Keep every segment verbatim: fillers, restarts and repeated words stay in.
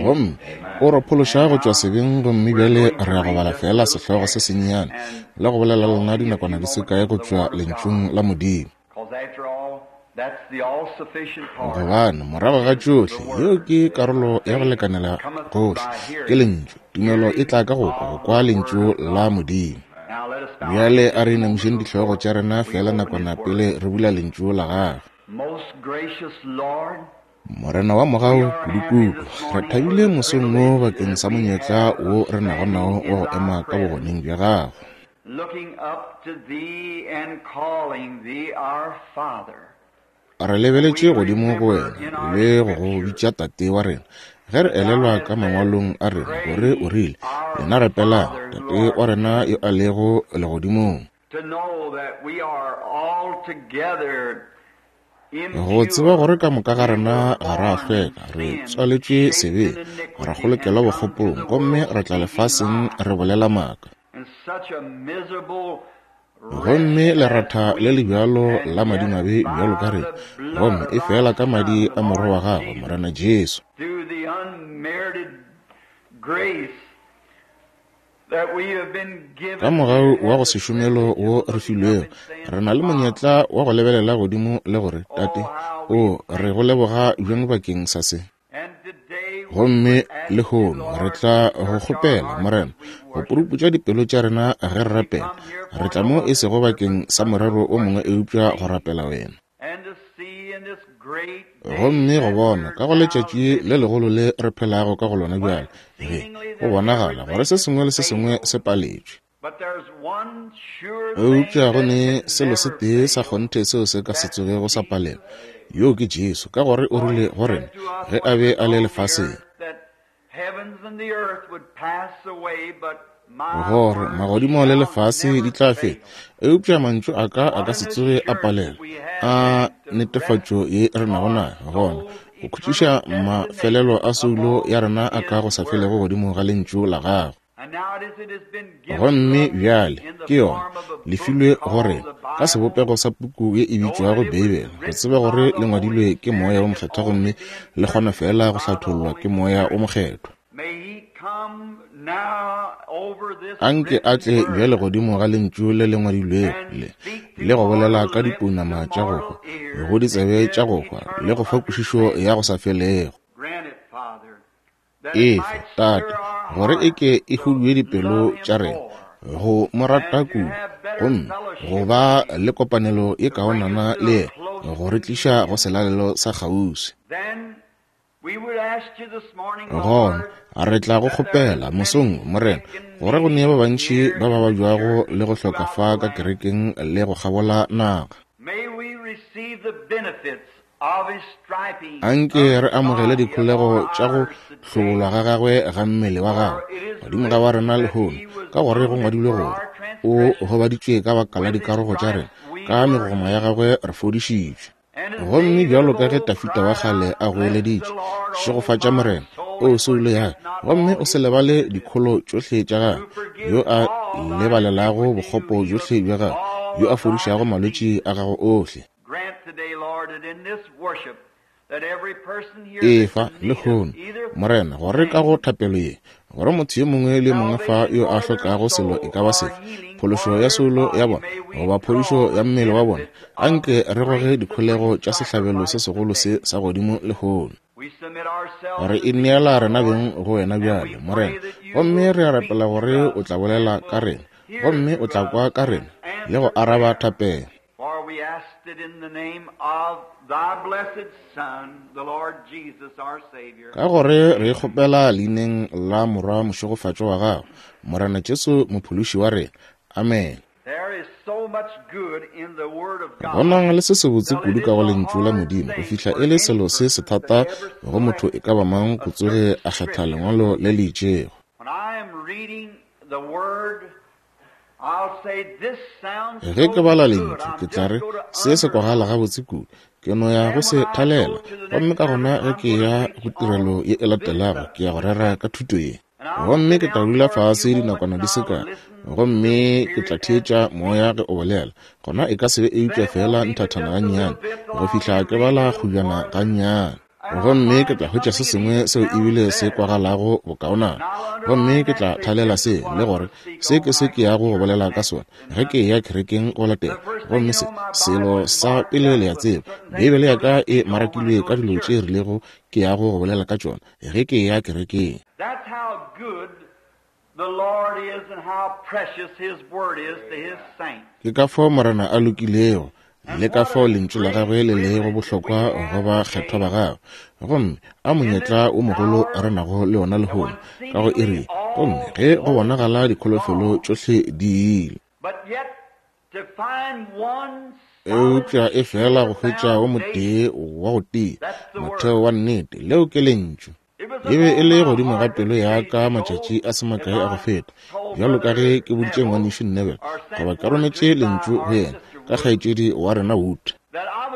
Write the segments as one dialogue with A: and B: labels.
A: Gomme o re phološa go tšwa sebeng, gomme bjale re ya go bala fela sehlogo se sennyane le go bolela lena dinakwana di se kae go tšwa Lentšung la Modimo. Gobane morago ga tšohle, yeo ke karolo ya go lekanela gohle, ke Lentšu. Tumelo e tla ka go kwa, go kwa Lentšu la Modimo. Bjale a re inamišeng dihlogo tša rena fela nakwana pele re bula Lentšu la Gagwe. Morena wa mogau kudu-kudu, re thabile mosong wo bakeng sa monyetla wo re nago nao wa go ema ka bogoneng bja Gago. Re lebeletše godimo go wena le go go bitša Tate wa rena, ge re elelwa ka mangwalong a rena gore o rile, lena rapelang, Tate wa rena yo a lego legodimong. Go tseba gore ka moka ga rena ga ra hlweka, re tswaletšwe sebeng, ra kgolokelwa bokgopong, gomme re tla lefaseng re bolela maaka. Gomme leratha le le bjalo la madimabe bjalo ka rena, gomme e fela ka madi a Morwa wa Gagwe, Morena Jesu. Ka mogau wa go se šomelo wo re filwego, re na le monyetla wa go lebelela godimo le gore, Tate, o re go leboga bjang bakeng sa se. Gomme lehono re tla go kgopela, Morena, go puruputša dipelo tša rena ge re rapela. Re tla mo e sego bakeng sa morero o mongwe eupša go rapela wena. Gomme go bona ka go letšatši le legolo le re phelago ka go lona bjale, ge go bonagala gore se sengwe le se sengwe se paletšwe, eupša go ne selo se tee sa kgonthe seo se ka se tsogego sa palelwa, yoo ke Jesu, ka gore o rile go rena ge a be a le lefaseng, gore magodimo le lefase di tla feta, eupša mantšu a ka a ka se tsoge a palelwa. A netefatšo ye re nago nayo gona go khutšiša mafelelo a soulo ya rena a ka go sa felego godimo ga Lentšu la Gagwe. Gomme bjale ke yona le filwe go rena ka sebopego sa puku ye e bitšwago Beibele, go tseba gore le ngwadilwe ke Moya wo Mokgethwa gomme le kgona fela go hlathollwa ke Moya wo Mokgethwa. Anke a tle bjale godimo ga Lentšu le le ngwadilwego le, le go bolela ka dipounama tša go hwa, go ditsebe tša go hwa, le go fa kwešišo ya go sa felego. Efe, Tate, gore e ke e hudue dipelo tša rena go mo rata kudu, gomme go ba le kopanelo ye kaonana le yena, go re tliša go selalelo sa kgauswi. Gona re tla go kgopela mosong, Morena, gore go nee ba bantši ba ba babjago le go hloka fa ka kerekeng le go kgabola naga. Anke re amogele dikholego tša go hlobolwa ga gagwe ga mmele wa gagwe godimo ga wa rena lehono, ka gore go ngwadilwe gore o gobaditšwe ka baka la dikarogo tša rena, ka megogoma ya gagwe re fodišitšwe. Gomme bjalo ka ge Tafita wa kgale a goeleditše, šegofatša Morena, o soulo ya ka, gomme o se lebale dikholo tšohle tša gagwe, yo a lebalelago bokgopo bjohle bja gagwe, yo a fodišago malwetši a gago ohle. Efa lehono, Morena, gore ka go thapelo ye, gore motho yo mongwe le mongwe fa yo a hlokago selo e ka ba sefe, phološo ya soulo ya bona goba phodišo ya mmele wa bona, anke re goge dikholego tša sehlabelo se segolo se sa godimo lehono. Re ineela rena beng go wena bjale, Morena, gomme re a rapela gore o tla bolela ka rena, gomme o tla kwa ka rena le go araba thapelo. Ka gore re kgopela leineng la Morwa mošegofatšo wa Gago, Morena Jesu mophološi wa rena. Amen. Go na le se sebotse kudu ka go Lentšu la Modimo go fihla e le selo se se thata go motho e ka ba mang go tsoge a kgetha lengwalo le le itšego. Ge ke bala Lentšu, ke tla re, se se kwagala gabotse kudu, ke no ya go se thalela, gomme ka gona ge ke ya go tirelo ye e latelago, ke ya go rera ka thuto ye. Gomme ke tla dula fase dinakwana di se kae, gomme ke tla theetša Moya ge o bolela. Gona e ka se be eupša fela nthathana gannyane, go fihla ke bala kgujana gannyane. Gomme ke tla hwetša se sengwe seo ebile se kwagalago bokaonana. Gomme ke tla thalela se, le gore se ke se ke yago go bolela ka sona ge ke eya kerekeng go latela. Gomme se, selo sa pele le a tseba, Beibele ya ka e marakilwe ka dilo tše rilego ke yago go bolela ka tšona ge ke eya kerekeng.
B: That's how good the Lord is and how precious His Word is to His saints.
A: Ke ka fao Morena a lokilego, le ka fao lentšu la gagwe le lego bohlokwa go bakgethwa ba gagwe. Gomme a monyetla o mogolo re nago le ona lehono ka go iri, gomme ge go bonagala dikholofelo tšohle di ile.
B: But yet, to find one
A: Eupša e fela go hwetša o motee wa go tia, motheo wa nnete, leo ke lentšu. E be e le godimo ga pelo ya ka matšatši a se makae a go feta, bjalo ka ge ke boditše ngwanešu Neville, goba ke rometše lentšu go yena ka kgaetšedi wa rena Wood,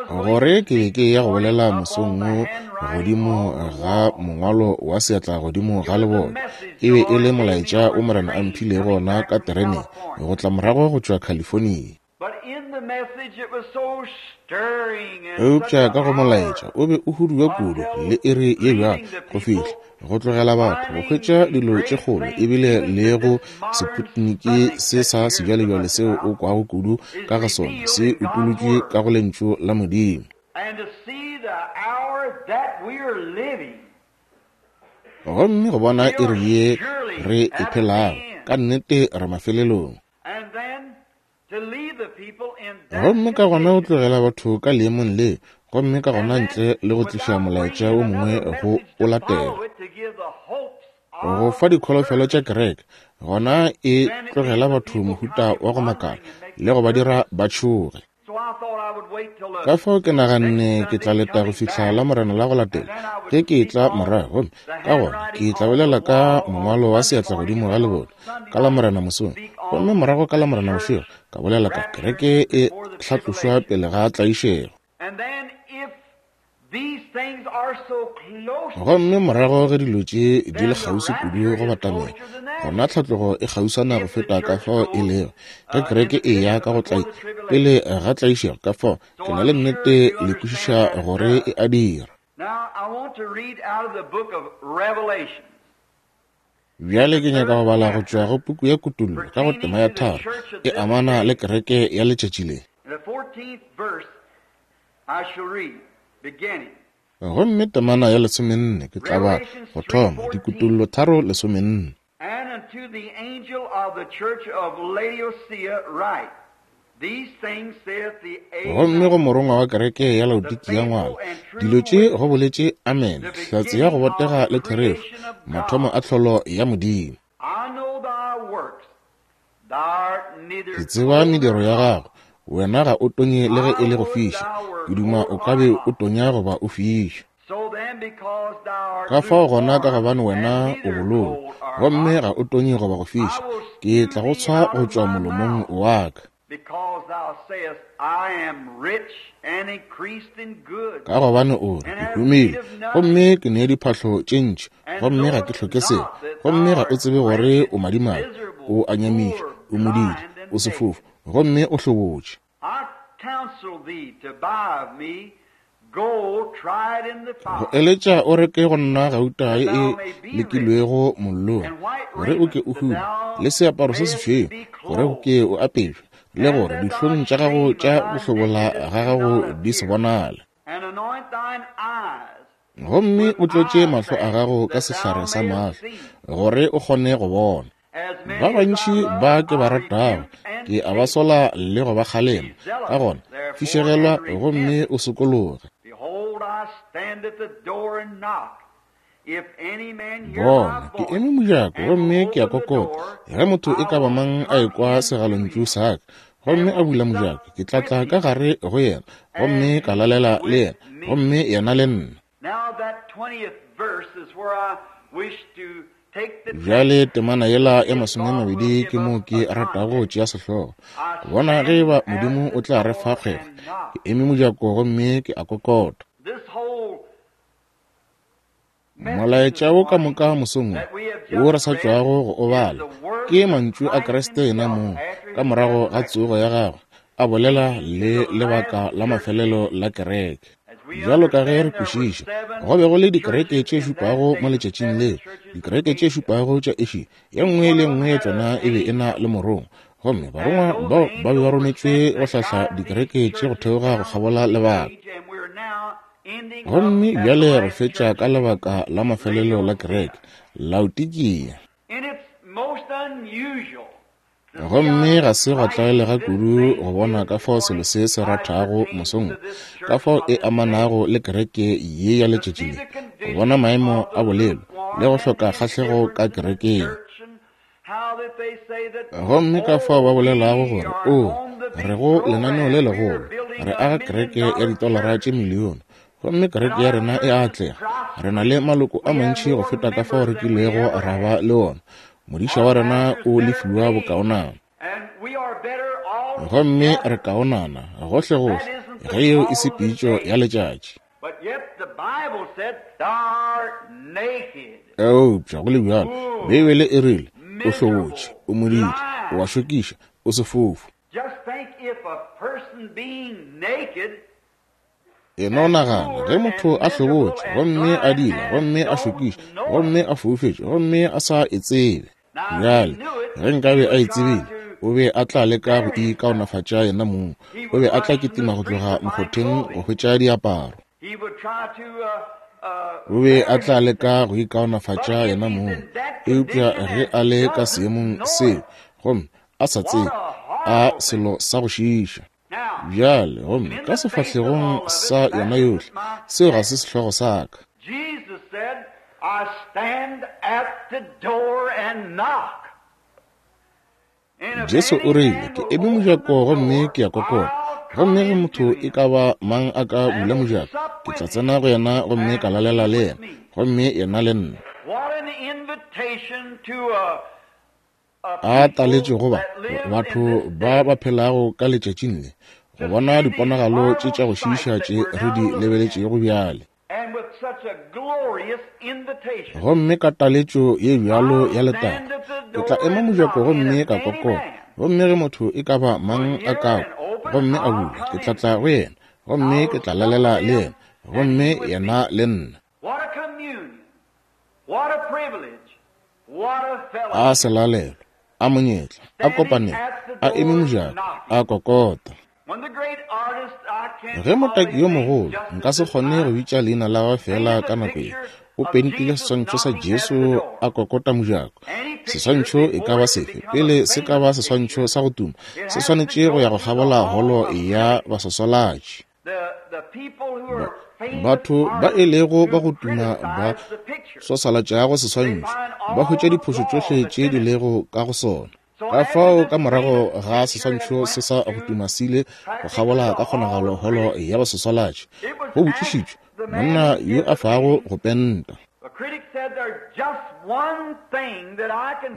A: gore ke be ke ya go bolela mosong wo godimo ga mongwalo wa seatla godimo ga leboto. E be e le molaetša o Morena a mphilego ona ka tereneng go tla morago go tšwa California.
B: But in the message it was so stirring and
A: Eupša ka go molaetša o be o huduwa kudu le iri ye bjalo go fihla go tlogela batho go hwetša dilo tše kgolo, ebile le go seputniki se sa sebjalebjale seo o kwago kudu ka ga sona se utolotšwe ka go lentšu la Modimo.
B: And to see the hour that we are living.
A: Gomme go bona iri ye re e phelago, ka nnete re mafelelong.
B: And then to leave the people in that
A: Gomme ka gona o tlogela batho ka leemong le, gomme ka gona ntle le go tliša molaetša o mongwe go o latela, go fa dikholofelo tša kereke, gona e tlogela batho mohuta wa go makala le go ba dira ba tšhoge.
B: So I thought I would wait till the
A: Ka fao ke naganne ke tla leta go fihla la Morena la go latela ge ke tla morago, gomme ka gona ke tla bolela ka mongwalo wa seatla godimo ga leboto ka la Morena mosong, gomme morago ka la Morena bošego ka bolela ka kereke e hlatlošwa pele ga tlaišego.
B: And then if these things are so close,
A: Gomme morago ge dilo tše di le kgauswi kudu go batamela, gona tlhatlogo e kgauswana go feta ka fao e lego ge kereke e ya ka go tlai pele ga tlaišego. Ka fao ke na le nnete le kwešiša gore e a dira.
B: Now I want to read out of the book of Revelation.
A: Bjale ke nyaka go bala go tšwa go puku ya Kutollo ka go tema ya tharo e amana le kereke ya letšatši le.
B: In the fourteenth verse I shall read, beginning.
A: Gomme temana ya lesomenne ke tla bala go thoma, Dikutollo tharo lesomenne.
B: And unto the angel of the church of Laodicea write, These things saith the
A: Gomme go
B: Amen,
A: morongwa wa kereke ya Laodikia ngwala, dilo tše go boletše Amen,
B: the
A: hlatse ya go
B: beginning of
A: botega
B: the
A: le therešo,
B: creation of
A: mathomo
B: God.
A: a tlholo ya Modimo.
B: I know thy works. Thou art neither
A: Ke tseba
B: cold
A: mediro
B: nor
A: ya
B: hot.
A: gago, wena ga o tonye le ge
B: I
A: e le go
B: would
A: fiša.
B: thou were
A: Ke duma
B: cold
A: o ka
B: or
A: be o
B: hot.
A: tonya goba o fiša.
B: So then, because thou art
A: Ka fao gona ka
B: lukewarm
A: gobane
B: and
A: wena o
B: neither
A: bololo,
B: cold or
A: gomme
B: hot,
A: ga o tonye goba go
B: I
A: fiša,
B: will
A: ke
B: spew
A: tla go
B: thee
A: tshwa
B: out
A: go
B: of
A: tšwa
B: my
A: molomong
B: mouth.
A: wa ka.
B: Because thou sayest, I am rich and increased in goods,
A: Ka gobane o re,
B: and
A: ke
B: have
A: humile,
B: need of nothing,
A: gomme ke ne diphahlo tše ntši,
B: and
A: gomme ga ke
B: knowest
A: hloke selo,
B: not that
A: gomme
B: thou
A: ga o
B: art
A: tsebe gore
B: wretched,
A: o madimabe,
B: miserable,
A: o a nyamiša,
B: poor,
A: o modidi,
B: blind, and
A: o
B: naked.
A: sefofu, gomme o hlobotše.
B: I counsel thee to buy of me gold tried in the
A: Go
B: fire,
A: eletša o reke go nna gauta
B: that
A: ye e
B: thou may be rich,
A: lekilwego mollong,
B: and white
A: gore o ke
B: raiment,
A: o
B: that
A: hume,
B: thou
A: le seaparo se
B: mayest
A: sešweu,
B: be
A: gore o
B: clothed,
A: ke o apešwe, le
B: and
A: gore
B: that thy
A: dihlong tša gago
B: shame of
A: tša
B: thy
A: go hlobola
B: nakedness
A: ga
B: do
A: gago
B: not
A: di se
B: appear,
A: bonale.
B: and anoint thine eyes
A: Gomme
B: with
A: o tlotše
B: eye
A: mahlo a
B: salve,
A: gago ka
B: that
A: sehlare
B: thou
A: sa
B: mayest
A: mahlo,
B: see.
A: gore o kgone go bona.
B: As
A: Ba
B: many as I
A: bantši
B: love,
A: ba ke ba
B: I
A: ratago,
B: rebuke and
A: ke a ba
B: chasten.
A: sola le go ba
B: Be
A: kgalema. Ka
B: zealous,
A: gona,
B: therefore,
A: fišegelwa
B: and repent.
A: gomme o sokologe.
B: Behold, I stand at the door and knock. If any man hear my
A: Bona, ke
B: voice
A: eme mojako
B: and will
A: gomme ke a
B: open the
A: kokota.
B: door,
A: Ge motho e
B: I
A: ka ba
B: will
A: mang a
B: come
A: ekwa
B: in to
A: segalontšu
B: him
A: sa ka, gomme
B: and
A: a
B: will
A: bula
B: sup
A: mojako, ke tla
B: with
A: tla ka
B: him
A: gare go yena, gomme
B: and
A: ka
B: he
A: lalela le
B: with
A: yena,
B: me.
A: gomme yena le nna.
B: Now that twentieth verse is where I wish to take the text.
A: Bjale temana yela ya
B: If
A: masome a
B: God will
A: mabedi
B: give
A: ke mo
B: us
A: ke
B: a
A: ratago go
B: context.
A: tšea sehlogo.
B: I
A: Go bona ge e
B: stand
A: ba
B: at
A: Modimo
B: the
A: o tla re fa
B: door
A: kgwekgwe.
B: and knock.
A: Ke eme mojako gomme ke a kokota.
B: This whole message
A: Molaetša
B: this
A: wo ka
B: morning
A: moka mosong
B: that we have
A: wo wo re
B: just
A: sa
B: read
A: tšwago go o
B: is
A: bala
B: the words
A: ke
B: of
A: mantšu a
B: Christ
A: Kriste yena
B: Himself
A: mong
B: after
A: ka
B: His
A: morago ga
B: resurrection,
A: tsogo ya gagwe, a bolela
B: speaking to
A: le
B: the
A: lebaka
B: last
A: la
B: church
A: mafelelo
B: age.
A: la kereke.
B: As
A: Bjalo ka ge re kwešiša, go be go le dikereke tše šupago mo letšatšing leo, dikereke tše šupago tša Asia, ye nngwe le nngwe ya tšona e be e na le morongwa, gomme barongwa bao ba be ba rometšwe go hlahla dikereke tše go theoga go kgabola lebaka. Gomme bjale re fetša ka lebaka la mafelelo la kereke, Laodikia. Gomme ga se gwa tlwaelega kudu go bona ka fao selo se se rathago mosong, ka fao e amanago le kereke ye ya letšatši le, go bona maemo a bolelo le go hloka kgahlego ka kerekeng. Gomme ka fao ba bolelago gore, o, re go lenaneo le legolo, re aga kereke ya ditolara tše milione, gomme kereke ya rena e atlega, re na le maloko a mantši go feta ka fao re kilego ra ba le ona, modiša wa rena o lefiwa bokaonana, gomme re kaonana gohlegohle, ge yeo e se pitšo ya letšatši. Eupša go le bjalo, Beibele e rile, o hlobotše, o modidi, o a šokiša, o sefofu. E no nagana, ge motho a hlobotše, gomme a dila, gomme a šokiša, gomme a foufetše, gomme a sa e tsebe. Bjale, ge nkabe a e tsebile, o be a tla leka go ikaonafatša yena mong, o be a tla kitima go tloga mokgotheng go hwetša diaparo. O be a tla leka go ikaonafatša yena mong, eupša ge a le ka seemong seo, gomme a sa tsebe, a selo sa go šiiša. Bjale, gomme ka sefahlegong sa yona yohle, seo ga se sehlogo sa ka. Jesu o rile, ke eme mojako gomme ke a kokota, gomme ge motho e ka ba mang a ka bula mojako, ke tla tsena go yena gomme ka lalela le yena, gomme yena le nna. A taletšo go ba batho ba ba phelago ka letšatšing le, go bona diponagalo tše tša go šiiša tše re di lebeletšego bjale. Gomme ka taletšo ye bjalo ya letago, ke tla ema mojako gomme ka kokota, gomme ge motho e ka ba mang a ka kwa, gomme a bula, ke tla tla go yena, gomme ke tla lalela le yena, gomme yena le nna. A selalelo, a monyetla, a kopanelo, a eme mojako, a kokota. Ge motaki yo mogolo, nka se kgone go bitša leina la gagwe fela ka nako ye, o pentile seswantšho sa Jesu a kokota mojako. Seswantšho e ka ba sefe, pele se ka ba seswantšho sa go tuma, se swanetše go ya go kgabola holo ya baswaswalatši. Batho ba e lego ba go tuma ba swaswalatšago seswantšho, ba hwetša diphošo tšohle tše di lego ka go sona. Ka fao ka morago ga seswantšho se sa go tuma sile go kgabola ka kgonagalo holo ya baswaswalatši, go botšišitšwe monna yo a fago go penta.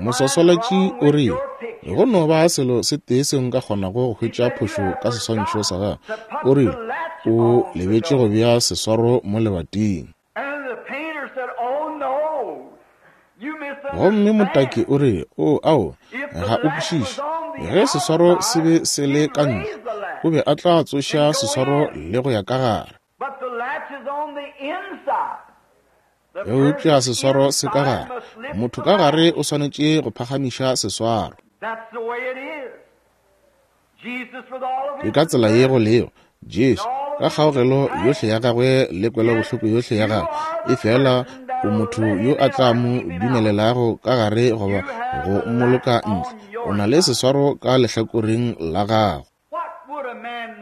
A: Moswaswalatši o rile, go no ba selo se tee seo nka kgonago go hwetša phošo ka seswantšho sa gago. O rile, o lebetše go bea seswaro mo lebating. Gomme motaki o rile, o, ao, ga o kwešiše. Ge seswaro se be se le ka ntle, o be a tla tsoša seswaro le go ya ka gare. Eupša seswaro se ka gare, motho ka gare o swanetše go phagamiša seswaro. Ke ka tsela ye go lego Jesu, ka kgaogelo yohle ya gagwe le kwelobohloko yohle ya gagwe, e fela o motho yo a tla mo dumelelago ka gare goba go mmoloka ntle, o na le seswaro ka lehlakoreng la gago.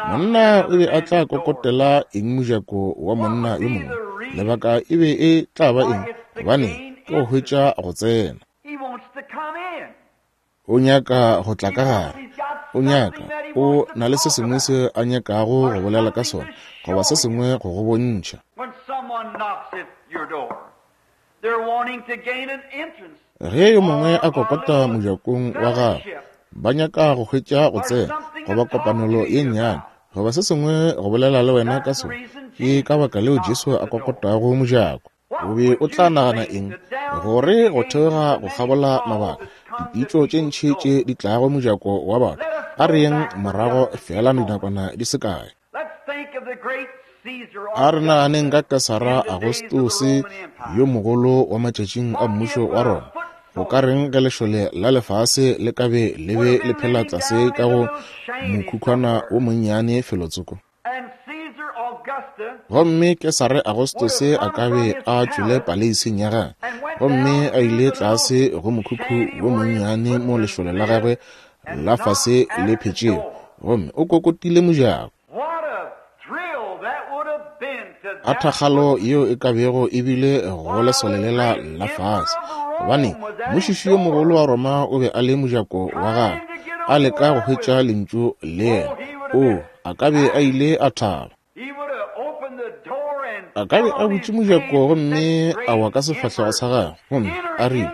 A: Monna o be a tla kokotela eng mojako wa monna yo mongwe? Lebaka e be e tla ba eng? Gobane ke go hwetša go tsena. O nyaka go tla ka gare. O nyaka, o na le se sengwe se a nyakago go bolela ka sona, goba se sengwe go go bontšha. Ge yo mongwe a kokota mojakong wa gagwe, ba nyaka go hwetša go tsena, goba kopanelo ye nnyane, goba se sengwe go bolela le wena ka sona. Ke ka baka leo Jesu a kokotago mojako. O be o tla nagana eng? Gore go theoga go kgabola mabaka, dipitšo tše ntši tše di tlago mojako wa batho, a re yeng morago fela dinakwana di se kae. A re naganeng ka Kesara Agostose yo mogolo wa matšatšing a mmušo wa Roma. Go ka reng ge lešole la lefase le ka be le be le phela tlase ka go mokhukhwana wo monnyane felotsoko? Gomme Kesare Agostose a ka be a tšwele paleising ya gagwe gomme a ile tlase go mokhukhu wo monnyane mo lešole la gagwe la fase le phetšego, gomme o kokotile mojako. A thakgalo yeo e ka bego e bile go lesole lela la fase, gobane mmušiši yo mogolo wa Roma o be a le mojako wa gagwe, a leka go hwetša lentšu le yena. O a ka be a ile a thaba. A ka be a butše mojako gomme a wa ka sefahlego sa gagwe gomme a rile,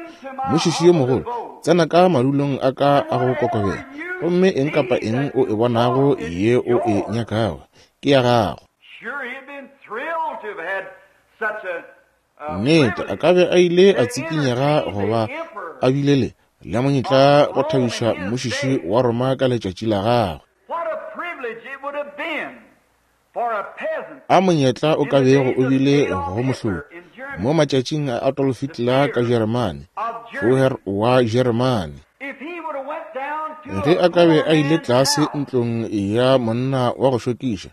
A: mmušiši yo mogolo, tsena ka madulong a ka a go kokobela, gomme eng kapa eng o e bonago ye o e nyakago ke ya gago. Nnete, a ka be a ile a tsikinyega goba a bile le le monyetla go thabiša mmušiši wa Roma ka letšatši la gagwe. A monyetla o ka bego o bile go mohloki mo matšatšing a Adolf Hitler ka Jeremane, Führer wa Jeremane. Ge a ka be a ile tlase ntlong ya monna wa go šokiša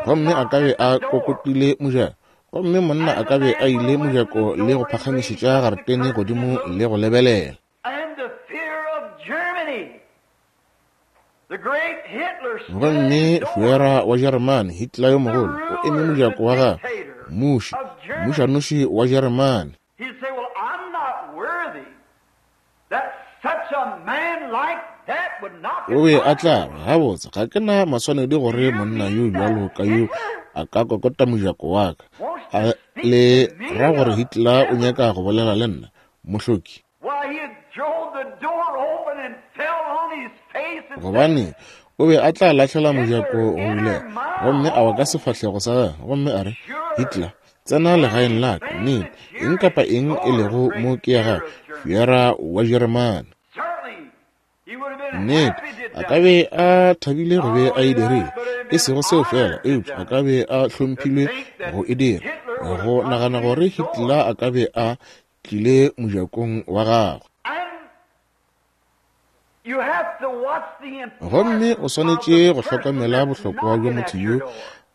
A: gomme a ka be a kokotile mojako, gomme monna a ka be a ile mojako le go phagamišetša garetene godimo le go lebelela. Gomme Führer wa Jeremane, Hitler yo mogolo, o eme mojako wa gagwe, mmuši, mmušanoši wa Jeremane. O be a tla re, gabotse, ga ke na maswanedi gore monna yo bjalo ka yo a ka kokota mojako wa ka. A le ra gore Hitler o nyaka go bolela le nna, mohloki? Gobane o be a tla lahlela mojako go bulega gomme a wa ka sefahlego sa gagwe gomme a re, Hitler, tsena legaeng la ka, nnete, eng kapa eng e lego mo ke ya gago, Führer wa Jeremane. Nnete, a ka be a thabile go be a e dirile, e sego seo fela, eupša a ka be a hlomphilwe go e dira, go nagana gore Hitler a ka be a tlile mojakong wa gagwe. Gomme o swanetše go hlokomela bohlokwa bja motho yo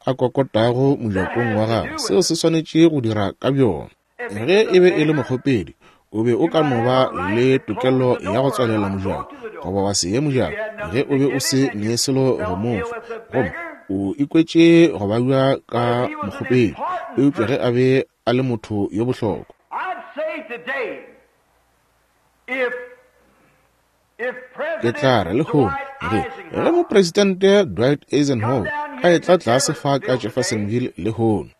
A: a kokotago mojakong wa gagwe, seo se swanetše go dira ka bjona. Ge e be e le mokgopedi, o be o ka no ba le tokelo ya go tswalela mojako goba wa se ye mojako ge o be o se ne selo go mo fa, gomme o ikwetše go babja ka mokgopedi. Eupša ge a be a le motho yo bohlokwa, ke tla re lehono ge ge mopresidente Dwight Eisenhower a etla tlase fa ka Jeffersonville lehono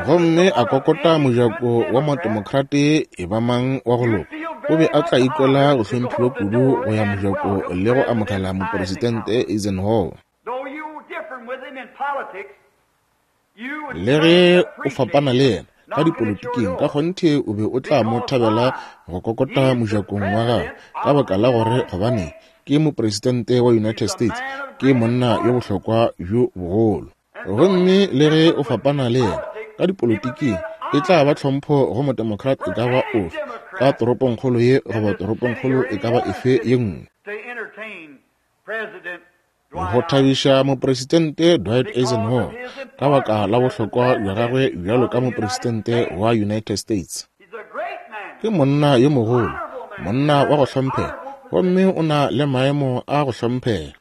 A: gomme a kokota mojako wa modemokrate e ba mang wa go loka, o be a tla ikwela go hlomphiwa kudu go ya mojako le go amogela mopresidente Eisenhower. Le ge o fapana le yena ka dipolotiking, ka kgonthe o be o tla mo thabela go kokota mojakong wa gagwe, ka baka la gore gobane ke mopresidente wa United States, ke monna yo bohlokwa bjo bogolo. Gomme le ge o fapana le yena ka dipolotiking, e tla ba tlhompho go modemokrat e ka ba ofe ka toropongkgolo ye goba toropongkgolo e ka ba efe ye nngwe go thabiša mopresidente Dwight Eisenhower ka baka la bohlokwa bja gagwe bjalo ka mopresidente wa United States. Ke monna yo mogolo, monna wa go hlomphega, gomme o na le maemo a go hlomphega.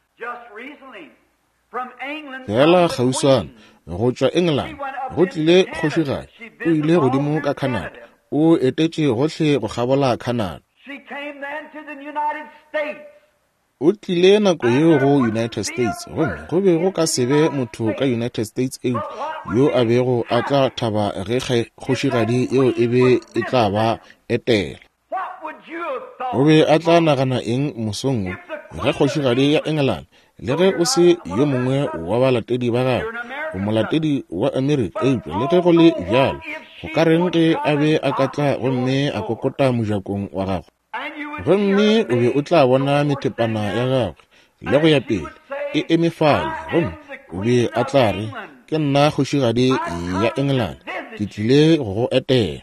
A: Fela kgauswana go tšwa England go tlile kgošigadi, o ile godimo ka Canada, o etetše gohle go kgabola Canada. O tlile nako yeo go United States, gomme go be go ka se be motho ka United States eupša yo a bego a tla thaba ge kgošigadi yeo e be e tla ba etela. O be a tla nagana eng mosong wo ge kgošigadi ya England, le ge o se yo mongwe wa balatedi ba gagwe, o molatedi wa Amerika, eupša le ge go le bjalo, go ka reng ge a be a ka tla gomme a kokota mojakong wa gagwe? Gomme o be o tla bona methepana ya gagwe le go ya pele e eme fale, gomme o be a tla re, Ke nna kgošigadi ya England, ke tlile go go etela.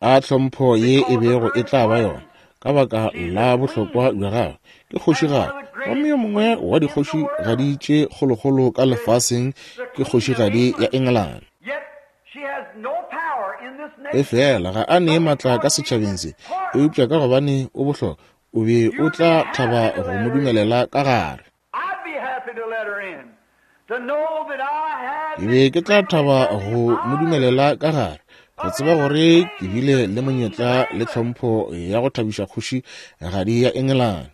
A: A tlhompho ye e bego e tla ba yona, ka baka la bohlokwa bja gagwe, ke kgošigadi. Gomme yo mongwe wa dikgošigadi tše kgolokgolo ka lefaseng ke kgošigadi ya England. Efela ga a nee matla ka setšhabeng se, eupša ka gobane o bohlokwa, o be o tla thaba go mo dumelela ka gare. Ke be ke tla thaba go mo dumelela ka gare, go tseba gore ke bile le monyetla le tlhompho ya go thabiša kgošigadi ya England.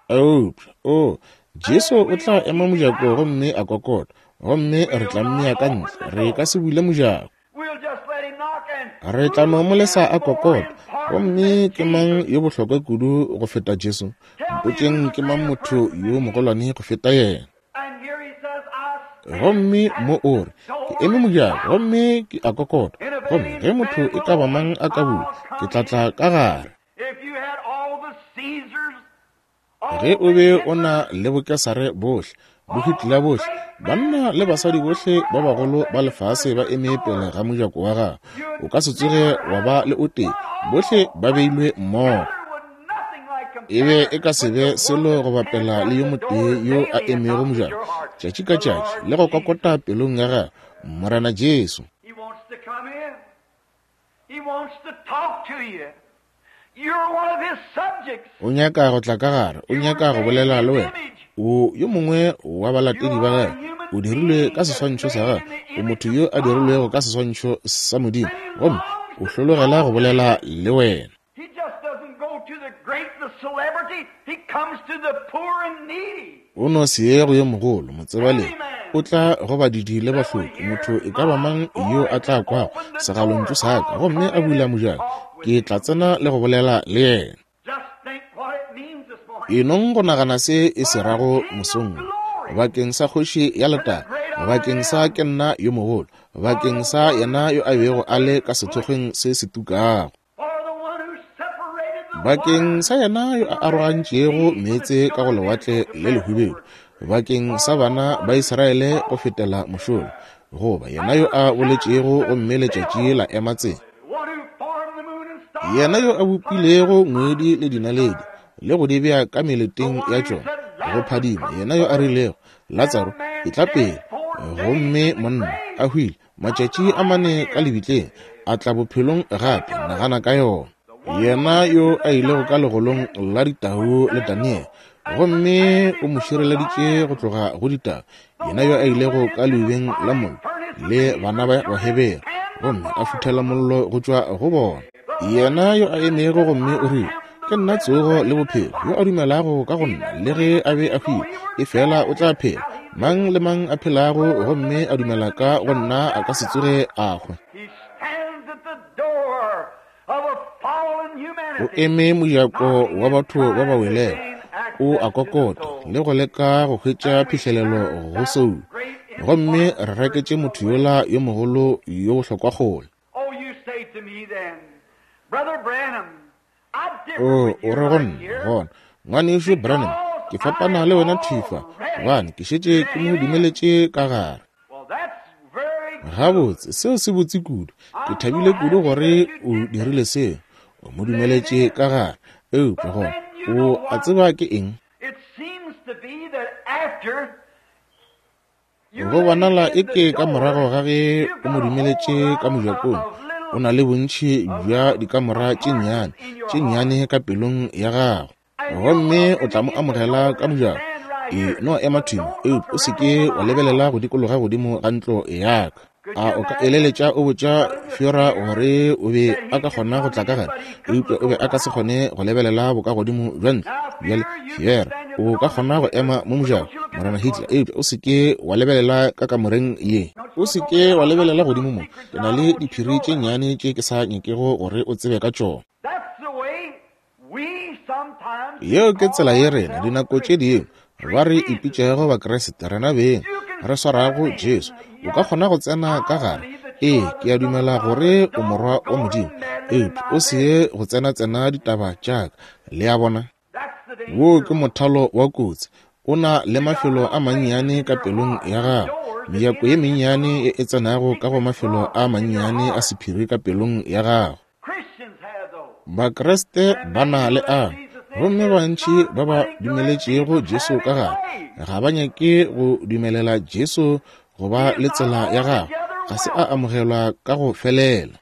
A: Eupša, o, Jesu o tla ema mojako gomme a kokota, gomme re tla mmea ka ntle, re ka se bule mojako. Re tla no mo lesa a kokota. Gomme ke mang yo bohlokwa kudu go feta Jesu? Mpotšeng ke mang motho yo mogolwane go feta yena? Gomme mo o re, ke eme mojako gomme ke a kokota, gomme ge motho e ka ba mang a ka bula, ke tla tla ka gare. Ge o be o na le bokesare bohle, boHitler bohle, banna le basadi bohle ba bagolo ba lefase ba eme pele ga mojako wa gago, o ka se tsoge wa ba le o tee, bohle ba beilwe mmogo. E be e ka se be selo go bapela le yo motee yo a emego mojako tšatši ka tšatši le go kokota pelong ya gagwe, Morena Jesu. O nyaka go tla ka gare, o nyaka go bolela le wena. O yo mongwe wa balatedi ba gagwe, o dirilwe ka seswantšho sa gagwe, o motho yo a dirilwego ka seswantšho sa Modimo, gomme o hlologela go bolela le wena. O no se ye go yo mogolo, motsebalegi, o tla go badidi le bahloki, motho e ka ba mang yo a tla kwago segalontšu sa ka gomme a bula mojako, ke tla tsena le go bolela le yena. Enong go nagana se e se rago mosong, bakeng sa kgoši ya letago, bakeng sa ke nna yo mogolo, bakeng sa yena yo a bego a le ka sethokgweng se se tukago, bakeng sa yena yo a arogantšego meetse ka go lewatle le lehubedu, bakeng sa bana ba Israele go fetela mošola, goba yena yo a boletšego gomme letšatši la ema tsela, yena yo a bopilego ngwedi le dinaledi le go di bea ka meleteng ya tšona go phadima, yena yo a rilego, Latsaro, etla pele, gomme monna a hwile matšatši a mane ka lebitleng, a tla bophelong gape, nagana ka yona. Yena yo a ilego ka legolong la ditau le Daniel, gomme o mo šireleditše go tloga go ditau, yena yo a ilego ka leubeng la mollo le bana ba Bahebere, gomme a futhela mollo go tšwa go bona, yena yo a emego gomme o rile, ke nna tsogo le bophelo, yo a dumelago ka go nna le ge a be a hwile, efela o tla phela. Mang le mang a phelago gomme a dumela ka go nna a ka se tsoge a hwa. O eme mojako wa batho ba ba welego, o a kokota le go leka go hwetša phihlelelo go soulo, gomme re reketše motho yola yo mogolo yo bohlokwa kgole. O, o re go nna, gona, ngwanešu Branham, ke fapana le wena thifa, gobane ke šetše ke mo dumeletše ka gare. Gabotse, seo se botse kudu. Ke thabile kudu gore o dirile seo, o mo dumeletše ka gare. Eupša gona, o a tseba ke eng? Go bonala eke ka morago ga ge o mo dumeletše ka mojakong, o na le bontši bja dikamora tše nnyane tše nnyane ka pelong ya gago, gomme o tla mo amogela ka mojako. E no ema thwi, eupša o se ke wa lebelela go dikologa godimo ga ntlo ya ka. A o ka eleletša o botša Fiora gore o be a ka kgona go tla ka gare, eupša o be a ka se kgone go lebelela bokagodimo bja ntlo. Bjale Fiora, o ka kgona go ema mo mojako, Morena Hitler, eupša o se ke wa lebelela ka kamoreng ye. O se ke wa lebelela godimo mo. Ke na le diphiri tše nnyane tše ke sa nyakego gore o tsebe ka tšona. Yeo ke tsela ye rena dinako tše dingwe ba re ipitšego Bakriste rena beng re swarago Jesu. O ka kgona go tsena ka gare. Ee, ke a dumela gore o morwa wa Modimo, eupša o se ye go tsena-tsena ditaba tša ka. Le a bona? Wo ke mothalo wa kotsi. O na le mafelo a mannyane ka pelong ya gago, mejako ye mennyane e e tsenago ka go mafelo a mannyane a sephiri ka pelong ya gago. Bakreste ba na le a, gomme bantši ba ba dumeletšego Jesu ka gare ga ba nyake go dumelela Jesu go ba le tsela ya gagwe, ga se a amogelwa ka go felela.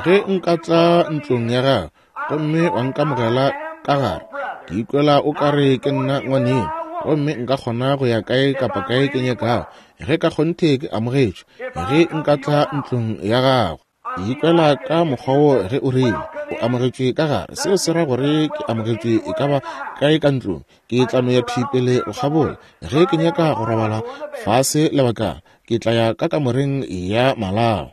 A: Ge nka tla ntlong ya gago gomme wa nkamogela ka gare, ke ikwela o kare ke nna ngwaneno, gomme nka kgona go ya kae kapa kae ke nyakago ge ka kgonthe ke amogetšwe. Ge nka tla ntlong ya gago, ke ikwela ka mokgwa wo ge o rile o amogetšwe ka gare. Seo se ra gore ke amogetšwe e ka ba kae ka ntlong. Ke tla no ya thwi pele go kgabola. Ge ke nyaka go robala fase lebakana, ke tla ya ka kamoreng ya malao.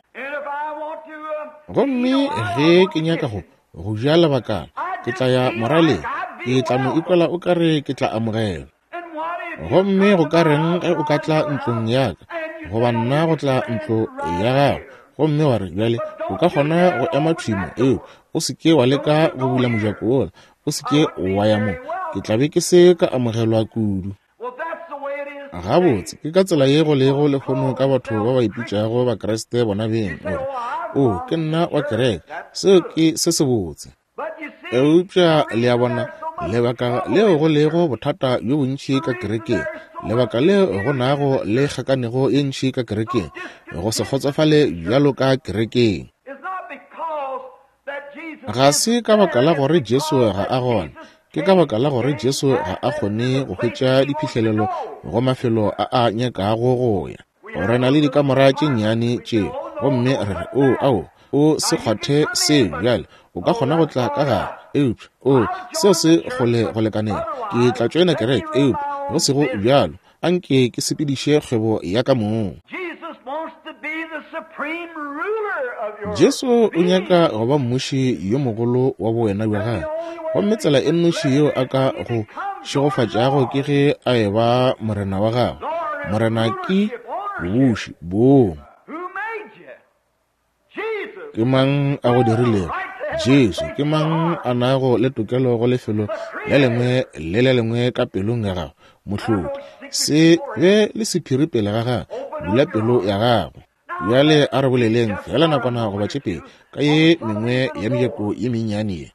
A: Gomme ge ke nyaka go go ja lebakana, ke tla ya moraleng. Ke tla no ikwela o kare ke tla amogelwa. Gomme go ka reng ge o ka tla ntlong ya ka, goba nna go tla ntlo ya gago, gomme wa re, bjale o ka kgona go ema thwi mo, eo o se ke wa leka go bula mojako wola, o se ke wa ya mo, ke tla be ke se ka amogelwa kudu. Gabotse, ke ka tsela ye go lego lehono ka batho ba ba ipitšago Bakreste bona beng. O re, o ke nna wa kereke, seo ke se sebotse. Eupša le a bona, lebaka leo go lego bothata bjo bontši ka kerekeng, lebaka leo go nago le kgakanego ye ntši ka kerekeng, go se kgotsofale bjalo ka kerekeng, ga se ka baka la gore Jesu ga a gona, ke ka baka la gore Jesu ga a kgone go hwetša diphihlelelo go mafelo a a nyakago go ya. Re na le dikamora tše nnyane tšeo, gomme re re, o ao, o se kgwathe seo bjale, o ka kgona go tla ka gare, eupša o seo se kgole go lekanela. Ke tla tšoena kereke, eupša go sego bjalo anke ke sepediše kgwebo ya ka mong. Jesu o nyaka go ba mmuši yo mogolo wa bowena bja gagwe, gomme tsela e nnoši yeo a ka go šegofatšago ke ge a e ba morena wa gagwe. Morena ke bobuši bong. Ke mang a go dirilego? Jesu. Ke mang a nago le tokelo go lefelo le lengwe le le lengwe ka pelong ya gago? Mohlodi. Se be le sephiri pele ga gago, bula pelo ya gago. Bjale a re boleleng fela nakwana goba tše pedi ka ye mengwe ya mejako ye mennyane ye.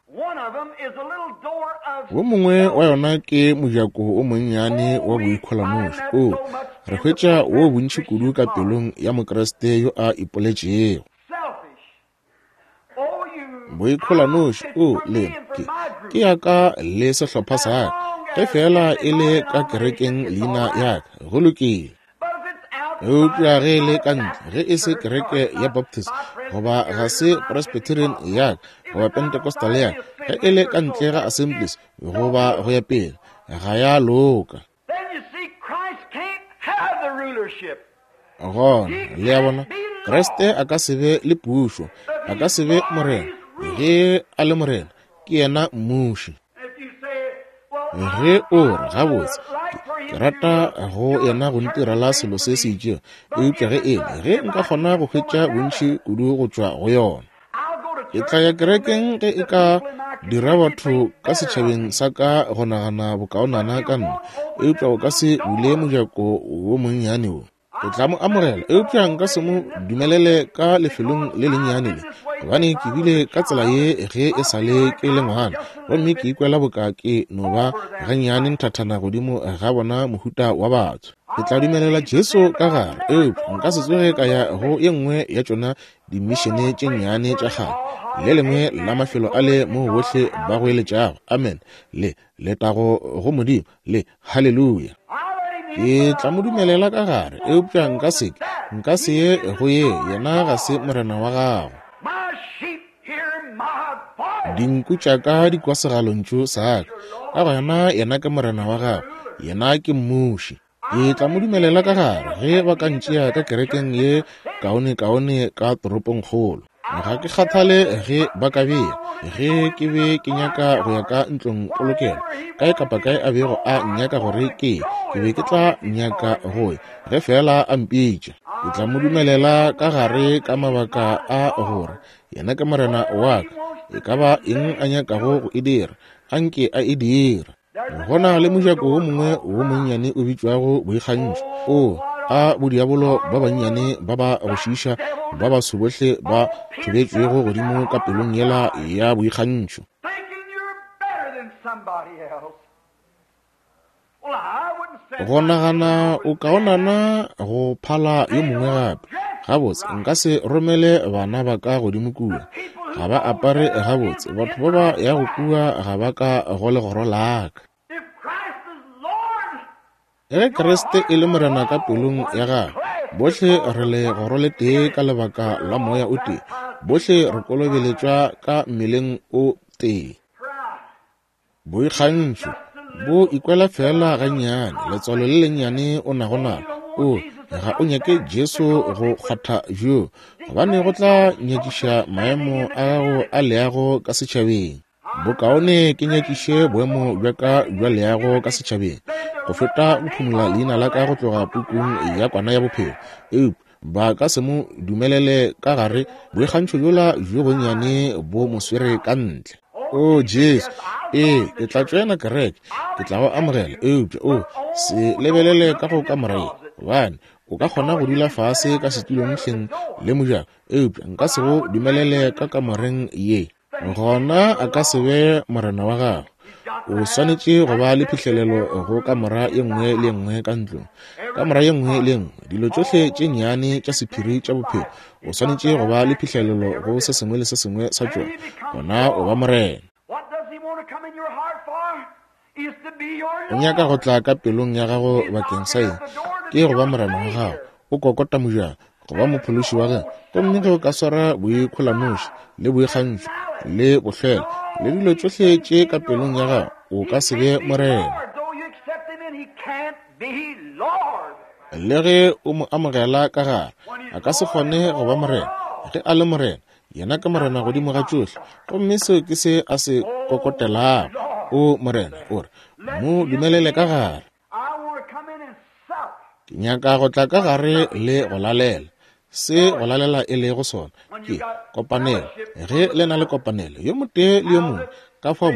A: Wo mongwe wa yona ke mojako o monnyane wa boikholanoši. O re hwetša wo bontši kudu ka pelong ya Mokreste yo a ipoletšego. Boikholanoši, o lena, ke, ke ya ka le sehlopha sa ka, ge fela e le ka kerekeng leina ya ka, go lokile. Eupša ge e le ka ntle, ge e se kereke ya Baptist, goba ga se Presbyterian ya ka, goba Pentecostal ya ka, ge e le ka ntle ga Assemblies, goba go ya pele, ga ya loka. Gona, le a bona, Kriste a ka se be le pušo, a ka se be morena. Ge a le morena, ke yena mmuši. Ge o re, gabotse, ke rata go yena go ntirela selo se se itšego, eupša ge ele, ge nka kgona go hwetša bontši kudu go tšwa go yona, ke tla ya kerekeng ge e ka dira batho ka setšhabeng sa ka go nagana bokaonana ka nna, eupša o ka se bule mojako wo monnyane wo. Ke tla mo amogela, eupša nka se mo dumelele ka lefelong le lennyane le, gobane ke bile ka tsela ye ge e sa le ke le ngwana, gomme ke ikwela boka ke no ba gannyane nthathana godimo ga bona mohuta wa batho. Ke tla dumelela Jesu ka gare, eupša nka se tsoge ka ya go ye nngwe ya tšona dimišene tše nnyane tša kgale, le lengwe la mafelo a le mo bohle ba goeletšago amen le letago go Modimo le haleluya. Ke tla mo dumelela ka gare, eupša nka se ke, nka se ye go ye, yena ga se morena wa gago. Dinku tša ka di kwa segalontšu sa ka, ka gona yena ke morena wa gago, yena ke mmuši. Ke tla mo dumelela ka gare ge ba ka ntšea ka kerekeng ye kaone-kaone ka toropongkgolo. Ga ke kgathale ge ba ka bea, ge ke be ke nyaka go ya ka ntlong polokelo, kae kapa kae a bego a nyaka gore ke, ke be ke tla nyaka go ya, ge fela a mpitša. Ke tla mo dumelela ka gare ka mabaka a gore yena ke morena wa ka, e ka ba eng a nyakago go e dira, Anke a e dira. Go na le mojako wo mongwe wo monnyane o bitšwago boikgantšho. O a bodiabolo ba bannyane ba ba go šiiša ba baso bohle ba thubetšwego godimo ka pelong yela ya boikgantšho. Go nagana o kaonana go phala yo mongwe gape. Gabotse, nka se romele bana ba ka godimo kua. Ga ba apare gabotse. Batho ba ba yago kua ga ba ka go legoro la ka. Ge Kriste e le Morena ka pelong ya gago, bohle re legoro le tee ka lebaka la moya o tee. Bohle re kolobeletšwa ka mmeleng o tee. Boikgantšho bo ikwela fela gannyane, letswalo le lennyane o nago nalo. O ga o nyake Jesu go kgwatha bjo, gobane go tla nyakiša maemo a gago a leago ka setšhabeng. Bokaone ke nyakiše boemo bja ka bja leago ka setšhabeng go feta go phumola leina la ka go tloga pukung ya kwana ya bophelo. Eupša ba ka se mo dumelele ka gare, boikgantšho bjola bjo bonnyane bo mo swere ka ntle. O Jesu, ee, ke tla tšoena kereke, ke tla go amogela, eupša o se lebelele ka go kamora ye, gobane o ka kgona go dula fase ka setulong hleng le mojako, eupša nka se go dumelele ka kamoreng ye. Gona a ka se be morena wa gago. O swanetše go ba le phihlelelo go kamora ye nngwe le ye nngwe ka ntlong, kamora ye nngwe le ye nngwe, dilo tšohle tše nnyane tša sephiri tša bophelo. O swanetše go ba le phihlelelo go se sengwe le se sengwe sa tšona. Gona o ba morena. O nyaka go tla ka pelong ya gago bakeng sa eng? Ke go ba morena wa gago. O kokota mojako, go ba mophološi wa gago. Gomme ge o ka swara boikgolanoši le boikgantšho le bohlwela le dilo tšohle tše ka pelong ya gago, o ka se be morena. Le ge o mo amogela ka gare, a ka se kgone go ba morena. Ge a le morena, yena ke morena godimo ga tšohle. Gomme seo ke se a se kokotelago. O morena, o re, mo dumelele ka gare. Ke nyaka go tla ka gare le go lalela. Se go lalela e lego sona ke kopanelo. Ge le na le kopanelo yo motee le yo mongwe, ka fao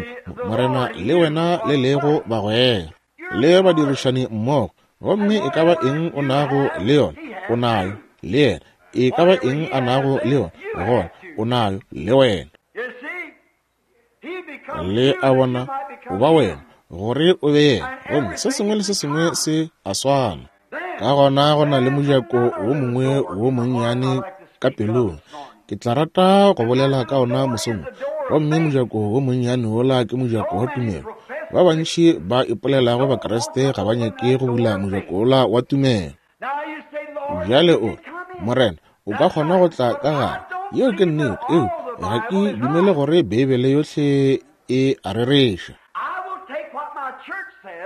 A: morena le wena le lego bagwera le badirišani mmogo, gomme e ka ba eng o nago le yona o nayo le yena, e ka ba eng a nago le yona gona o nayo le wena. Le a bona, o ba wena gore o be yena, gomme se sengwe le se sengwe se a swana. Ka gona go na le mojako wo mongwe wo monnyane ka pelong. Ke tla rata go bolela ka ona mosong. Gomme mojako wo monnyane wola ke mojako wa tumelo. Ba bantši ba ipolelago Bakriste ga ba nyake go bula mojako wola wa tumelo. Bjale o, Morena, o ka kgona go tla ka gare. Yeo ke nnete, eupša ga ke dumele gore Beibele yohle e a rereša.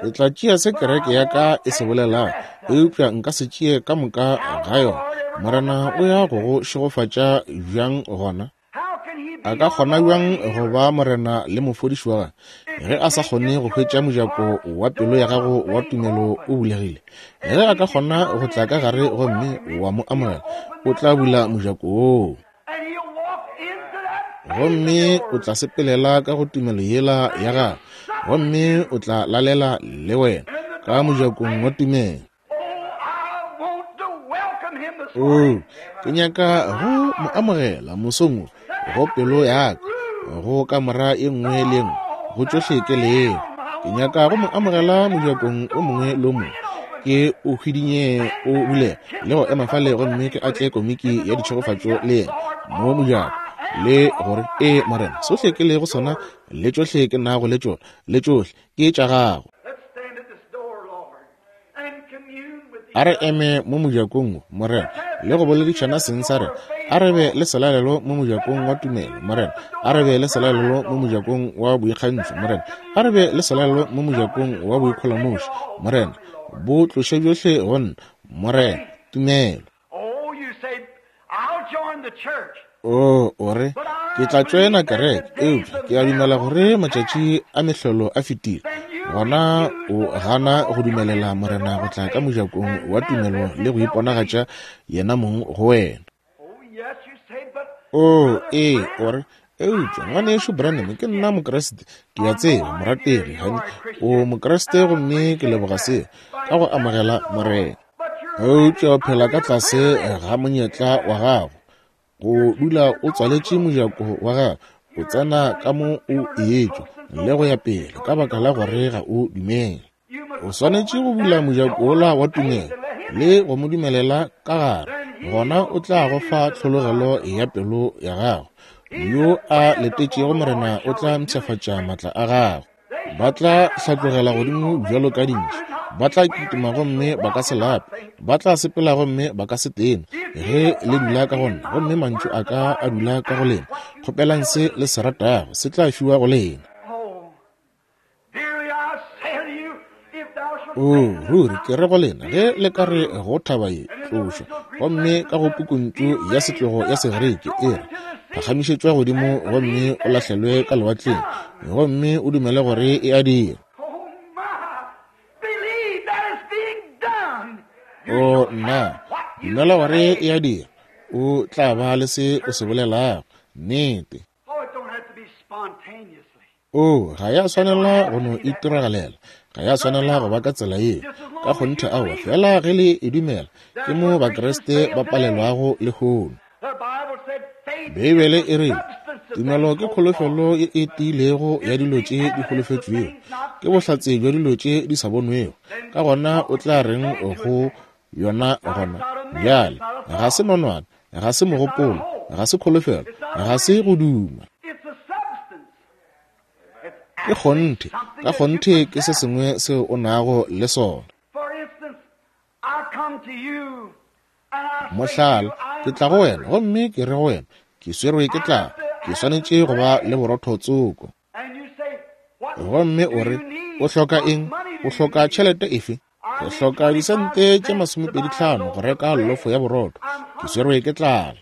A: Ke tla tšea se kereke ya ka e se bolelago, eupša nka se tšee ka moka ga yona. Morena o ya go go šegofatša bjang gona? A ka kgona bjang go ba morena le mofodiši wa gagwe ge a sa kgone go hwetša mojako wa pelo ya gago wa tumelo o bulegile? Ge a ka kgona go tla ka gare gomme wa mo amogela, o tla bula mojako woo, gomme o tla sepelela ka go tumelo yela ya gago, gomme o tla lalela le wena ka mojakong wa tumelo. O, ke nyaka go mo amogela mosong wo go pelo ya ka, go kamora ye nngwe le ye nngwe, go tšohle ke lego. Ke nyaka go mo amogela mojakong o mongwe le o mongwe, ke o hwidinye o bulega le go ema fale, gomme ke atle komiki ya ditšhegofatšo le yena mo mojako, le gore ee morena, sohle ke lego sona le tšohle ke nago le tšona le tšohle ke tša gago. A re eme mo mojakong wo, morena, le go boledišana seng sa rena. A re be le selalelo mo mojakong wa tumelo, morena. A re be le selalelo mo mojakong wa boikgantšho, morena. A re be le selalelo mo mojakong wa boikgolomoši, morena. Bo tloše bjohle go nna, morena, tumelo. O, o re, ke tla tšoena kereke, eupša ke a dumela gore matšatši a mehlolo a fetile. Gona o gana go dumelela morena go tla ka mojakong wa tumelo le go iponagatša yena mong go wena. O, ee, o re, Eupša ngwanešu Branham, ke nna Mokriste, ke a tseba, morategi, hani, o Mokriste gomme ke leboga seo, ka go amogela Morena. Eupša o phela ka tlase ga monyetla wa gago, go dula o tswaletše mojako wa gago, o tsena ka mo o etšwa le go ya pele, ka baka la gore ga o dumele. O swanetše go bula mojako wola wa tumelo le go mo dumelela ka gare, gona o tla go fa tlhologelo ya pelo ya gago. Yo a letetšego Morena o tla mpshafatša matla a gagwe. Ba tla hlatlogela godimo bjalo ka dintši, ba tla kitima gomme ba ka se lape, ba tla sepela gomme ba ka se tene. Ge le dula ka go nna gomme mantšu a ka a dula ka go lena, kgopelang se le se ratago, se tla fiwa go lena. O ruri ke re go lena, ge le ka re go thaba ye, tlošwa, gomme ka go pukuntšu ya setlogo ya Segerike e re, phagamišetšwa godimo gomme o lahlelwe ka lewatleng, gomme o dumele gore e a dira. O nna, dumela gore e a dira, o tla ba le se o se bolelago. Nnete. O ga ya swanela go no itiragalela, ga ya swanela go ba ka tsela yeo. Ka kgonthe aowa, fela ge le e dumela, ke mo Bakriste ba palelwago lehono. Beibele e re, tumelo ke kholofelo ye e tiilego ya dilo tše di holofetšwego, ke bohlatse bja dilo tše di sa bonwego. Ka gona o tla reng go yona gona bjale? Ga se nonwane, ga se mogopolo, ga se kholofelo, ga se go duma. Ke kgonthe, ka kgonthe ke se sengwe seo o nago le sona. Mohlala, ke tla go wena gomme ke re go wena, ke swerwe ke tlala, ke swanetše go ba le borotho tsoko. Gomme o re, o hloka eng? O hloka tšhelete efe? Ke hloka disente tše masomepedi hlano go reka lofo ya borotho, ke swerwe ke tlala.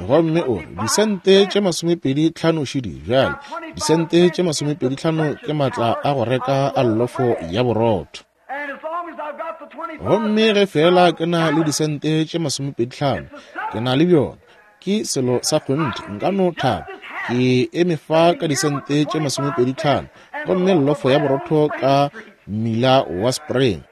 A: Gomme o re, disente tše masomepedi hlano šidi bjale, disente tše masomepedi hlano ke matla a go reka a lofo ya borotho. Gomme ge fela ke na le disente tše masomepedi hlano, ke na le bjona, ke selo sa kgonthe, nka no thaba, ke eme fa ka disente tše masomepedi hlano, gomme lofo ya borotho ka mmila wa Spring.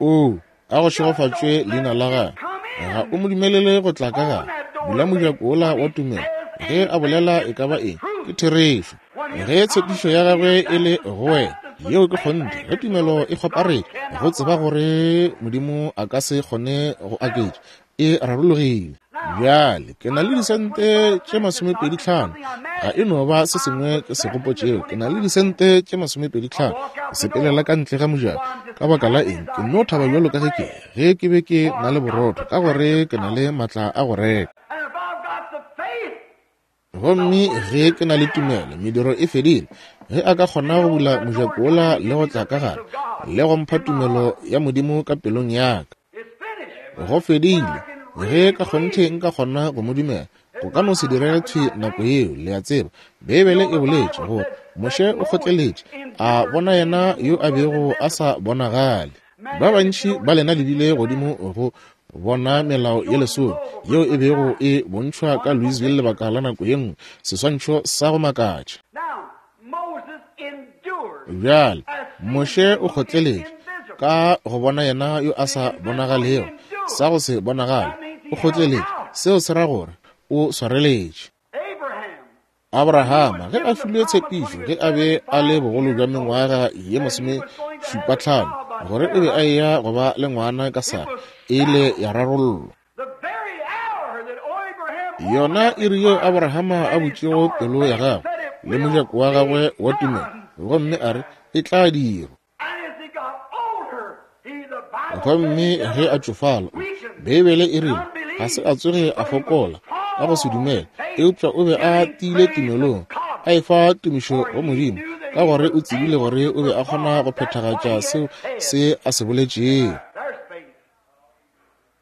A: O, a go šegofatšwe leina la gagwe. Ga o mo dumelele go tla ka gare. Bula mojako wola wa tumelo. Ge a bolela e ka ba eng, ke therešo. Ge tshepišo ya gagwe e le go wena, yeo ke kgonthe. Ge tumelo e kgoparetše, go tseba gore Modimo a ka se kgone go aketša, e rarologile. Bjale ke na le disente tše masomepedi hlano, ga e no ba se sengwe ke se gopotšego. Ke na le disente tše masomepedi hlano, ke sepelela ka ntle ga mojako. Ka baka la eng? Ke no thaba bjalo ka ge ke ge ke be ke na le borotho, ka gore ke na le matla a go reka. Gomme ge ke na le tumelo, mediro e fedile. Ge a ka kgona go bula mojako wola le go tla ka gare, le go mpha tumelo ya Modimo ka pelong ya ka, go fedile. Ge ka kgonthe nka kgona go mo dumela, go ka no se direge thwi nako yeo. Le a tseba, Beibele e boletše gore Moshe o kgotleletše, a bona yena yo a bego a sa bonagale. Ba bantši ba lena le bile godimo go bona melao ye lesome yeo e bego e bontšhwa ka Louisville lebaka la nako ye nngwe, seswantšho sa go makatša. Bjale Moshe o kgotleletše ka go bona yena yo a sa bonagalego, sa go se bonagale. O kgotleletše, seo se ra gore o swareletše. Abrahama ge a filwe tshepišo, ge a be a le bogolo bja mengwaga ye masomešupa hlano, gore o be a eya go ba le ngwana ka Sara, e ile ya rarollwa. Yona iri yeo Abrahama a butšego pelo ya gagwe le mojako wa gagwe wa tumelo, gomme a re, e tla dirwa. Gomme ge a tšofala, Beibele e rile ga se a tsoge a fokola ka go se dumele, eupša o be a tiile tumelong, a efa tumišo go Modimo, ka gore o tsebile gore o be a kgona go phethagatša seo se a se boletšego.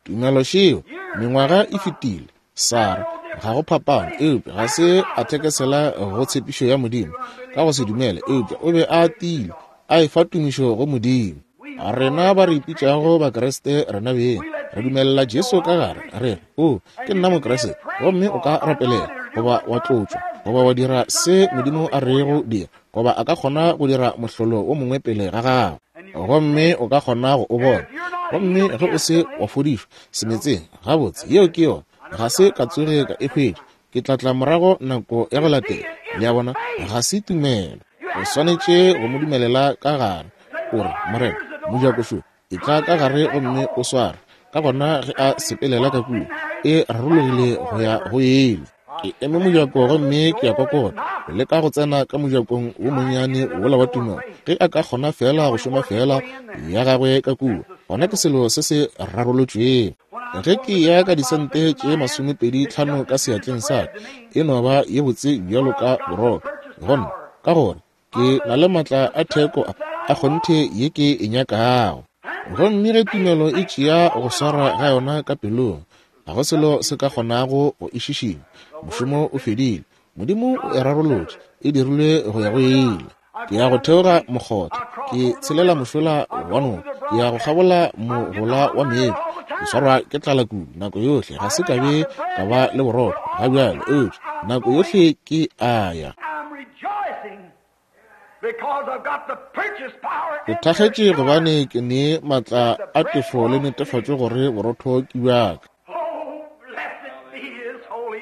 A: Tumelo šeo, mengwaga e fetile, Sara ga go phapano, eupša ga se a thekesela go tshepišo ya Modimo ka go se dumele, eupša o be a tiile, a efa tumišo go Modimo. Rena ba re ipitšago Bakriste rena beng, Re dumelela Jesu ka gare, re re, O, ke nna Mokriste, gomme o ka rapelela, goba wa tlotšwa, goba wa dira se Modimo a rego dira, goba a ka kgona go dira mohlolo wo mongwe pele ga gago, gomme o ka kgona go o bona. Gomme ge o se wa fodišwa semetseng, gabotse, yeo ke yona, ga se ka tsoge ka e hwetša, ke tla tla morago nako ya go latela. Le a bona, ga se tumelo. O swanetše go mo dumelela ka gare. O re, Morena, mojako šo, e tla ka gare gomme o sware. Ka gona ge a sepelela ka kua, e rarologile go ya go ele. Ke eme mojako gomme ke a kokota, le ka go tsena ka mojakong wo monnyane wola wa tumelo. Ge a ka kgona fela go šoma fela ya gagwe ka kua, gona ke selo se se rarolotšwego. Ge ke ya ka disente tše masomepedi tlhano ka seatleng sa ka, e no ba ye botse bjalo ka borotho gonna, ka gore ke na le matla a theko a kgonthe ye ke e nyakago. Gomme ge tumelo e tšea go swara ga yona ka pelong, ga go selo se ka kgonago go e šišinya. Mošomo o fedile, Modimo o e rarolotše, e dirilwe go ya go ile. Ke ya go theoga mokgotha, ke tshelela mošola wa noka, ke ya go kgabola mogola wa meetse. Ke swarwa ke tlala kudu nako yohle, ga se ka be ka ba le borotho ga bjale, eupša nako yohle ke a ya. Ke thakgetše gobane ke ne matla a tefo le netefatšo gore borotho ke bjaka.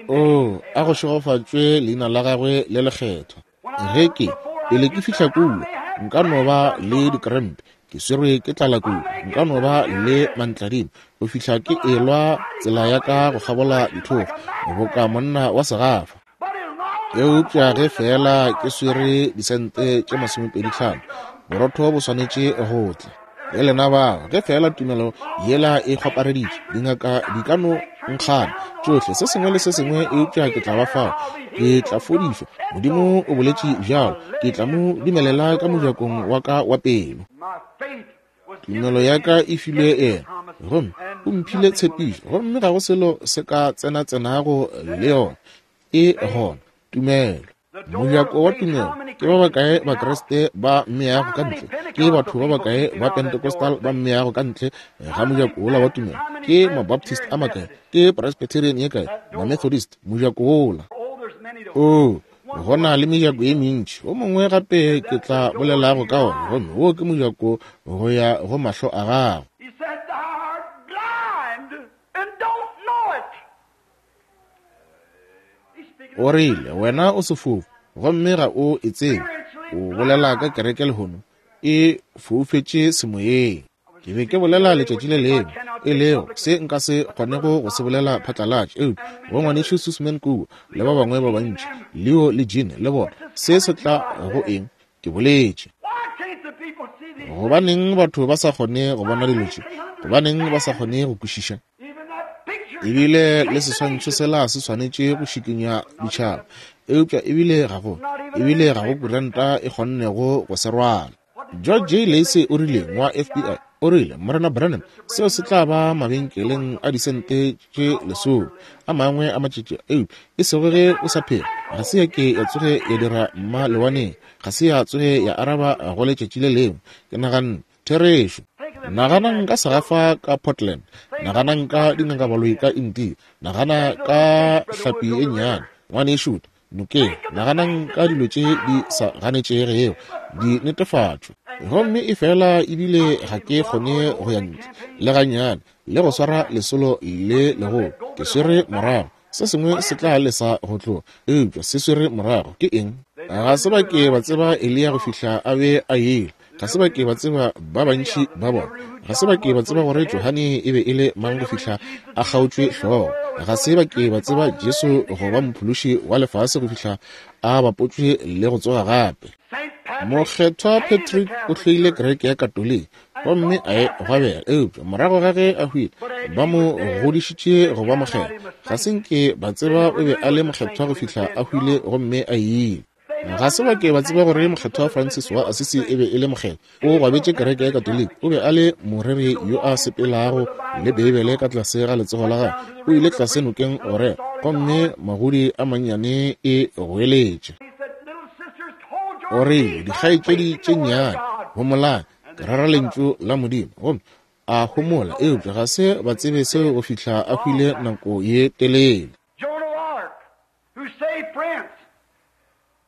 A: O, a go šegofatšwe leina la gagwe le lekgethwa. Ge ke pele ke fihla kua, nka no ba le dikrempe, ke swerwe ke tlala kudu, nka no ba le mantladima go fihla ke elwa tsela ya ka go kgabola dithokgo boka monna wa segafa. Eupša ge fela ke swere disente tše masomepedi tlhano, borotho bo swanetše go tla. Le lena bao, ge fela tumelo yela e kgwapareditše, dingaka di ka no nkgana tšohle, se sengwe le se sengwe, eupša ke tla ba fao, ke tla fodišwa. Modimo o boletše bjalo, ke tla mo dumelela ka mojakong wa ka wa pelo. Tumelo ya ka e filwe yena, gomme o mphile tshepišo, gomme ga go selo se ka tsena-tsenago le yona. E gona tumelo. Mojako wa tumelo. Ke ba bakae Bakriste ba mmeago ka ntle? Ke batho ba bakae ba Pentecostal ba mmeago ka ntle ga mojako wola wa tumelo? Ke Mabaptist a makae? Ke Presbyterian ye kae? Mamethodist? Mojako wola. O, go na le mejako ye mentši. O mongwe gape ke tla bolelago ka ona, gomme wo ke mojako go ya go mahlo a gago. O rile, wena o sefofu, gomme ga o e tsebe. O bolela ka kereke lehono, e foufetše semoyeng. Ke be ke bolela letšatši le lengwe, e lego se nka se kgonego go se bolela phatlalatša, eupša go ngwanešu Susman kua le ba bangwe ba bantši, Leo le Jean le bona, se se tla go eng? Ke boletše. Gobaneng batho ba sa kgone go bona dilo tše? Gobaneng ba sa kgone go kwešiša? Ebile le seswantšho sela se swanetše go šikinya ditšhaba, eupša ebile ga go, ebile ga go kuranta e kgonnego go se rwala. George J. Lacey o rile wa F B I, o rile, Morena Branham, seo se tla ba mabenkeleng a disente tše lesome a mangwe a matšatši, eupša e sego ge o sa phela. Ga se ya ke ya tsoge ya dira mma lewaneng, ga se ya tsoge ya araba go letšatši le lengwe. Ke naganne therešo. Naganang ka segafa ka Portland, naganang ka dingakabaloi ka India, nagana ka hlapi e nnyane ngwanešu nokeng, naganang ka dilo tše di sa ganetšegego di netefatšwe. Gomme e fela ebile ga ke kgone go ya ntle le gannyane le go swara lesolo le legolo. Ke swere morago, se sengwe se tla lesa go tloga, eupša se swere morago. Ke eng? Ga se ba ke ba tseba Eliya go fihla a be a ile. Ga se ba ke ba tseba ba bantši ba bona. Ga se ba ke ba tseba gore Johane e be e le mang go fihla a kgaotšwe hlogo. Ga se ba ke ba tseba Jesu go ba mophološi wa lefase go fihla a bapotšwe le go tsoga gape. Mokgethwa Patrick o hloile kereke ya Katoliki gomme a e gwabela, eupša morago ga ge a hwile ba mo godišitše go ba mokgethwa. Ga se nke ba tseba o be a le mokgethwa go fihla a hwile gomme a ile. Ga se ba ke ba tseba gore mokgethwa Francis wa Assisi e be e le mokgethwa. O gwabetše kereke ya Katoliki. O be a le moreri yo a sepelago le Beibele ka tlase ga letsogo la gagwe. O ile tlase nokeng go rera, gomme magodi a mannyane e goeletše. O rile, dikgaetšedi tše nnyane, homolang, ke rera lentšu la Modimo. Gomme A homola, eupša ga se ba tsebe seo go fihla a hwile nako ye telele.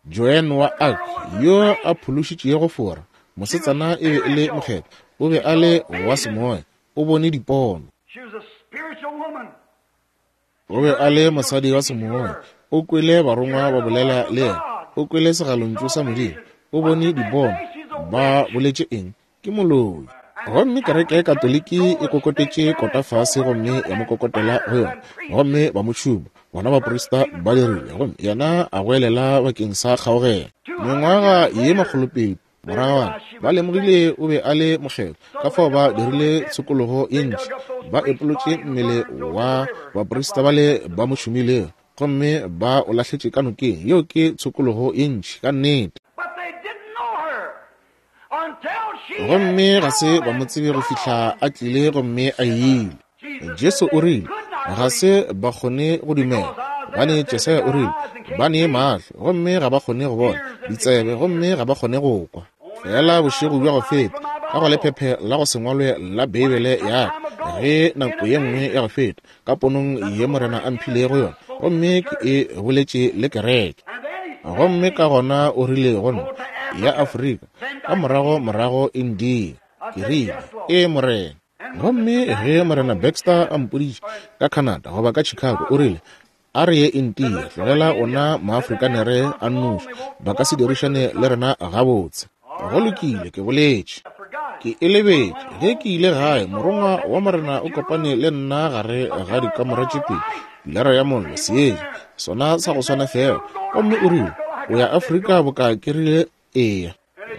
A: Joan wa Arc, yo a phološitšego Fora, mosetsana e be e le mokgethwa, o be a le wa semoya, o bone dipono. O be a le mosadi wa semoya, o kwele barongwa ba bolela le yena, o kwele segalontšu sa Modimo, o bone dipono. Ba boletše eng? Ke moloi. Gomme kereke ya Katoliki e kokotetše kota fase gomme ya mo kokotela go yona, gomme ba mo tšhuma, bona baprista ba dirile, gomme yena a goelela bakeng sa kgaogelo. Mengwaga ye makgolopedi moragwana ba lemogile o be a le mokgethwa, ka fao ba dirile tshokologo ye ntši, ba epolotše mmele wa baprista bale ba mo tšhumilego, gomme ba o lahletše ka nokeng. Yeo ke tshokologo ye ntši ka nnete. Gomme ga se ba mo tsebe go fihla a tlile gomme a ile. Jesu o rile ga se ba kgone go dumela, gobane Jesaya o rile ba ne mahlo gomme ga ba kgone go bona, ditsebe gomme ga ba kgone go kwa. Fela bošego bja go feta ka go lephephe la go se ngwalwe la Beibele ya ka, ge nako ye nngwe ya go feta ka ponong ye Morena a mphilego yona, gomme ke e boletše le kereke. Gomme ka gona o rile go nna, ya Afrika, ka morago morago India. Ke rile, ee Morena. Gomme ge Morena Baxter a mpoditše ka Canada goba ka Chicago, o rile, a re ye India, tlogela ona maafrikanere a nnoši, ba ka se dirišane le rena gabotse. Go lokile, ke boletše. Ke e lebetše. Ge ke ile gae, morongwa wa Morena o kopane le nna gare ga dikamora tše pedi, pilara ya mollo, seetša, sona sa go swana fela. Gomme o rile, o ya Afrika boka ke rile eya.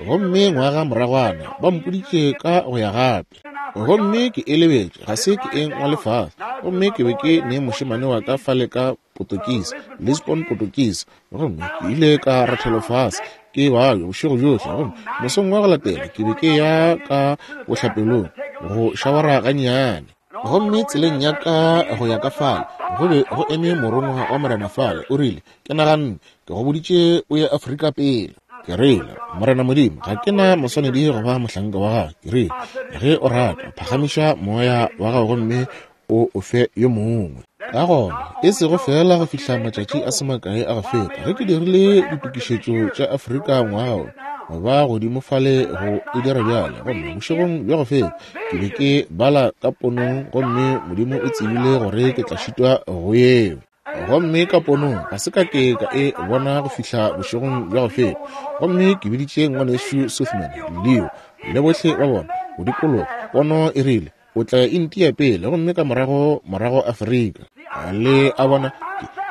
A: Gomme ngwaga moragwana ba mpoditše ka go ya gape. Gomme ke e lebetše, ga se ke e ngwale fase. Gomme ke be ke ne mošemane wa ka fale ka Potokisi, Lisbon Potokisi. Gomme ke ile ka rathelwa fase ke babja bošego bjohle. Gomme mosong wa go latela ke be ke ya ka bohlapelong go šawara gannyane. Gomme tseleng ya ka go ya ka fale go be go eme morongwa wa Morena fale. O rile, ke naganne ke go boditše o ye Afrika pele. Ke rile, Morena Modimo, ga ke na moswanedi go ba mohlanka wa gago. Ke rile, ge o rata, phagamiša moya wa gago gomme o o fe yo mongwe. Ka gona, e sego fela go fihla matšatši a se makae a go feta, ge ke dirile ditokišetšo tša Afrika ngwaga ba godimo fale go e dira bjale. Gomme bošegong bja go feta ke be ke bala ka ponong, gomme Modimo o tsebile gore ke tla šitwa go yeo. Gomme ka ponong ga se ka ke ka e bona go fihla bošegong bja go feta. Gomme ke biditše ngwanešu Sothman, Leo le bohle ba bona go dikologa. Pono e rile, o tla ya India pele, gomme ka morago morago Afrika. Le a bona,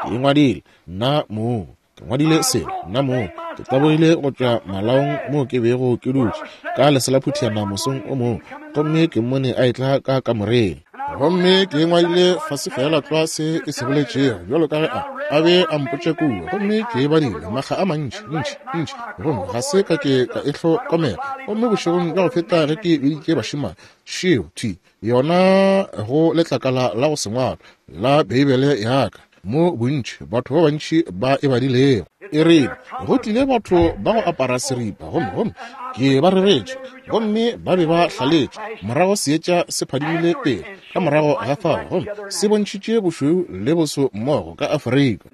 A: ke e ngwadile nna mong, ke ngwadile selo nna mong. Ke tabogile go tšwa malaong moo ke bego ke dutše ka leselaphutiana mosong o mongwe, gomme ke mmone a etla ka kamoreng. Gomme ke ngwadile fase fela tlwa se e se boletšego bjalo ka ge a a be a mpotša kua. Gomme ke e badile makga a mantši ntši ntši, gomme ga se ka ke ka e hlokomela. Gomme bošegong bja go feta ge ke biditše bašemane, šeo thwi yona go letlakala la go se ngwalwa la Beibele ya ka, mo bontši batho ba bantši ba e badilego. E rile, go tlile batho ba go apara seripa, gomme gomme ke ba reretše, gomme ba be ba hlaletše. Morago seetša se phadimile pele ka morago ga fao, gomme se bontšhitše bošweu le boso mmogo ka Afrika.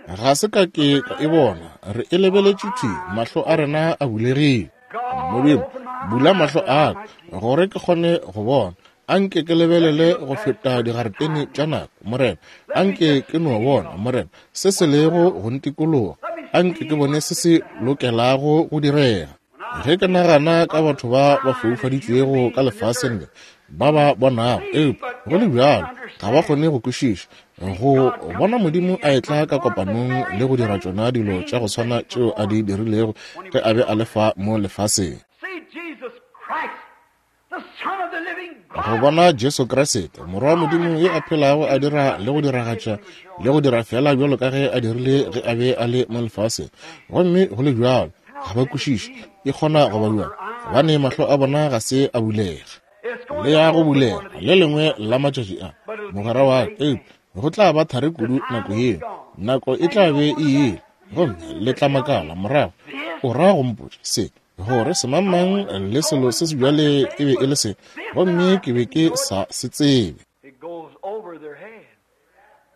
A: Ga se ka ke ka e bona, re e lebeletše thwi, mahlo a rena a bulegile. Modimo, bula mahlo a ka gore ke kgone go bona. Anke ke lebelele go feta digaretene tša nako, Morena. Anke ke no bona, Morena, se se lego go ntikologa. Anke ke bone se se lokelago go direga. Ge ke nagana ka batho ba ba foufaditšwego ka lefaseng le, ba ba bonago, eupša go le bjalo ga ba kgone go kwešiša, go bona Modimo a etla ka kopanong le go dira tšona dilo tša go swana tšeo a di dirilego ge a be a le fa mo lefaseng. Go bona Jesu Kriste, Morwa wa Modimo yo a phelago, a dira le go diragatša le go dira fela bjalo ka ge a dirile ge a be a le mo lefaseng. Gomme go le bjalo ga ba kwešiše, e kgona go ba bjang, gobane mahlo a bona ga se a bulega. Le ya go bulega le lengwe la matšatši a, mogwera wa ka, eupša go tla ba thari kudu nako yeo. Nako e tla be e ile, gomme le tla makala morago. O ra go mpotša se Gore semangmang le selo se se bjale e be e le se, gomme ke be ke sa se tsebe.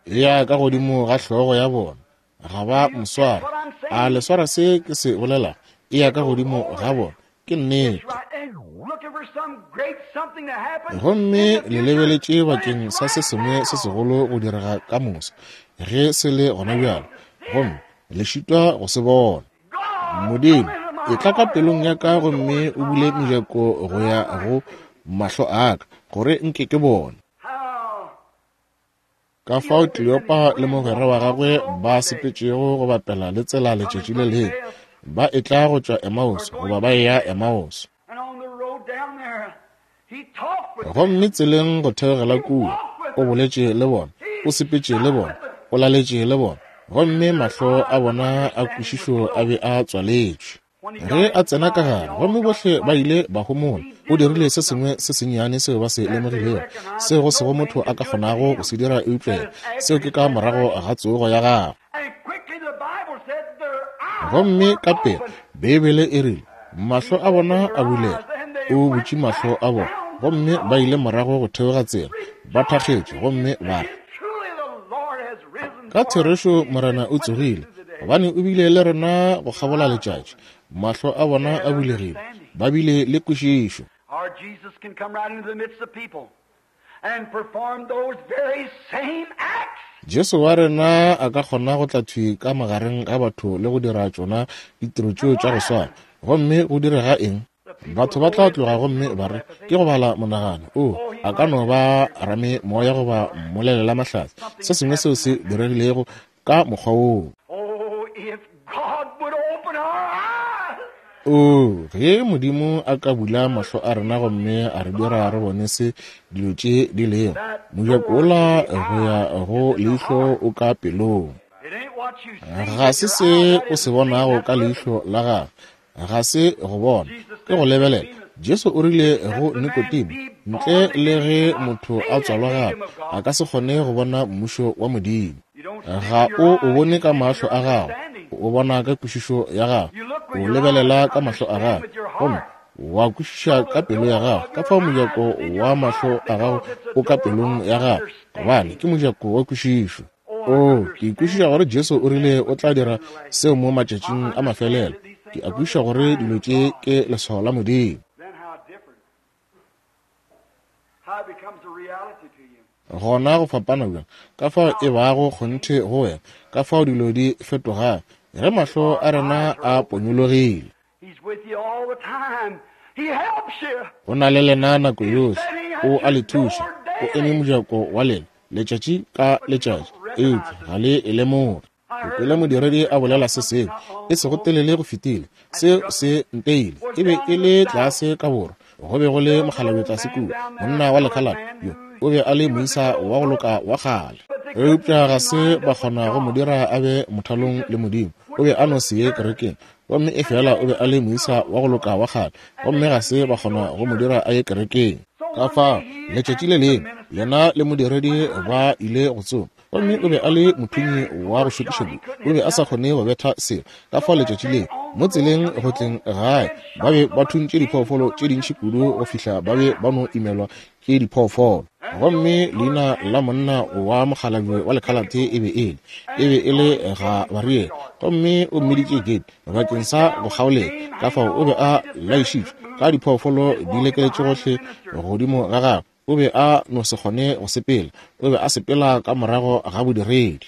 A: Ya ka godimo ga hlogo ya bona, ga ba moswara. A le swara se ke se bolela? E ya ka godimo ga bona. Ke nnete. Gomme le lebeletše bakeng sa se sengwe se segolo go direga ka moso, ge se le gona bjalo, gomme le šitwa go se bona. Modimo, e tla ka pelong ya ka gomme o bule mejako go ya go mahlo a ka, gore nke ke bone. Ka fao Kleopa le mogwera wa gagwe ba sepetšego go bapela le tsela letšatši le lengwe, ba etla go tšwa Emmaus goba ba eya Emmaus. Gomme tseleng go theogela kua, o boletše le bona, o sepetše le bona, o laletše le bona, gomme mahlo a bona a kwešišo a be a tswaletšwe. Ge a tsena ka gare, gomme bohle ba ile ba homola, o dirile se sengwe se sennyane seo ba se lemogilego, seo go sego motho a ka kgonago go se dira eupša seo ke ka morago ga tsogo ya gagwe. Gomme ka pele Beibele e rile, mahlo a bona a bulega, o butše mahlo a bona, gomme ba ile morago go theoga tsela, ba thakgetše, gomme ba re, ka therešo Morena o tsogile, gobane o bile le rena go kgabola letšatši. Mahlo a bona a bulegile, ba bile le kwešišo. Jesu wa rena a ka kgona go tla thwi ka magareng ga batho le go dira tšona ditiro tšeo tša go swana. Gomme go direga eng? Batho ba tla tloga gomme ba re, ke go bala monagano. O, a ka no ba rame moya goba mmolelela mahlatse, se sengwe seo se diregilego ka mokgwa woo. O, ge Modimo a ka bula mahlo a rena gomme a re dira re bone se dilo tše di lego, mojako wola go ya go leihlo o ka pelong. Ga se se o se bonago ka leihlo la gago, ga se go bona, ke go lebelela. Jesu o rile go Nikodemo, ntle le ge motho a tswalwa gape, a ka se kgone go bona mmušo wa Modimo. Ga o o bone ka mahlo a gago, o bona ka kwešišo ya gago, o lebelela ka mahlo a gago, gomme wa kwešiša ka pelo ya gago. Ka fao mojako wa mahlo a gago o ka pelong ya gago, gobane ke mojako wa kwešišo. O, ke kwešiša gore Jesu o rile o tla dira seo mo matšatšing a mafelelo. Ke a kwešiša gore dilo tše ke leswao la Modimo. Gona go fapana bjang, ka fao e bago kgonthe go wena, ka fao dilo di fetogago ge mahlo a rena a ponyologile. O na le lena nako yohle, o a le thuša, o eme mojako wa lena letšatši ka letšatši, eupša ga le e lemoge. Ke kwele modiredi a bolela se sengwe e sego telele go fetile, seo se nteile. E be e le tlase ka borwa, go be go le mokgalabje tlase kua, monna wa lekhalate yo o be a le moisa wa go loka wa kgale, eupša ga se ba kgona go mo dira a be mothalong le Modimo. O be a no se ye kerekeng, gomme e fela o be a le moisa wa go loka wa kgale, gomme ga se ba kgona go mo dira a ye kerekeng. Ka fao letšatši le lengwe yena le modiredi ba ile go tsoma, gomme o be a le mothunyi wa go šokiša kudu, o be a sa kgone go betha selo. Ka fao letšatši le mo tseleng go tleng gae ba be ba thuntše diphoofolo tše dintši kudu go fihla ba be ba no imelwa ke diphoofolo. Gomme leina la monna wa mokgalabje wa lekhalate e be e le e be e le Gabariele, gomme o mmiditše Gabe bakeng sa go kgaolela. Ka fao o be a laišitšwe ka diphoofolo di lekeletše gohle godimo ga gagwe. O be a no se kgone go sepela, o be a sepela ka morago ga bodiredi.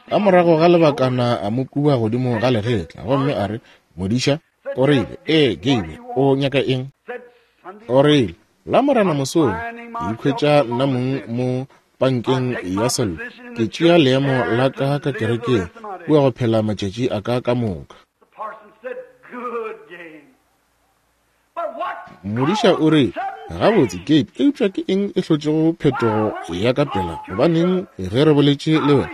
A: Ka morago ga lebakana a mo kuba godimo ga legetla, gomme a re, modiša, o rile, ee Gabe, o nyaka eng? O rile, la Morena mosong ke ikhwetša nna mong mo pankeng ya sello, ke tšea leemo la ka ka kerekeng kua go phela matšatši a ka ka moka. Modiša o re, gabotse Gabe, eupša ke eng e hlotšego phetogo ya ka pela? Gobaneng ge re boletše le wena,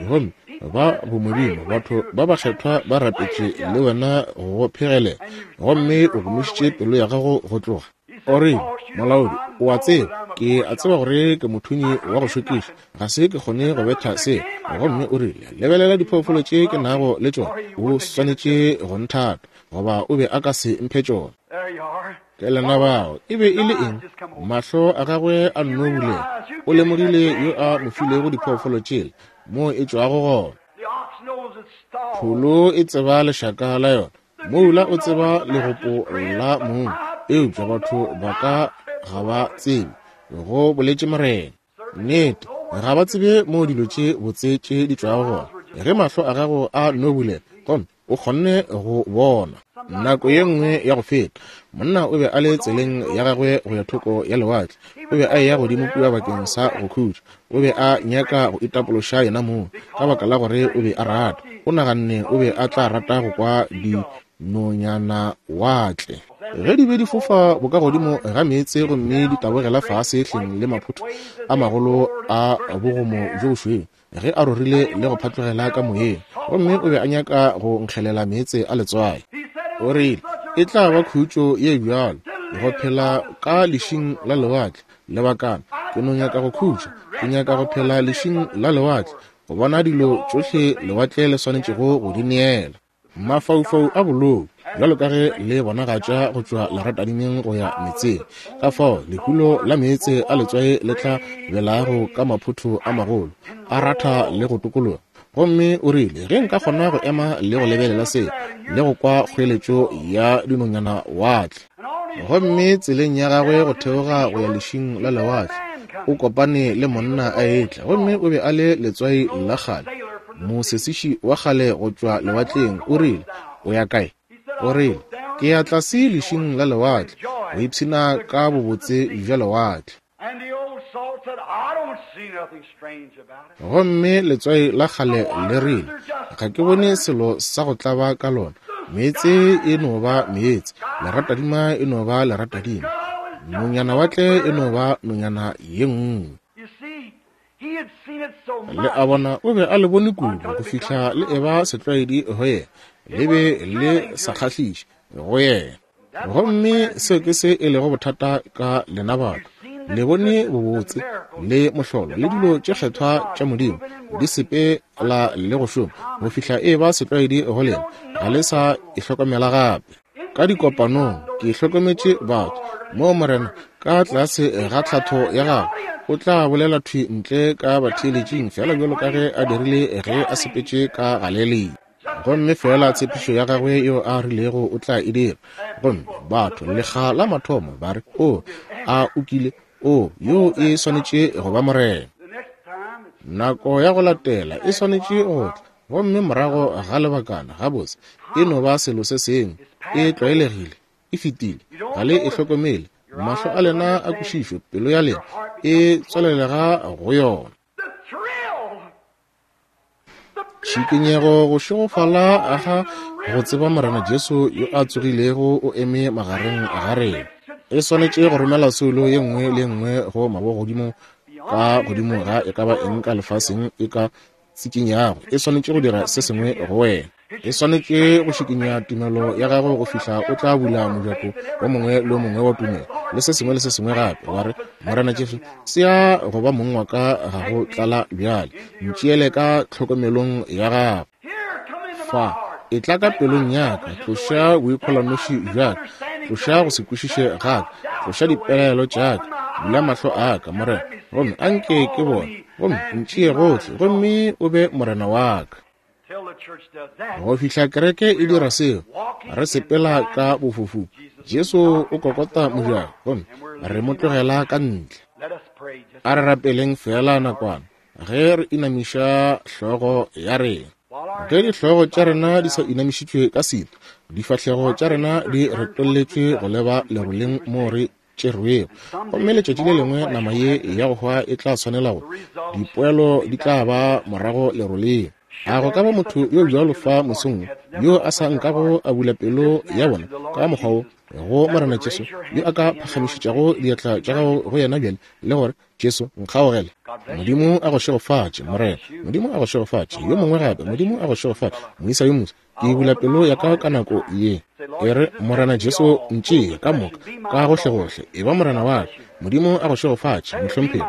A: gomme ba bomodimo batho ba bakgethwa ba rapetše le wena go phegelela, gomme o gomišitše pelo ya gago go tloga? O re, molaodi, o a tseba, ke a tseba gore ke mothunyi wa go šokiša, ga se ke kgone go betha se. Gomme o rile, lebelela diphoofolo tše ke nago le tšona, o swanetše go nthata. goba o be a ka se mphe tšona. Ke lena bao. E be e le eng? Mahlo a gagwe a nno bulega. O lemogile yo a mo filego diphoofolo tšela, moo e tšwago gona. Pholo e tseba lešaka la yona, moula o tseba legopo la mong, eupša batho ba ka ga ba tsebe, go boletše Morena. Nnete, ga ba tsebe moo dilo tše botse tše di tšwago gona. Ge mahlo a gago a no bulega, gomme o kgonne go bona. Nako ye nngwe ya go feta, monna o be a le tseleng ya gagwe go ya thoko ya lewatle. O be a eya godimo kua bakeng sa go khutša. O be a nyaka go itapološa yena mong, ka baka la gore o be a rata. O naganne o be a tla rata go kwa dinonyana watle ge di be di fofa bokagodimo ga meetse gomme di tabogela fase hleng le maphotho a magolo a bogomo bjo bošweu ge a rorile le go phatlogela ka moyeng. Gomme o be a nyaka go nkgelela meetse a letswai. O rile, e tla ba khutšo ye bjalo go phela ka lešing la lewatle lebakana. Ke no nyaka go khutša, ke nyaka go phela lešing la lewatle, go bona dilo tšohle lewatle le swanetšego go di neela. Mafaufau a bolou bjalo ka ge le bonagatša go tšwa leratadimeng go ya meetseng, ka fao lehulo la meetse a letswai le tla belago ka maphotho a magolo, a ratha le go tokologa. Gomme o rile, ge nka kgona go ema le go lebelela se le go kwa kgoeletšo ya dinonyana watle. Gomme tseleng ya gagwe go theoga go ya lešing la lewatle, o kopane le monna a etla, gomme o be a le letswai la kgale, mosesiši wa kgale go tšwa lewatleng. O rile, o ya kae? O rile, ke ya tlase lešing la lewatle go ipshina ka bobotse bja lewatle. Gomme letswai la kgale le rile, ga ke bone selo sa go tlaba ka lona. Meetse e no ba meetse, leratadima e no ba leratadima, nonyana watle e no ba nonyana ye nngwe. Le a bona, o be a le bone kudu go fihla le eba setlwaedi go yena, le be le sa kgahliše go yena. Gomme seo ke se e lego bothata ka lena batho. Le bone bobotse le mohlolo le dilo tše kgethwa tša Modimo di sepela le go šoma go fihla e ba setlwaedi go lena, ga le sa e hlokomela gape. Ka dikopanong ke hlokometše batho moo Morena ka tlase ga tlhatho ya gagwe o tla bolela thwi ntle ka batheeletšing, fela bjalo ka ge a dirile ge a sepetše ka Galilea. Gomme fela tshepišo ya gagwe yeo a rilego o tla e dira. Gomme batho lekga la mathomo ba re, o a o kile, o yo e swanetše go ba Morena. Nako ya go latela e swanetše go tla, gomme morago ga lebakana gabotse e no ba selo se sengwe, e tlwaelegile, e fetile, ga le e hlokomele. Mahlo a lena a kwešišo, pelo ya lena e tswalelega go yona. Tšhikinyego go šegofala ga go tseba Morena Jesu yo a tsogilego o eme magareng ga rena. E swanetše go romela soulo ye nngwe le nngwe go mabogodimo ka godimo ga e ka ba eng ka lefaseng e ka tsikinyago. E swanetše go dira se sengwe go wena. E swanetše go šikinya tumelo ya gago go fihla o tla bula mojako o mongwe le o mongwe wa tumelo le se sengwe le se sengwe gape, wa re, Morena Jesu, tsea go ba mong wa ka ga go tlala bjale, ntšeele ka tlhokomelong ya gago. Fa, e tla ka pelong ya ka, tloša boikgolanoši bja ka, tloša go se kwešiše ga ka, tloša dipelaelo tša ka, bula mahlo a ka, Morena, gomme anke ke bone, gomme ntšee gohle, gomme o be Morena wa ka. Go fihla kereke e dira seo, re sepela ka bofofu. Jesu o kokota mojako, gomme re mo tlogela ka ntle. A re rapeleng fela nakwana ge re inamiša hlogo ya rena. Ge dihlogo tša rena di sa inamišitšwe ka setu, difahlego tša rena di retolletšwe go leba leroleng moo re tšerwego. Gomme letšatši le lengwe nama ye ya go hwa e tla swanela go, dipoelo di tla ba morago leroleng. A go ka ba motho yo bjalo fa mosong yo a sa nkago a bula pelo ya bona ka mokgwa wo go Morena Jesu, yo a ka phagamišetšago diatla tša gago go yena bjale le gore, Jesu, nkgaogele. Modimo a go šegofatše, Morena. Modimo a go šegofatše. Yo mongwe gape, Modimo a go šegofatše. Moisa yo moswa, ke bula pelo ya ka ka nako ye. E re, Morena Jesu, ntšee ka moka, ka gohlegohle, e ba Morena wa ka. Modimo a go šegofatše, mohlomphegi.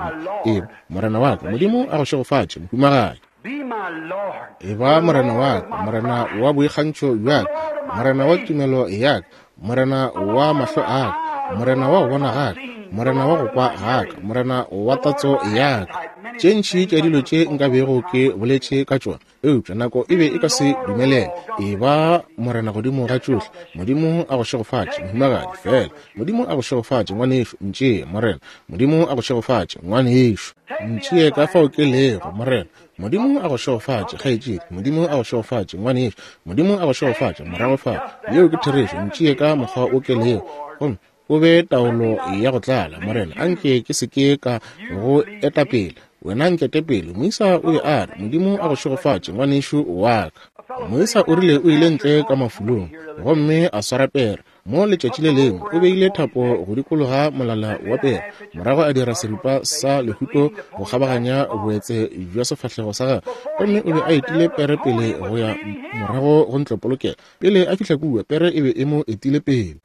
A: E ba Morena wa ka. Modimo a go šegofatše, mohumagadi. E ba Morena wa ka, Morena wa boikgantšho bja ka, Morena wa tumelo ya ka, Morena wa mahlo a ka, Morena wa go bona ga ka, Morena wa go kwa ga ka, Morena wa tatso ya ka. Tše ntši tša dilo tše nka bego ke boletše ka tšona, eupša nako e be e ka se dumelele. E ba Morena godimo ga tšohle. Modimo a go šegofatše, mohumagadi, fela. Modimo a go šegofatše, ngwanešu. Ntšee, Morena. Modimo a go šegofatše, ngwanešu. Ntšee ka fao ke lego, Morena. Modimo a go šegofatše, kgaetšedi. Modimo a go šegofatše, ngwanešu. Modimo a go šegofatše, morago fa. Yeo ke therešo. Ntšee ka mokgwa o ke lego, gomme o be taolo ya go tlala, Morena. Anke ke se ke ka go etapele, wena nkete pele. Moisa o be a re, Modimo a go šegofatše, ngwanešu wa ka. Moisa o rile o ile ntle ka mafulong gomme a swara pere. Mo letšatši le lengwe o beile thapo go dikologa molala wa pere, morago a dira seripa sa lehuto go kgabaganya boetse bja sefahlego sa gagwe, gomme o be a etile pere pele go ya morago go ntlopolokelo. Pele a fihla kua, pere e be e mo etile pele.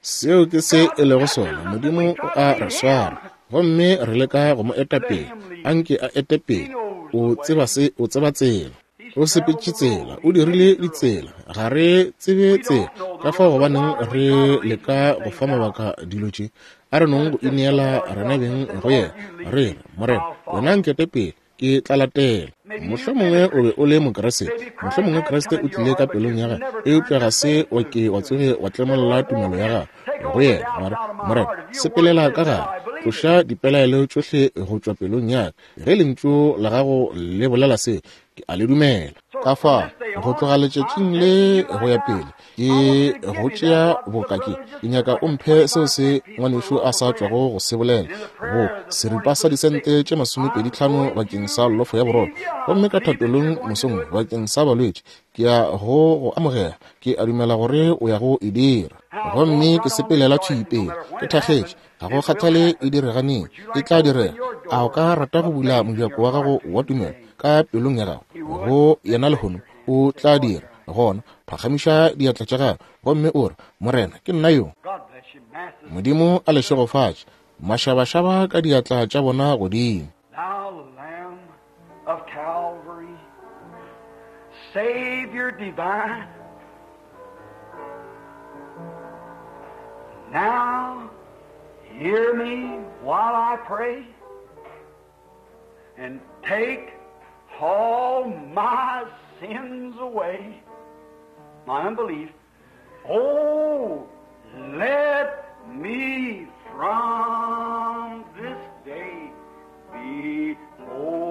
A: Seo ke se e lego sona. Modimo o a re swara, gomme re leka go mo eta pele. Anke a ete pele. O tseba se, o tseba tsela. O sepetše tsela, o dirile ditsela. Ga re tsebe tsela, ka fao gobaneng re leka go fa mabaka dilo tše. A re nong go ineela rena beng go yena. Re re, Morena, wena nkete pele, ke tla latela. Mohlomongwe o be o le Mokriste, mohlomongwe Kriste o tlile ka pelong ya gago, eupša ga se wa ke wa tsoge wa tlemolla tumelo ya gago go yena. Wa re, Morena, sepelela ka gare, tloša dipelaelo tšohle go tšwa pelong ya ka. Ge lentšu la gago le bolela se, ke a le dumela. Ka fao, go tloga letšatšing le go ya pele, ke go tšea boka ke. Ke nyaka o mphe seo se ngwanešu a sa tšwago go se bolela, go seripa sa disente tše masomepedi tlhano bakeng sa lofo ya borotho. Gomme ka thapelong mosong bakeng sa balwetši, ke ya go go amogela. Ke a dumela gore o ya go e dira. Gomme ke sepelela thwi pele, ke thakgetše. Ga go kgathale e direganeng, e tla direga. A o ka rata go bula mojako wa gago wa tumelo ka pelong ya gago go yena lehono? O tla dira. Gona phagamiša diatla tša gago gomme o re, Morena, ke nna yo. Modimo a le šegofatše. Mašabašaba ka diatla tša bona godimo.
B: Of Calvary, Savior divine, now hear me while I pray, and take all my sins away, my unbelief. Oh, let me from this day be holy.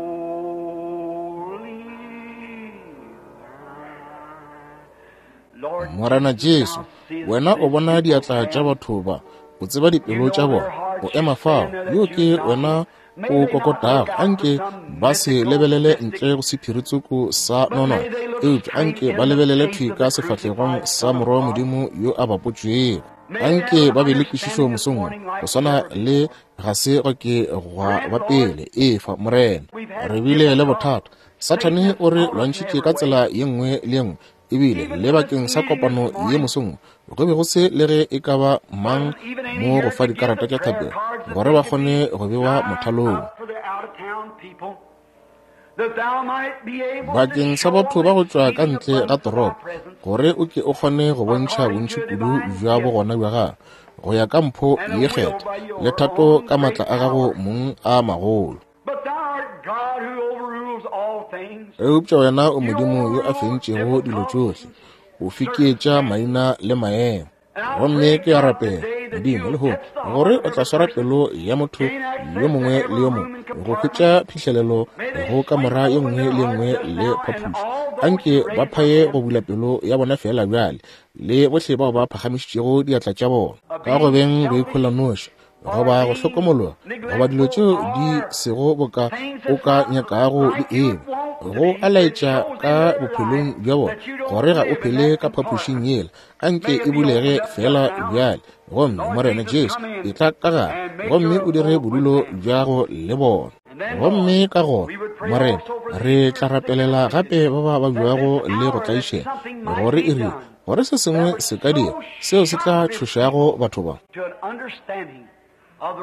A: Morena Jesu, wena o bona diatla tša batho ba, o tseba dipelo tša bona. O ema fao, yo ke wena o kokotago. Anke ba se lebelele ntle go sephiritsoko sa nonwane, eupša anke ba lebelele thwi ka sefahlegong sa Morwa wa Modimo yo a bapotšwego. Anke ba be le kwešišo mosong wo, go swana le ga se go ke gwa ba pele. Efa, Morena, re bile le bothata. Sathane o re lwantšhitše ka tsela ye nngwe le ye nngwe, ebile le bakeng sa kopano ye mosong go be go se le ge e ka ba mang mo go fa dikarata tša thapelo gore ba kgone go bewa mothalong. Bakeng sa batho ba go tšwa ka ntle ga toropo, gore o ke o kgone go bontšha bontši kudu bja bogona bja gago go ya ka mpho ye kgetha le thato ka maatla a gago mong a magolo. Eupša wena o Modimo yo a fentšego dilo tšohle, o fiketša maina le maemo. Gomme ke a rapela, Modimo, lehono, gore o tla swara pelo ya motho yo mongwe le yo mongwe go hwetša phihlelelo go kamora ye nngwe le ye nngwe le phaphušo. Anke ba phaye go bula pelo ya bona fela bjale, le bohle bao ba phagamišitšego diatla tša bona ka go beng go ikhola noši, goba go hlokomologa, goba dilo tšeo di sego boka o ka nyakago di eba, go a laetša ka bophelong bja bona gore ga o phele ka phaphušing yela. Anke e bulege fela bjale. Gomme Morena Jesu, e tla ka gare gomme o dire bodulo bja go le bona. Gomme ka gona, Morena, re tla rapelela gape ba ba babjago le go tlaišega, gore e rile gore se sengwe se ka dira seo se tla tšhošago batho ba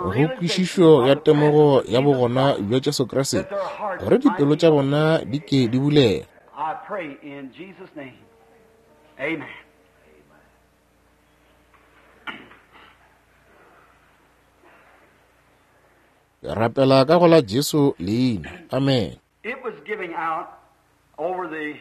A: go kwešišo ya temogo ya bogona bja Jesu Kriste, gore dipelo tša bona di ke di bulege.
B: I pray in Jesus' name. Amen.
A: Rapela ka go la Jesu leina. Amen.
B: It was giving out over the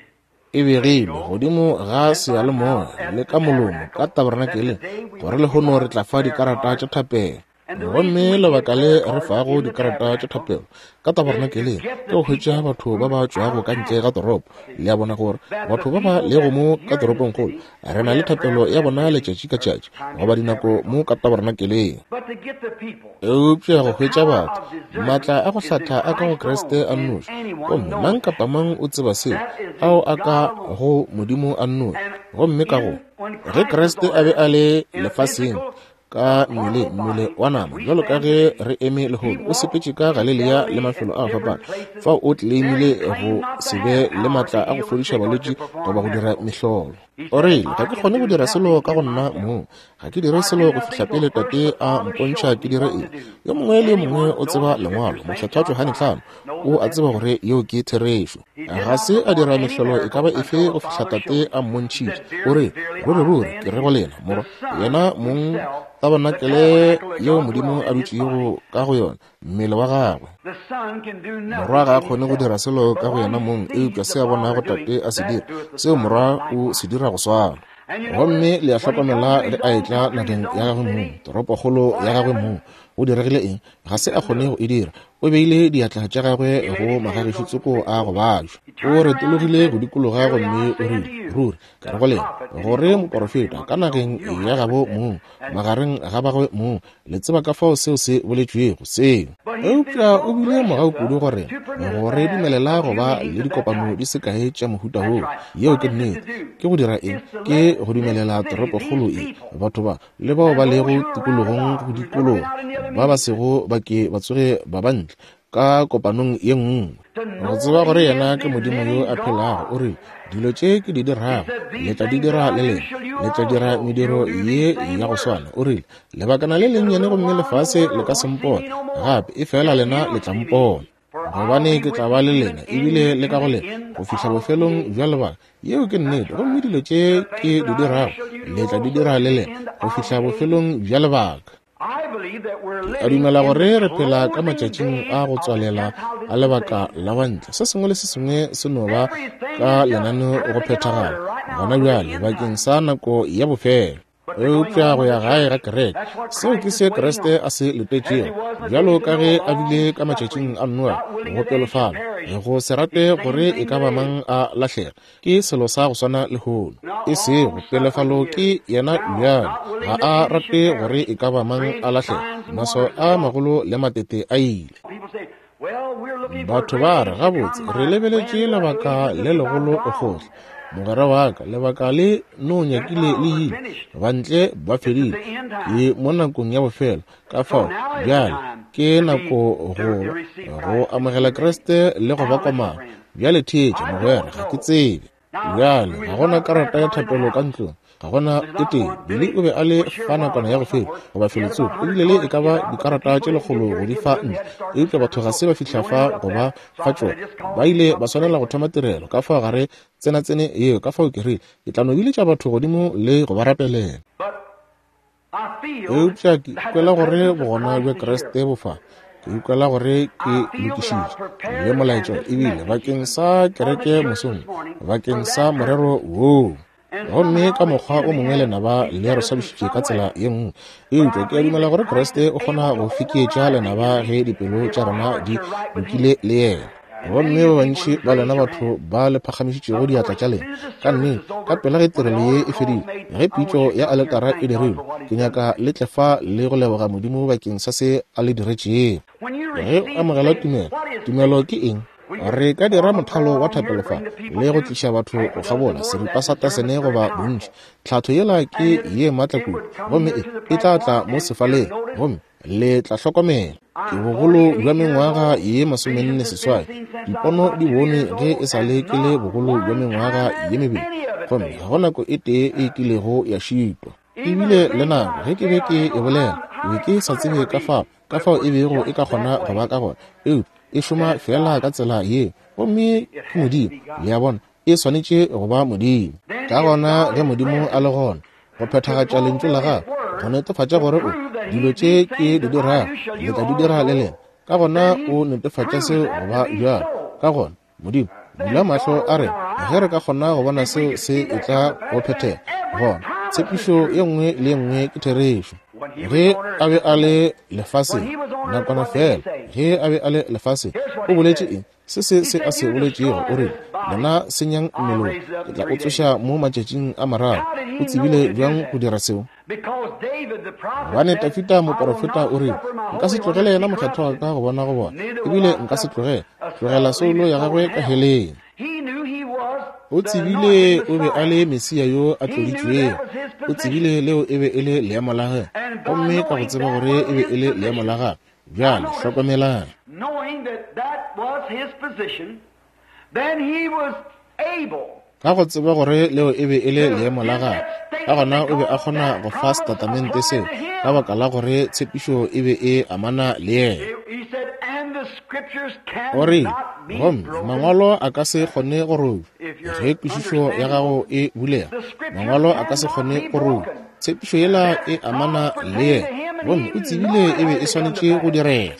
A: E begilwe godimo ga seyalemoya le ka molomo ka tabernakeleng gore lehono re tla fa dikarata tša thapelo. Gomme lebaka le re fago dikarata tša thapelo ka tabernakeleng ke go hwetša batho ba ba tšwago ka ntle ga toropo. Le a bona gore batho ba ba lego mo ka toropongkgolo re na le thapelo ya bona letšatši ka tšatši goba dinako mo ka tabernakeleng.
B: But to get the people,
A: Eupša go hwetša batho, maatla a go hlatha a ka go Kriste a nnoši, gomme mang kapa mang o tseba seo, ao a ka go Modimo a nnoši. Gomme ka go ge Kriste a be a le lefaseng ka mmele mmele wa nama, bjalo ka ge re eme lehono, o sepetše ka Galilea le mafelo a go fapana, fao o tleleimile go se be le maatla a go fodiša balwetši goba go dira mehlolo. O rile, ga ke kgone go dira selo ka go nna mong, ga ke dire selo go fihla pele Tate a mpontšha ke dire eng. Yo mongwe le yo mongwe o tseba lengwalo, Mokgethwa Johane hlano o a tseba gore yeo ke therešo. Ga se a dira mehlolo e ka ba efe go fihla Tate a mmontšhitše. O re, ruri ruri ke re go lena, morwa yena mong tabernakeleng yeo Modimo a dutšego ka go yona, mmele wa gagwe.
B: the Son can do nothing
A: Morwa ga a kgone go
B: himself.
A: dira selo ka
B: But
A: go
B: what
A: yena
B: he
A: mong,
B: sees
A: eupša
B: the
A: se a bonago
B: Father doing,
A: Tate a se
B: that
A: dira,
B: doeth the
A: seo
B: Son
A: morwa o
B: likewise.
A: se dira go swana.
B: And you
A: Gomme
B: notice
A: le a
B: when he comes
A: hlokomela
B: to
A: ge
B: his
A: a
B: own
A: etla
B: country, his
A: nageng ya
B: own
A: gagwe mong,
B: city,
A: toropokgolo
B: what
A: ya gagwe
B: happened?
A: mong, go diregile eng? Ga se a kgone go e dira. O beile diatla tša gagwe
B: He
A: go
B: laid his hands
A: magagešu
B: on the
A: tsoko
B: sick
A: a go
B: folk.
A: bajwa.
B: He
A: O
B: turned around and
A: retologile
B: said,
A: go dikologa
B: Verily
A: gomme
B: I
A: o
B: say
A: rile,
B: unto you,
A: ruri ke
B: the
A: re go lena,
B: prophet in his
A: gore
B: own country
A: moporofeta
B: among
A: ka
B: his own.
A: nageng
B: You know
A: ya
B: how I
A: gabo
B: said
A: mong,
B: that.
A: magareng ga bagwe mong, le tseba ka fao seo se boletšwego seo.
B: But he's been
A: Eupša
B: so
A: o bile
B: gracious
A: mogau
B: to
A: kudu
B: us
A: go rena,
B: to permit us
A: go
B: to
A: re
B: have
A: dumelela
B: a
A: go
B: few
A: ba
B: meetings
A: le
B: of that
A: dikopano
B: type.
A: di se kae tša mohuta
B: That's
A: woo.
B: right.
A: Yeo
B: What
A: ke
B: is it to
A: nnete.
B: do?
A: Ke go dira eng?
B: Is to
A: Ke
B: let
A: go
B: this
A: dumelela
B: city,
A: toropokgolo
B: these
A: e,
B: people,
A: batho ba le bao
B: and
A: ba
B: those
A: lego
B: who are round
A: tikologong
B: about,
A: go
B: who've never been
A: dikologa,
B: out in the other
A: ba ba
B: meetings,
A: sego ba ke ba tsoge ba ba ntle ka kopanong ye nngwe.
B: to
A: Go
B: know
A: tseba
B: that
A: gore
B: he
A: yena
B: is
A: ke
B: the
A: Modimo yo
B: living
A: a phelago. O
B: God.
A: rile, dilo tše ke di
B: He
A: dirago
B: said,
A: le
B: These
A: tla di
B: things that
A: dira
B: I
A: le
B: do
A: lena,
B: shall you
A: le tla dira
B: also.
A: mediro
B: You'll do
A: ye
B: these same
A: ya go
B: works.
A: swana. O rile, lebakana le
B: He said, A
A: lennyane
B: little
A: gomme
B: while and the
A: lefase le
B: world
A: ka se
B: won't see me
A: mpone
B: no more.
A: gape, efela
B: Yet
A: lena
B: you'll
A: le tla
B: see me.
A: mpona.
B: For I'll
A: Gobane
B: be
A: ke
B: with
A: tla ba
B: you
A: le
B: even
A: lena ebile le
B: into
A: ka go
B: the
A: lena
B: end
A: go fihla
B: of the
A: bofelong
B: age.
A: bja lebaka. Yeo ke
B: That's
A: nnete. Gomme
B: right.
A: dilo tše
B: The
A: ke
B: things
A: di
B: that I do
A: dirago
B: shall you do
A: le tla di
B: also
A: dira
B: to
A: le
B: the
A: lena
B: end
A: go
B: of
A: fihla
B: the age.
A: bofelong bja lebaka.
B: I believe that we're
A: Ke a
B: living
A: dumela
B: in
A: gore
B: the
A: re phela ka
B: closing
A: matšatšing
B: days
A: a go
B: of the
A: tswalela
B: Gentile
A: a lebaka
B: dispensation.
A: la bantle. Se sengwe le se sengwe se no ba
B: Everything
A: ka
B: is just
A: lenaneo go
B: perfect in
A: phethagala
B: order right now
A: gona
B: for the
A: bjale
B: end
A: bakeng
B: time.
A: sa nako ya bofelo.
B: But the going
A: Eupša
B: home
A: go
B: of
A: ya
B: the
A: gae ga
B: church,
A: kereke,
B: that's what
A: seo ke
B: Christ is
A: se
B: waiting
A: Kriste
B: on.
A: a se
B: As he
A: letetšego,
B: was in the
A: bjalo
B: days of
A: ka ge
B: Noah,
A: a bile
B: long
A: ka matšatšing
B: suffering,
A: a Noa,
B: not willing
A: go
B: that any should
A: pelofala,
B: perish.
A: go se
B: It's
A: rate
B: the same
A: gore e
B: thing
A: ka ba
B: today.
A: mang a lahlega, ke selo sa go swana lehono.
B: Not
A: E sego
B: long suffering
A: pelofalo
B: is
A: ke yena
B: now,
A: bjale,
B: not
A: ga
B: willing that
A: a
B: any should
A: rate gore
B: perish.
A: e ka ba mang
B: Great
A: a lahlega.
B: signs and
A: Maswao
B: wonders
A: a
B: is gone.
A: magolo le matete a ile.
B: People say, well, we're looking for a
A: Batho
B: great
A: ba re
B: age to
A: gabotse
B: come.
A: re
B: My
A: lebeletše
B: friend, that
A: lebaka
B: age is
A: le
B: just about
A: legolo
B: gone.
A: gohle. Mogwera wa ka, lebaka le no nyakile
B: Gentiles
A: le
B: are
A: ile,
B: finished.
A: bantle ba
B: It's at
A: fedile,
B: the end
A: ke
B: time.
A: mo nakong ya bofelo. Ka
B: So
A: fao
B: now is the
A: bjale
B: time
A: ke
B: to be
A: nako
B: to,
A: go
B: to receive
A: go
B: Christ and to
A: amogela
B: be ready.
A: Kriste le go ba
B: Now listen,
A: komana.
B: friend.
A: Bjale theetša
B: I
A: mogwera,
B: don't
A: ga ke
B: know.
A: tsebe.
B: Now
A: Bjale
B: we
A: ga
B: was
A: gona
B: not a prayer
A: karata ya
B: card in the
A: thapelo ka
B: house.
A: ntlong, ga gona
B: There's
A: e
B: not
A: tee.
B: one.
A: Billy
B: Billy
A: o be a le
B: was here a
A: fa
B: while
A: nakwana ya
B: ago
A: go feta
B: somewhere.
A: goba
B: He had
A: felotsoko,
B: about a
A: ebile
B: hundred
A: le e
B: cards
A: ka
B: to
A: ba
B: give out, but the
A: dikarata
B: people
A: tše
B: didn't get
A: lekgolo
B: here
A: go
B: to
A: di
B: give
A: fa
B: to them. They
A: ntle,
B: had to start the
A: eupša batho
B: service,
A: ga
B: so
A: se ba
B: we
A: fihla
B: don't
A: fa
B: interrupt
A: go ba
B: that. So
A: fa
B: I said,
A: tšona.
B: I just call
A: Ba
B: and
A: ile
B: come
A: ba swanela go
B: straight.
A: thoma tirelo ka fao gare tsenatsene yeo. Ka fao ke rile ke tla no biletša batho godimo le go ba rapelela.
B: But I feel
A: Eupša ke
B: that the
A: ikwela gore
B: presence of
A: bogona
B: Christ
A: bja
B: is here.
A: Kriste bo fa. Ke ikwela gore ke
B: I feel that I've
A: lokišitše le
B: prepared and
A: molaetšo
B: this
A: ebile
B: message
A: bakeng
B: even
A: sa
B: for the
A: kereke
B: church
A: mosong,
B: this morning for
A: bakeng sa
B: that
A: morero
B: purpose.
A: woo.
B: And
A: Gomme
B: somehow
A: ka
B: the
A: mokgwa o
B: enemy
A: mongwe
B: has
A: lenaba le
B: beset
A: re
B: us in
A: swabišitše ka
B: some
A: tsela
B: way.
A: ye nngwe,
B: But
A: eupša
B: I
A: ke a
B: believe
A: dumela
B: that
A: gore
B: Christ
A: Kriste
B: is
A: o kgona
B: able
A: go
B: to
A: fekeetša
B: override the
A: lenaba
B: enemy
A: ge dipelo
B: if
A: tša
B: our
A: rena
B: hearts
A: di
B: are right with
A: lokile
B: Him.
A: le yena.
B: And
A: Gomme
B: many
A: ba
B: of you people
A: bantši
B: who've
A: ba lena
B: raised your
A: batho
B: hand,
A: ba le phagamišitšego
B: of
A: diatla
B: course,
A: tša
B: as
A: lena,
B: soon as the
A: ka
B: service
A: nnete
B: is
A: ka
B: over,
A: pela ge
B: when the
A: tirelo ye
B: altar
A: e
B: call's
A: fedile,
B: made,
A: ge
B: I want
A: pitšo
B: you to
A: ya
B: come here and
A: aletara e
B: thank God
A: dirilwe,
B: for what
A: ke
B: He's done
A: nyaka
B: for you.
A: le tle fa le go leboga Modimo bakeng sa se a le diretšego.
B: When you
A: Ge o
B: receive
A: amogela
B: faith,
A: tumelo,
B: what is
A: tumelo
B: faith?
A: ke eng?
B: We could
A: Re ka dira
B: form a
A: mothalo
B: prayer
A: wa
B: on here,
A: thapelo fa
B: bring the people
A: le go
B: to
A: tliša batho
B: half
A: go
B: a dozen
A: kgabola
B: more. That
A: seripa sa
B: discernment's
A: tasene
B: very
A: goba bontši.
B: powerful.
A: Tlhatho yela
B: And
A: ke
B: it,
A: ye maatla
B: it
A: kudu,
B: would come
A: gomme
B: here
A: e
B: to the
A: e tla tla
B: platform
A: mo
B: and you'll
A: sefaleng,
B: notice
A: gomme le tla hlokomela. Ke
B: I'm
A: bogolo bja
B: forty-eight years
A: mengwaga
B: old.
A: ye masomenne
B: Visions has been
A: seswai.
B: seen since I was
A: Dipono
B: about
A: di
B: two
A: bone
B: years
A: ge
B: old,
A: e sa le
B: and
A: ke le
B: not
A: bogolo bja
B: one
A: mengwaga
B: time
A: ye
B: has
A: mebedi,
B: any of it
A: gomme ga
B: failed.
A: go nako e tee e kilego ya šitwa.
B: Even
A: Ebile
B: the
A: le
B: things
A: nako
B: I
A: ge ke be
B: say, I
A: ke
B: don't
A: e
B: know
A: bolela,
B: how,
A: Be ke sa tsebe ka fao, ka fao e bego e ka kgona go ba ka gona, eupša e šoma feela ka tsela yeo. Gomme ke Modimo, le a bona, e swanetše go ba Modimo. Ka gona ge Modimo a le gona go phethagatša lentšu la gagwe, go netefatša gore o dilo tše ke di dirago le tla di dira le lena, ka gona o netefatša seo go ba bjalo. Ka gona Modimo bula mahlo a rena ge re ka kgona go bona seo se e tla go phethega. Gona tshepišo ye nngwe le ye nngwe ke therešo. Ge a be a le lefaseng nakwana fela, ge a be a le lefaseng o boletše eng? Se se se a se boletšego, o rile, lena senyang mmele wo, ke tla o tsoša mo matšatšing a mararo. O tsebile bjang go dira seo? Gobane Dafida moporofeta o rile, nka se tlogele yena mokgethwa wa ka go bona go bona, ebile nka se tlogele tlogela soulo ya gagwe ka heleng. O tsebile o be a le Mesia yo a tloditšwego. O tsebile leo e be e le leemo la gagwe, gomme ka go tseba gore e be e le leemo la gagwe. Bjale hlokomelang. Ka go tseba gore leo e be e le leemo la gagwe, ka gona o be a kgona go fa setatamente seo, ka baka la gore tshepišo e be e amana le yena. O rile, gomme mangwalo a ka se kgone go robja. Ge kwešišo ya gago e bulega, mangwalo a ka se kgone go robja. Tshepišo yela e amana le yena, gomme o tsebile e be e swanetše go direga.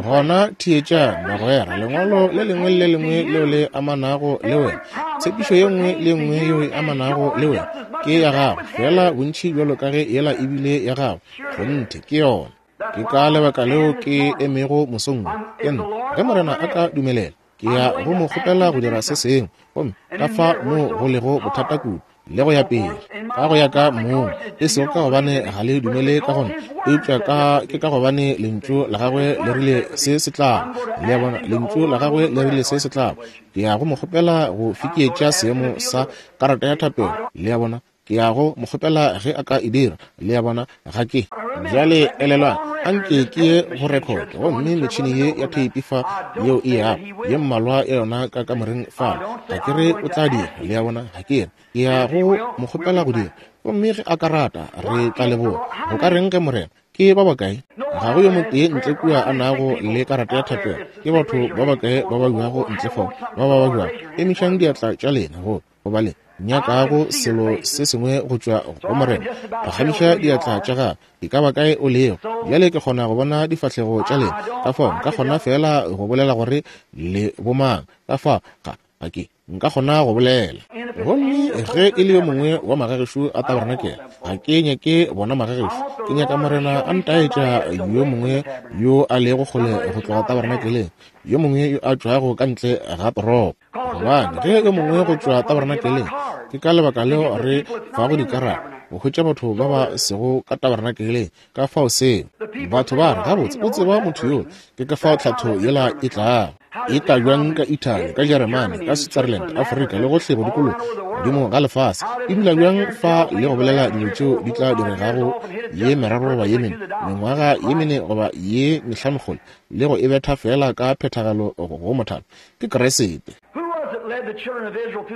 A: Gona theetšang, bagwera, lengwalo le lengwe le lengwe leo le amanago le wena, tshepišo ye nngwe le nngwe yeo e amanago le wena ke ya gago, fela bontši bjalo ka ge yela ebile ya gago. Kgonthe ke yona. Ke ka lebaka leo ke emego mosong wo. Ke nna, ge Morena a ka dumelela, ke ya go mo kgopela go dira se sengwe, gomme ka fa moo go lego bothata kudu le go ya pele, ka go ya ka mong, e sego ka gobane ga le dumele ka gona, eupša ka ke ka gobane lentšu la gagwe le rile se se tlago. Le a bona, lentšu la gagwe le rile se se tlago. Ke ya go mo kgopela go fekeetša seemo sa karata ya thapelo. Le a bona, ke ya go mo kgopela ge a ka e dira. Le a bona, ga ke. Bjale elelwang, anke ke ye go record, gomme metšhini ye ya theipi fa yeo e yago, ye mmalwa ya yona ka kamoreng fale. Ga ke re o tla dira, le a bona, ga ke re. Ke ya go mo kgopela go dira, gomme ge a ka rata, re tla leboga. Go ka reng ge Morena? Ke ba bakae? Ga go yo motee ntle kua a nago le karata ya thapelo. Ke batho ba bakae ba ba buago ntle fao, ba ba ba buago? Emišang diatla tša lena go goba le nyakago selo se sengwe go tšwa go Morena. Phagamiša diatla tša gago, e ka ba kae o lego. Bjale ke kgona go bona difahlego tša lena, ka fao nka kgona fela go bolela gore le bomang. Ka fao ga ga ke nka kgona go bolela. Gomme ge e le yo mongwe wa magagešo a tabernakel, ga ke nyake bona magagešo, ke nyaka Morena a ntaetša yo mongwe yo a lego kgole go tloga tabernakeleng, yo mongwe yo a tšwago ka ntle ga toropo. Gobane ge yo mongwe go tšwa tabernakeleng, ke ka lebaka leo re fago dikarata go hwetša batho ba ba sego ka tabernakeleng. Ka fao seo batho ba re, gabotse o tseba motho yo, ke ka fao tlhatho yela e tlago. E tla bjang ka Italy, ka Jeremane, ka Switzerland, Afrika le gohle go dikologa godimo ga lefase? E dula bjang fa le go bolela dilo tšeo di tla diregago ye meraro goba ye mene, mengwaga ye mene goba ye mehlano kgole, le go e betha fela ka phethagalo go mothalo? Ke Kriste.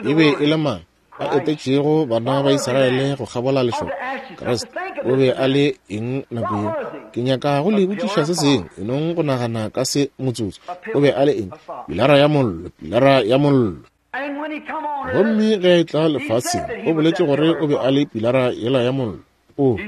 A: E be e le mang a etetšego bana ba Israele go kgabola lešoka? Kriste. O be a le eng nako yeo? Ke nyaka go le botšiša se sengwe, e nong go nagana ka se motsotso. O be a le eng? Pilara ya mollo, pilara ya mollo. Gomme ge a etla lefaseng, o boletše gore o be a le pilara yela ya mollo. O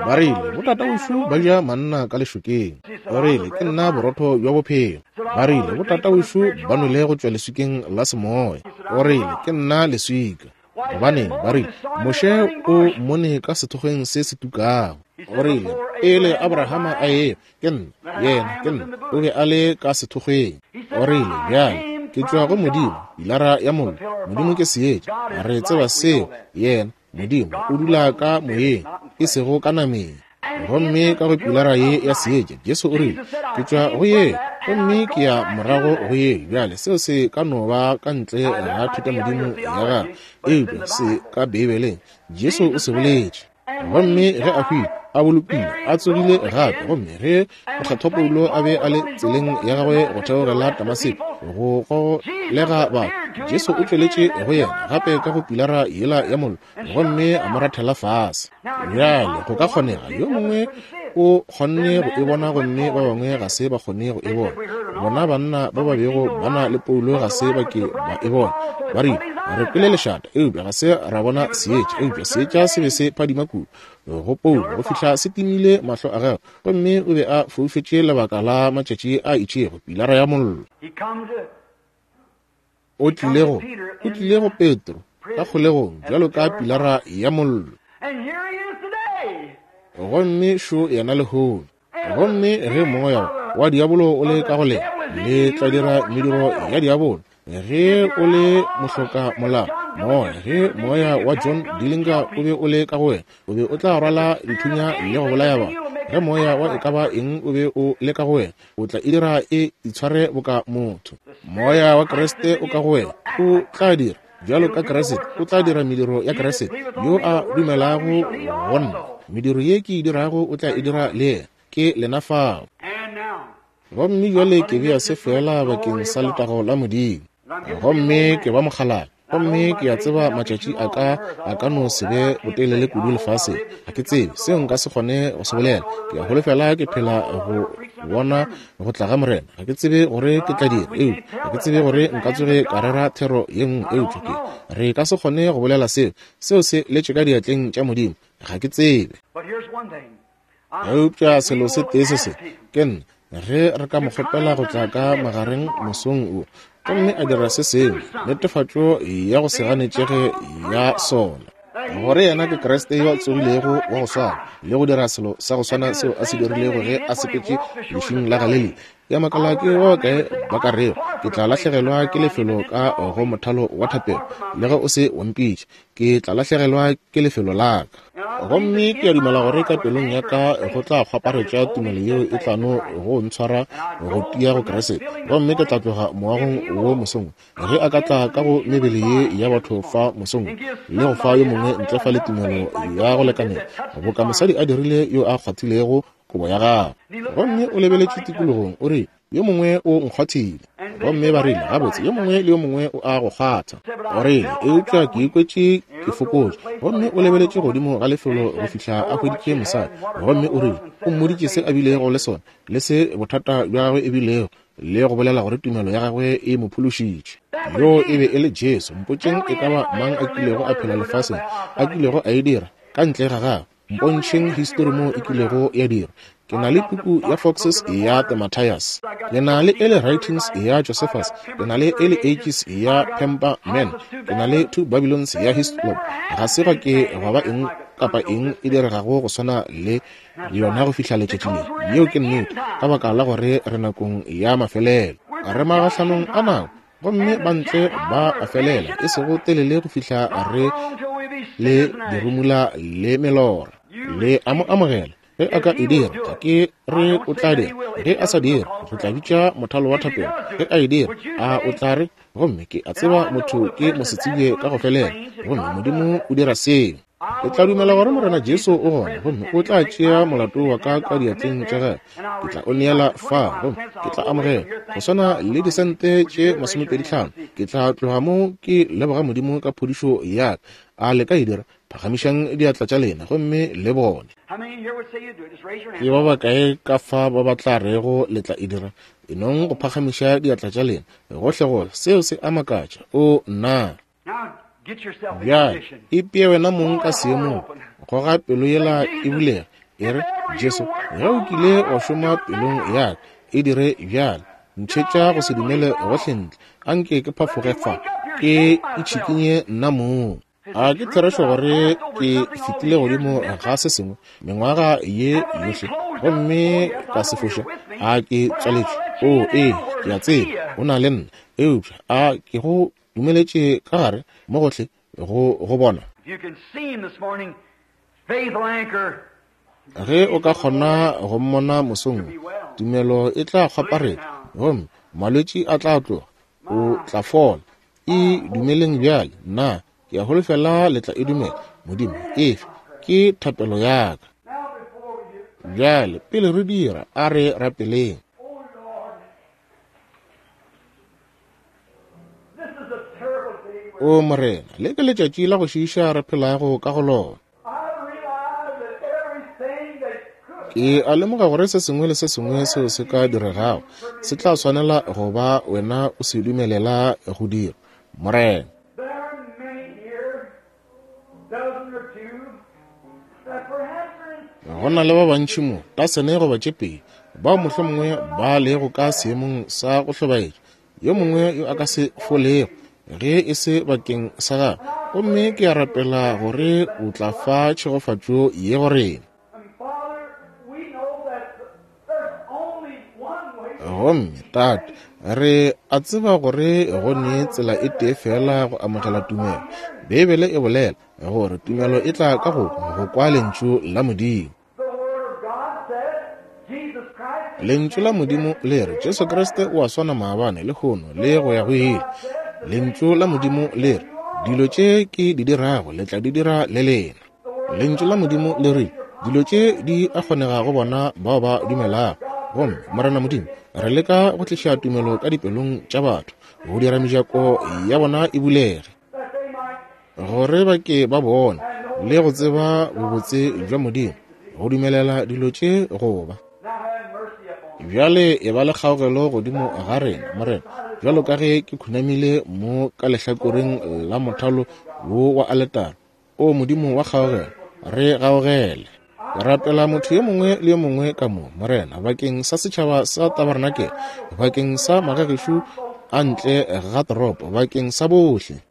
A: ba rile, botatawešo ba ja manna ka lešokeng. O rile, ke nna borotho bja bophelo. Ba rile, botatawešo ba nwele go tšwa leswikeng la semoya. O rile, ke nna leswika. Gobaneng, ba rile, Moshe o mmone ka sethokgweng se se tukago. O rile, pele Abrahama a eya, ke nna, yena ke nna. O be a le ka sethokgweng. O rile, bjale ke tšwa go Modimo, pilara ya mollo. Modimo ke seetša, re tseba seo. Yena Modimo o dula ka moyeng, e sego ka nameng. Gomme ka go pilara ye ya seetša, Jesu o rile, ke tšwa go ye, gomme ke ya morago go ye. Bjale seo se ka no ba ka ntle ga thutamodimo ya gagwe, eupša se ka Beibeleng. Jesu o se boletše. Gomme ge a hwile, a bolokilwe, a tsogile gape. Gomme ge mokgethwa Paulo a be a le tseleng ya gagwe go theogela Damaseko go golega batho, Jesu o tšweletše go yena gape ka go pilara yela ya mollo, gomme a mo rathela fase. Bjale go ka kgonega yo mongwe O kgonne go e bona gomme ba bangwe ga se ba kgone go e bona. Bona banna ba ba bego ba na le Paulo ga se ba ke ba e bona. Ba rile, re kwele lešata, eupša ga se ra bona seetša. Eupša seetša se be se phadima kudu go Paulo go fihla se timile mahlo a gagwe, gomme o be a foufetše lebaka la matšatši a itšego, pilara ya mollo. O tlile go, o tlile go Petro ka kgolegong bjalo ka pilara ya mollo. Gomme šo yena lehono. Gomme ge moya wa diabolo o le ka go lena, le tla dira mediro ya diabolo. Ge o le mohloka molao, moya, ge moya wa John Dillinger o be o le ka go wena, o be o tla rwala dithunya le go bolaya batho. Ge moya wa e ka ba eng o be o le ka go wena, o tla e dira e itshware boka motho. Moya wa Kriste o ka go wena, o tla dira bjalo ka Kriste, o tla dira mediro ya Kriste. Yo a dumelago go nna, mediro ye ke e dirago o tla e dira le yena. Ke lena fao. Gomme bjale ke bea se fela bakeng sa letago la Modimo. Gomme ke ba mokgalabje, gomme ke a tseba matšatši a ka a ka no se be botelele kudu lefaseng. Ga ke tsebe seo nka se kgone go se bolela. Ke a holofela ke phela go bona go tla ga Morena. Ga ke tsebe gore ke tla dira, eupša ga ke tsebe gore nka tsoge ka rera thero ye nngwe, eupša ke re ka se kgone go bolela seo. Seo se letše ka diatleng tša Modimo. Ga ke tsebe. Eupša selo se tee se se ke nna, ge re ka mo kgopela go tla ka magareng mosong wo, gomme a dira se sengwe, netefatšo ya go se ganetšege ya sona, gore yena ke Kriste yo a tsogilego wa go swana, le go dira selo sa go swana seo a se dirilego ge a sepetše lešung la Galilea. Ya makala ke ba bakae ba ka rego, ke tla lahlegelwa ke lefelo ka go mothalo wa thapelo, le ge o se wa mpitša, ke tla lahlegelwa ke lefelo la ka. Gomme ke a dumela gore ka pelong ya ka go tla kgwaparetša tumelo yeo e tla no go ntshwara go tia go Kriste. Gomme ke tla tloga moagong wo mosong, ge a ka tla ka go mebele ye ya batho fa mosong, le go fa yo mongwe ntle fa le tumelo ya go lekanela, boka mosadi a dirile yo a kgwathilego kobo ya gagwe. Gomme o lebeletše tikologong, o re, yo mongwe o nkgwathile. Gomme ba rile, gabotse, yo mongwe le yo mongwe o a go kgwatha. O rile, eupša ke ikwetše ke fokotše. Gomme o lebeletše godimo ga lefelo go fihla a hweditše mosadi. Gomme o rile, o mmoditše se a bilego le sona, le se bothata bja gagwe e bilego, le go bolela gore tumelo ya gagwe e mo phološitše. Yo e be e le Jesu. Mpotšeng e ka ba mang a kilego a phela lefaseng, a kilego a e dira ka ntle ga gagwe. Mpontšheng histori mo e kilego ya dira. Ke na le puku ya Foxes ya The Matthias, ke na le Early Writings ya Josephus, ke na le Early Ages ya Pember Man, ke na le Two Babylons ya Hislop. Ga se gwa ke gwa ba eng kapa eng e diregago go swana le yona go fihla letšatši le. Yeo ke nnete, ka baka la gore re nakong ya mafelelo, re magahlanong a nako, gomme bantle ba a felela, e sego telele go fihla re le dirumula le melora. Le a mo amogela ge a ka e dira, ga ke re o tla dira. Ge a sa dira, re tla bitša mothalo wa thapelo. Ge a e dira, a o tla re, gomme ke a tseba motho ke mosetsebje ka go felela, gomme Modimo o dira seo. Ke tla dumela gore Morena Jesu o gona, gomme o tla tšea molato wa ka ka diatleng tša gagwe. Ke tla o neela fa, gomme ke tla amogela go swana le disente tše masomepedi hlano. Ke tla tloga mo ke leboga Modimo ka phodišo ya ka. A le ka e dira? Phagamišang diatla tša lena gomme le bone. Ke ba bakae ka fa ba ba tla rego le tla e dira? E nong go phagamiša diatla tša lena gohle gohle. Seo se a makatša. O nna. Bjale ipee wena mong ka seemong, goga pelo yela e bulega, e re, Jesu, ge o kile wa šoma pelong ya ka, e dire bjale. Ntšhetša go se dumele gohle ntle, anke ke phafoge fa, ke itšhikinye nna mong. A ke therešo gore ke fetile godimo ga se sengwe mengwaga ye yohle, gomme ka se foše? A ke tswaletšwe? O ee, ke a tseba o na le nna, eupša a ke go dumeletše ka gare mo gohle go go bona? Ge o ka kgona go mmona mosong, tumelo e tla kgwaparetša, gomme malwetši a tla tloga, o tla fola. E dumeleng bjale. Nna ke a holofela le tla e dumela. Modimo efe ke thapelo ya ka. Bjale pele re dira, a re rapeleng. O Morena, le ke letšatši la go šiiša re phelago ka go lona. Ke a lemoga gore se sengwe le se sengwe seo se ka diregago se tla swanela go ba wena o se dumelela go dira, Morena. Go na le ba bantši mo, tasene goba tše pedi, bao mohlomongwe ba lego ka seemong sa go hlobaetša, yo mongwe yo a ka se folego ge e se bakeng sa gagwe. Gomme ke a rapela gore o tla fa tšhegofatšo ye go rena. Gomme Tate, re a tseba gore go ne tsela e tee fela go amogela tumelo. Beibele e bolela gore tumelo e tla ka go go kwa lentšu la Modimo. Lentšu la Modimo le re Jesu Kriste o a swana maabane, lehono le go ya go ile. Lentšu la Modimo le re dilo tše ke di dirago le tla di dira le lena. Lentšu la Modimo le re dilo tše di a kgonega go bona bao ba dumelago. Gomme Morena Modimo, re leka go tliša tumelo ka dipelong tša batho, go dira mejako ya bona e bulege, gore ba ke ba bone le go tseba bobotse bja Modimo, go dumelela dilo tše go ba. Bjale e ba le kgaogelo godimo ga rena, Morena, bjalo ka ge ke khunamile mo ka lehlakoreng la mothalo wo wa aletara. O Modimo wa kgaogelo, re gaogele. Ke rapela motho yo mongwe le yo mongwe ka mo, Morena, bakeng sa setšhaba sa tabarnakele, bakeng sa magagešu a ntle ga toropo, bakeng sa bohle.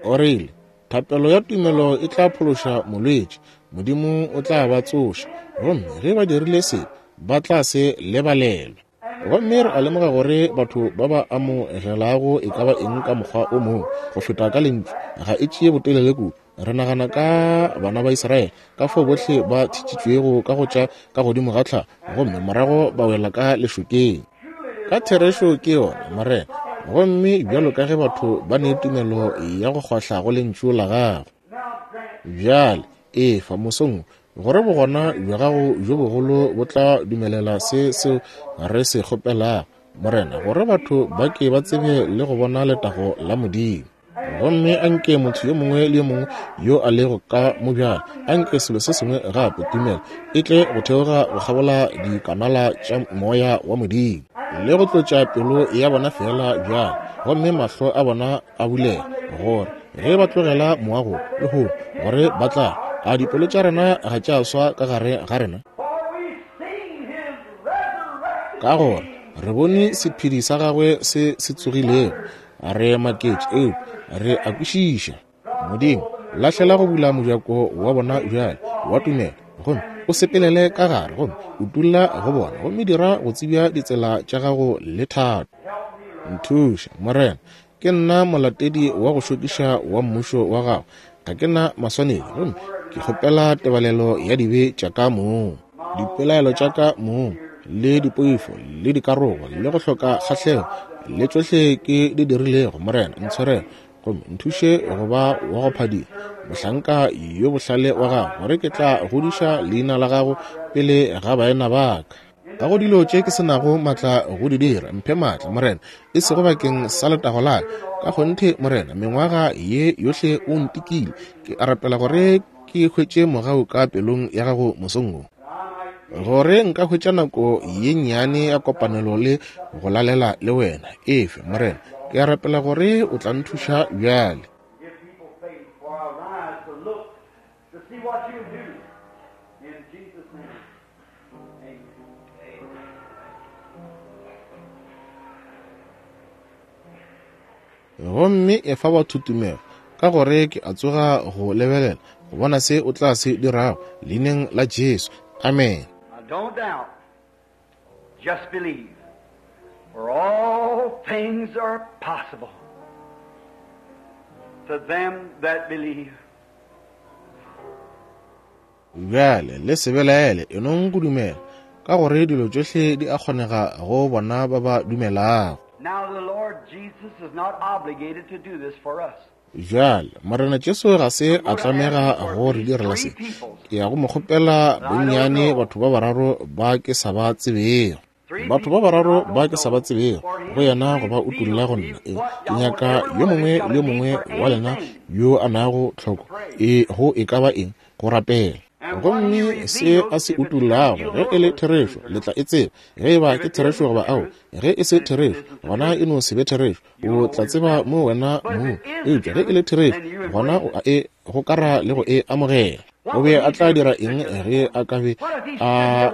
A: O rile, thapelo ya tumelo e tla phološa molwetši, Modimo o tla ba tsoša, gomme ge ba dirile se, ba tla se lebalelwa. Gomme re a lemoga gore batho ba ba amogelago e ka ba eng ka mokgwa o mongwe go feta ka lentšu ga e tšee botelele kudu. Re nagana ka bana ba Israele, ka fao bohle ba thitšitšwego ka go tša ka godimo ga tlhago, gomme morago ba wela ka lešokeng. Ka therešo ke yona, Morena. Gomme bjalo ka ge batho ba ne tumelo ya go kgwahla go lentšu la gago, bjale efa mosong gore bogona bja gago bjo bogolo bo tla dumelela se seo re se kgopelago, Morena, gore batho ba ke ba tsebe le go bona letago la Modimo. Gomme anke motho yo mongwe le yo mongwe yo a lego ka mo bjale, anke selo se sengwe gape, tumelo e tle go theoga go kgabola dikanala tša moya wa Modimo le go tlotša pelo ya bona fela bjale, gomme mahlo a bona a bulege, gore ge ba tlogela moago lehono, gore ba tla a dipelo tša rena ga tša swa ka gare ga rena, ka gore re bone sephedi sa gagwe se se tsogilego. Re maketše, eupša re a kwešiša. Modimo, lahlela go bula mojako wa bona bjale wa tumelo, gomme o sepelele ka gare, gomme o tulla go bona, gomme dira go tsebja ditsela tša gago le thato. Nthuša, Morena, ke nna molatedi wa go šokiša wa mmušo wa gago. Ga ke na maswanedi, gomme ke kgopela tebalelo ya dibe tša ka mong, dipelaelo tša ka mong, le dipoifo, le dikarogo, le go hloka kgahlego, le tšohle ke di dirilego. Morena, ntshwarele, gomme nthuše go ba wa go phadima, mohlanka yo bohlale wa gago, gore ke tla godiša leina la gago pele ga baena ba ka. Ga go dilo tše ke se nago maatla go di dira, mphe maatla, Morena, e sego bakeng sa letago la ka. Ka kgonthe, Morena, mengwaga ye yohle o ntikile. Ke a rapela gore ke hwetše mogau ka pelong ya gago mosong wo, gore nka hwetša nako ye nnyane ya kopanelo le go lalela le wena. Efe, Morena, ke a rapela gore o tla nthuša bjale. Gomme efa batho tumelo, ka gore ke a tsoga go lebelela go bona se o tla se dirago, leineng la Jesu. Amen.
B: Don't doubt, just believe, for all things are possible to them that believe.
A: Bjale le se belaele, e nong go dumela, ka gore dilo tšohle di a kgonega go bona ba ba dumelago.
B: Now the Lord Jesus is not obligated to do this for us.
A: Bjale Morena Jesu ga se a tlamega go re direla se. Ke ya go mo kgopela bonnyane batho ba bararo ba ke sa ba tsebego. Batho ba bararo ba ke sa ba tsebego go yena go ba utulla go nna. E, ke nyaka yo mongwe le yo mongwe wa lena yo a nago tlhoko e go e ka ba eng go rapela. Gomme se a se utollago, ge e le therešo, le tla e tseba. Ge e ba ke therešo goba ao, ge e se therešo, gona e no se be therešo. O tla tseba mo wena mo. Eupša ge e le therešo, gona o a e gokara le go e amogela. O be a tla dira eng ge a ka be a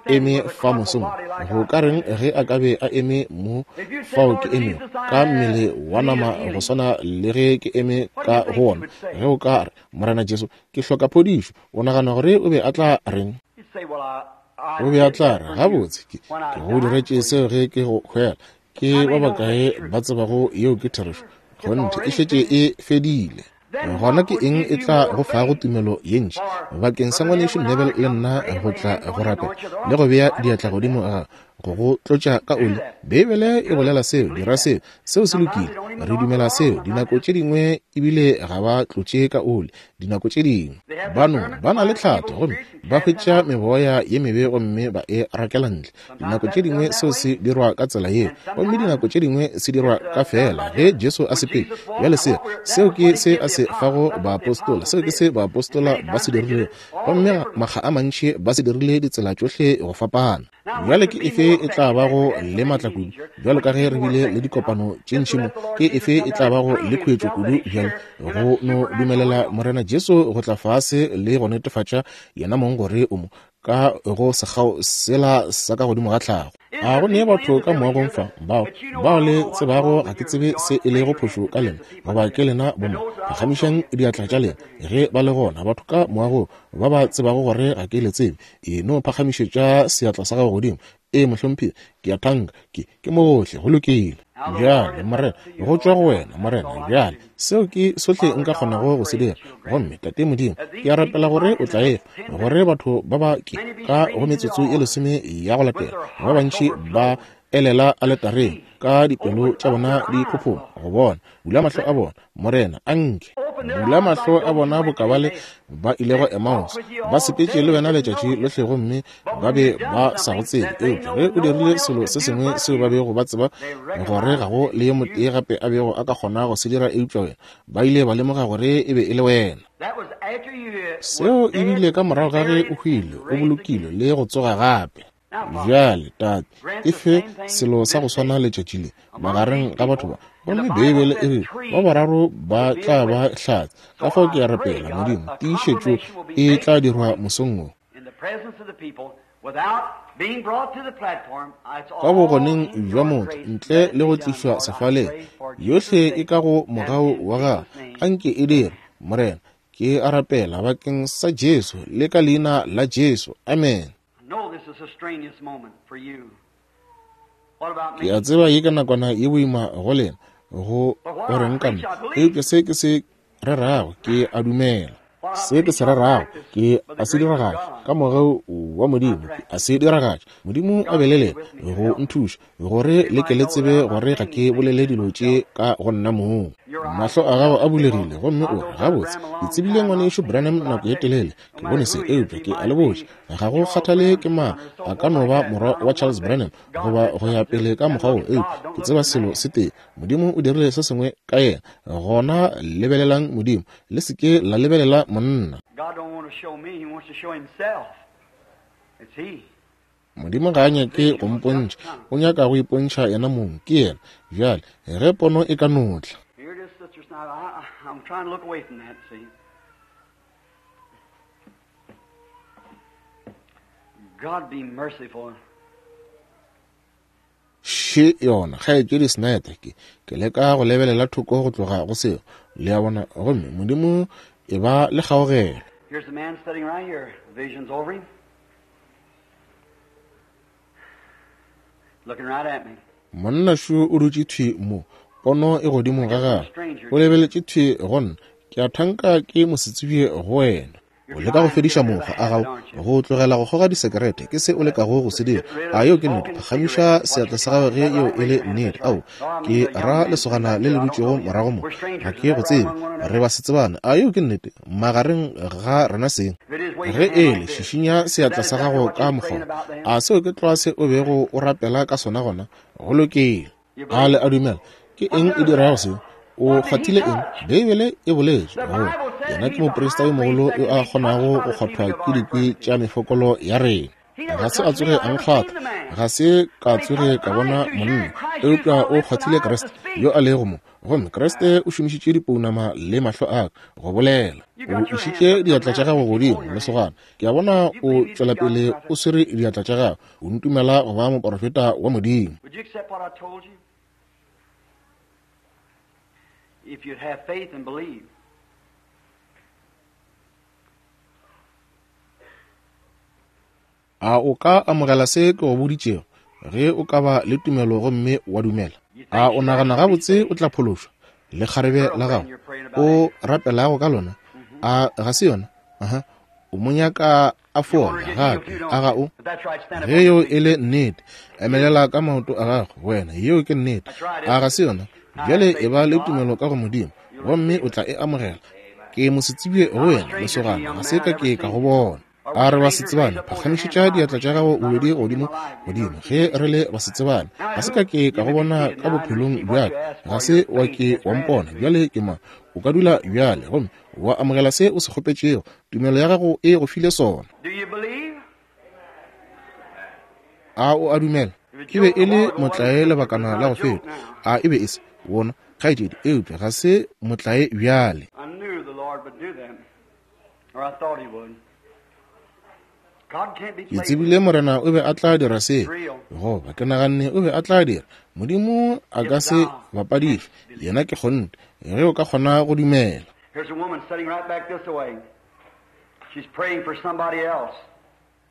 A: eme fa mosong? Go ka reng ge a ka be a eme mo fao ke emego ka mmele wa nama go swana le ge ke eme ka go wona? Ge o ka re, Morena Jesu, ke hloka phodišo, o nagana gore o be a tla reng? O be a tla re, gabotse, ke go diretše seo ge ke go hwela. Ke ba bakae ba tsebago yeo ke therešo? Kgonthe, e šetše e fedile. Gona ke eng e tla go fago tumelo ye ntši bakeng sa ngwanešu Neville le nna go tla go rapela le go bea diatla godimo ga go go tlotša ka oli? Beibele e bolela seo, dira seo, seo se lokile, re dumela seo. Dinako tše dingwe ebile ga ba tlotše ka oli, dinako tše dingwe ba no ba na le tlhatho gomme ba hwetša meboya ye mebe gomme ba e rakela ntle. Dinako tše dingwe seo se dirwa ka tsela yeo, gomme dinako tše dingwe se dirwa ka fela ge Jesu a sepele. Bjale seo, seo ke se a se fago baapostola, seo ke se baapostola ba se dirilego, gomme makga a mantši ba se dirile ditsela tšohle go fapana. Bjale ke efe e tla bago le matla kudu, bjalo ka ge re bile le dikopano tše ntši mo, ke efe e tla bago le khuetšo kudu bjale go no dumelela Morena Jesu go tla fase le go netefatša yena mong gore o mo ka go sekgao sela sa ka godimo ga tlhago? A go ne batho ka moagong fa bao bao le tsebago ga ke tsebe se e lego phošo ka lena goba ke lena boma? Phagamišang diatla tša lena ge ba le gona batho ka moagong ba ba tsebago gore ga ke le tsebe. E no phagamišetša seatla sa gago godimo. E mohlomphegi, ke a thanka, ke ke mogohle, go lokile. Bjale Morena, go tšwa go wena Morena. Bjale seo ke sohle nka kgonago go se dira. Gomme Tate Modimo, ke a rapela gore o tla efa gore batho ba ba ke ka go metsotso e lesome ya go latela ba bantši ba elela aletareng ka dipelo tša bona di phophoma go bona. Bula mahlo a bona Morena, anke bula mahlo a bona boka bale ba ilego Emmaus, ba sepetše le wena letšatši lohle gomme ba be ba sa go tsebe. Eupša ge o dirile selo se sengwe seo ba bego ba tseba gore ga go le yo motee gape a bego a ka kgona go se dira eupša wena, ba ile ba lemoga gore e be e le wena. Seo e bile ka morago ga ge o hwile, o bolokilwe le go tsoga gape. Bjale Tate, e fe selo sa go swana letšatši le magareng ga batho ba. Gomme Beibele e re ba bararo ba tla ba hlatse. Ka fao ke a rapela Modimo, tiišetšo e tla dirwa mosong wo ka bogoneng bja motho ntle le go tlišwa sefaleng. Yohle e ka go mogau wa gagwe, anke e dire Morena. Ke a rapela bakeng sa Jesu le ka leina la Jesu, amen. Ke a tseba ye ka nakwana ye boima go lena go goreng ka nna, eupša se ke se rerago ke a dumela. Se ke se rerago ke a se diragatša ka mogau wa Modimo, ke a se diragatša. Modimo a be le lena go nthuša gore le ke le tsebe gore ga ke bolele dilo tše ka go nna mong. Mahlo a gago a bulegile gomme o re, gabotse, ke tsebile ngwanešu Branham nako ye telele, ke bone se, eupša ke a le botša, ga go kgathale ke mang, a ka no ba morwa wa Charles Branham goba go ya pele ka mokgwa wo, eupša ke tseba selo se tee, Modimo o dirile se sengwe ka yena. Gona lebelelang Modimo, le se ke la lebelela monna. Modimo ga a nyake go mpontšha, o nyaka go ipontšha yena mong, ke yena. Bjale ge pono e ka no tla.
B: I'm trying to look away from that, see. God be merciful.
A: Še yona, kgaetšedi Snyder, ke ke leka go lebelela thoko go tloga go seo, le a bona, gomme Modimo e ba le kgaogelo.
B: Here's a man sitting right here. Vision's over him. Looking right at me.
A: Monna šo o dutše thwi mo, pono e godimo ga gagwe, o lebeletše thwi go nna. Ke a thanka ke mosetsebje go wena. O leka go fediša mokgwa a gago go tlogela go kgoga disekerete, ke se o lekago go se dira. A yeo ke nnete? Phagamiša seatla sa gago ge yeo e le nnete. Ao, ke ra lesogana le le dutšego morago mo, ga ke go tsebe, re ba setsebane. A yeo ke nnete? Magareng ga rena seng. Ge e le, šišinya seatla sa gago ka mokgwa. A seo ke tlwa se o bego o rapela ka sona gona? Go lokile. A le a dumela? Ke eng e dirago seo? O kgwathile eng? Beibele e boletše gore Yena ke moprista yo mogolo yo a kgonago go kgwathwa ke dikwi tša mefokolo ya rena. Ga se a tsoge a nkgwatha, ga se ka tsoge ka bona monna, eupša o kgwathile Kriste yo a lego mo. Gomme Kriste o šomišitše dipounama le mahlo a ka go bolela. O išitše diatla tša gago godimo, lesogana. Ke a bona o tšwela pele o swere diatla tša gago. O ntumela go ba moporofeta wa Modimo.
B: Would you accept what I told you? If you'd have faith and believe.
A: A o ka amogela se ke go boditšego ge o ka ba le tumelo gomme wa dumela? A o nagana gabotse o tla phološwa? Le kgarebe la gago o rapelago ka lona, a ga se yona? Aha, o mo nyaka a fola gape, a ga o? Ge yeo e le nnete, emelela ka maoto a gago wena, yeo ke nnete. A ga se yona? Bjale e ba le tumelo ka go Modimo gomme o tla e amogela. Ke mosetsebje go wena, lesogana, ga se ka ke ka go bona. A re basetsebane, phagamišetša diatla tša gago bobedi godimo godimo ge re le basetsebane. Ga se ka ke ka go bona ka bophelong bjaka, ga se wa ke wa mpona. Bjale ke mang? O ka dula bjale gomme wa amogela se o se kgopetšego. Tumelo ya gago e go file sona.
B: Do you believe?
A: A o a dumela? E be e le motlae lebakana la go feta. A e be e se wona, kgaetšedi, eupša ga se motlae bjale.
B: I knew the Lord would do that, or I thought he would. God can't be
A: Ke
B: played
A: tsebile Morena o be a tla dira se, goba ke naganne o be a tla dira. Modimo a ka se bapadišwe, yena ke kgonthe, ge o ka kgona go dumela.
B: Here's a woman sitting right back this way. She's praying for somebody else.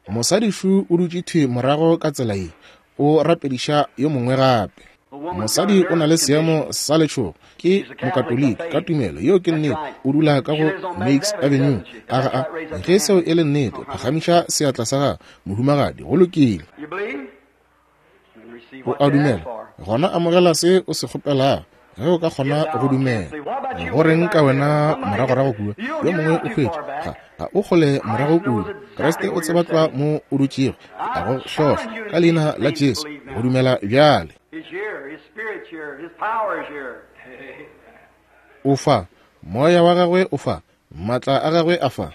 A: Mosadišu o dutše thwi morago ka tsela ye, o rapediša yo mongwe gape. Mosadi o na le seemo sa letšhogo, ke mokatoliki ka tumelo, yeo ke nnete. O dula ka go Meigs Avenue. A ga a? Ge seo e le nnete, phagamiša seatla sa gago, mohumagadi. Go lokile.
B: You believe? And receive
A: O
B: what
A: a
B: you ask
A: dumela,
B: for.
A: gona amogela se o se kgopelago ge o ka kgona go dumela. Go reng ka wena moragorago kua? Yo mongwe o hwetše, ga ga o kgole morago kua. Kriste o tseba tlwa mo o dutšego. Ke a go hlohla ka leina la Jesu go dumela bjale.
B: He's here. His spirit's here. His power is here.
A: O fa, moya wa gagwe o fa, maatla a gagwe a fa.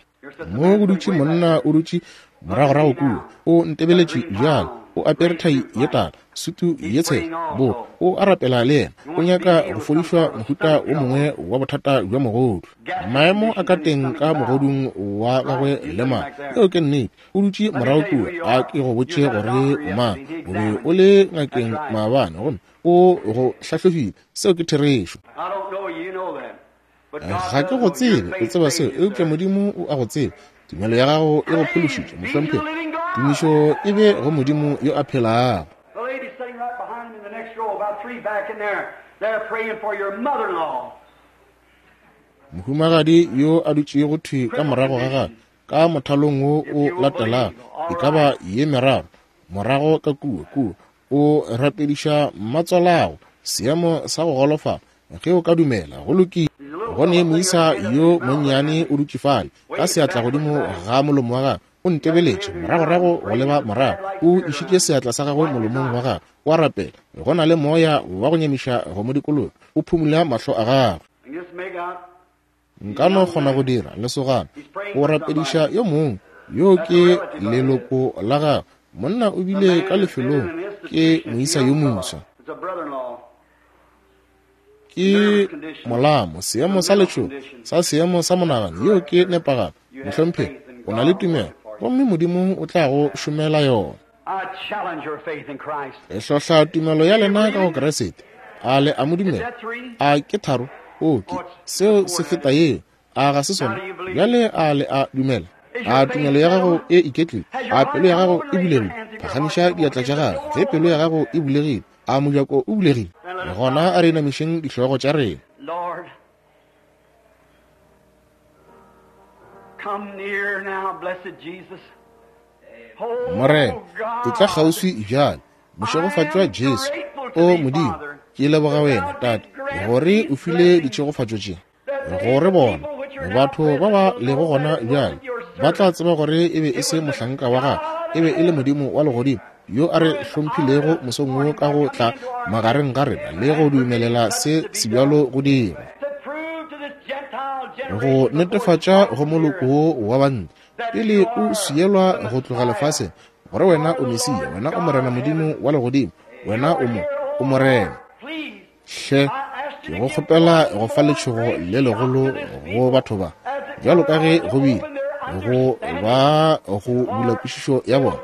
A: Mo go dutše monna o dutše moragorago kua, o ntebeletše bjale, o apere thai ye tala, sutu ye tshela, bo o a rapela le yena. O nyaka go fodišwa mohuta o mongwe wa bothata bja mogodu. Maemo a ka teng ka mogodung wa gagwe le mang, yeo ke nnete. O dutše morago kua, a ke go botše gore o mang. O be o le ngakeng maabane gomme o go hlahlobile. Seo ke therešo.
B: I don't know you, you know that. But God
A: Ga ke
B: does
A: go
B: know your
A: tsebe, o
B: faith
A: tseba
B: saved
A: seo,
B: you,
A: eupša
B: sir.
A: Modimo o a go tseba. Tumelo ya gago e go phološitše, mohlomphegi. Tumišo e be go Modimo yo a phelago.
B: The lady sitting right behind him in the next row, about three back in there, they're praying for your mother-in-law.
A: Mohumagadi yo a dutšego thwi ka morago ga gagwe ka mothalong wo o latelago, e ka ba ye meraro morago ka kua kua, o rapediša mmatswalago, seemo sa go golofala. Ge o ka dumela, go lokile. Go ne moisa yo monnyane o dutše fale ka seatla godimo ga molomo wa gagwe, o ntebeletše moragorago go leba morago, o išitše seatla sa gagwe molomong wa gagwe, o a rapela. Go na le moya wa go nyamiša go mo dikologa, o phumula mahlo a gagwe.
B: And just make out
A: Nka no kgona go dira, lesogana. O rapediša yo mongwe, yo ke leloko la gagwe. Monna o bile ka lefelong, ke moisa yo moswa.
B: It's a brother-in-law.
A: Ke molamo, seemo sa letšhogo sa seemo sa monagano, yeo ke nepagalo. Mohlomphegi, o na le tumelo gomme Modimo o tla go šomela yona.
B: I challenge your faith in Christ.
A: E hlohla tumelo ya lena ka go Kriste. A le a mo dumela? A ke tharo? O ke seo se feta yeo. A ga se sona? Bjale a le a dumela? A tumelo ya gago e iketlile? A pelo ya gago e bulegile? Phagamiša diatla tša gago ge pelo ya gago e bulegile. A mojako o bulegile? Gona a re inamišeng dihlogo tša rena.
B: Lord, come near now, blessed Jesus. Oh,
A: Morena, e tla
B: God,
A: kgauswi bjale. Mošegofatšwa Jesu. O Modimo, ke leboga wena, Tate, gore o file ditšhegofatšo tše. Gore bona, batho ba ba lego gona bjale, ba tla tseba gore e be e se mohlanka wa gagwe, e be e le Modimo wa legodimo yo a re hlomphilego mosong wo ka go tla magareng ga rena le go dumelela se sebjalo go dirwa.
B: to prove to this Gentile
A: go netefatša go moloko wo wa bantle pele o swielwa go tloga lefaseng, gore wena o Mesia, wena o Morena Modimo wa legodimo, wena o mo o Morena. Hle, ke go kgopela go fa letšhogo le legolo go batho ba, bjalo ka ge go bile go ba go bula kwešišo ya bona,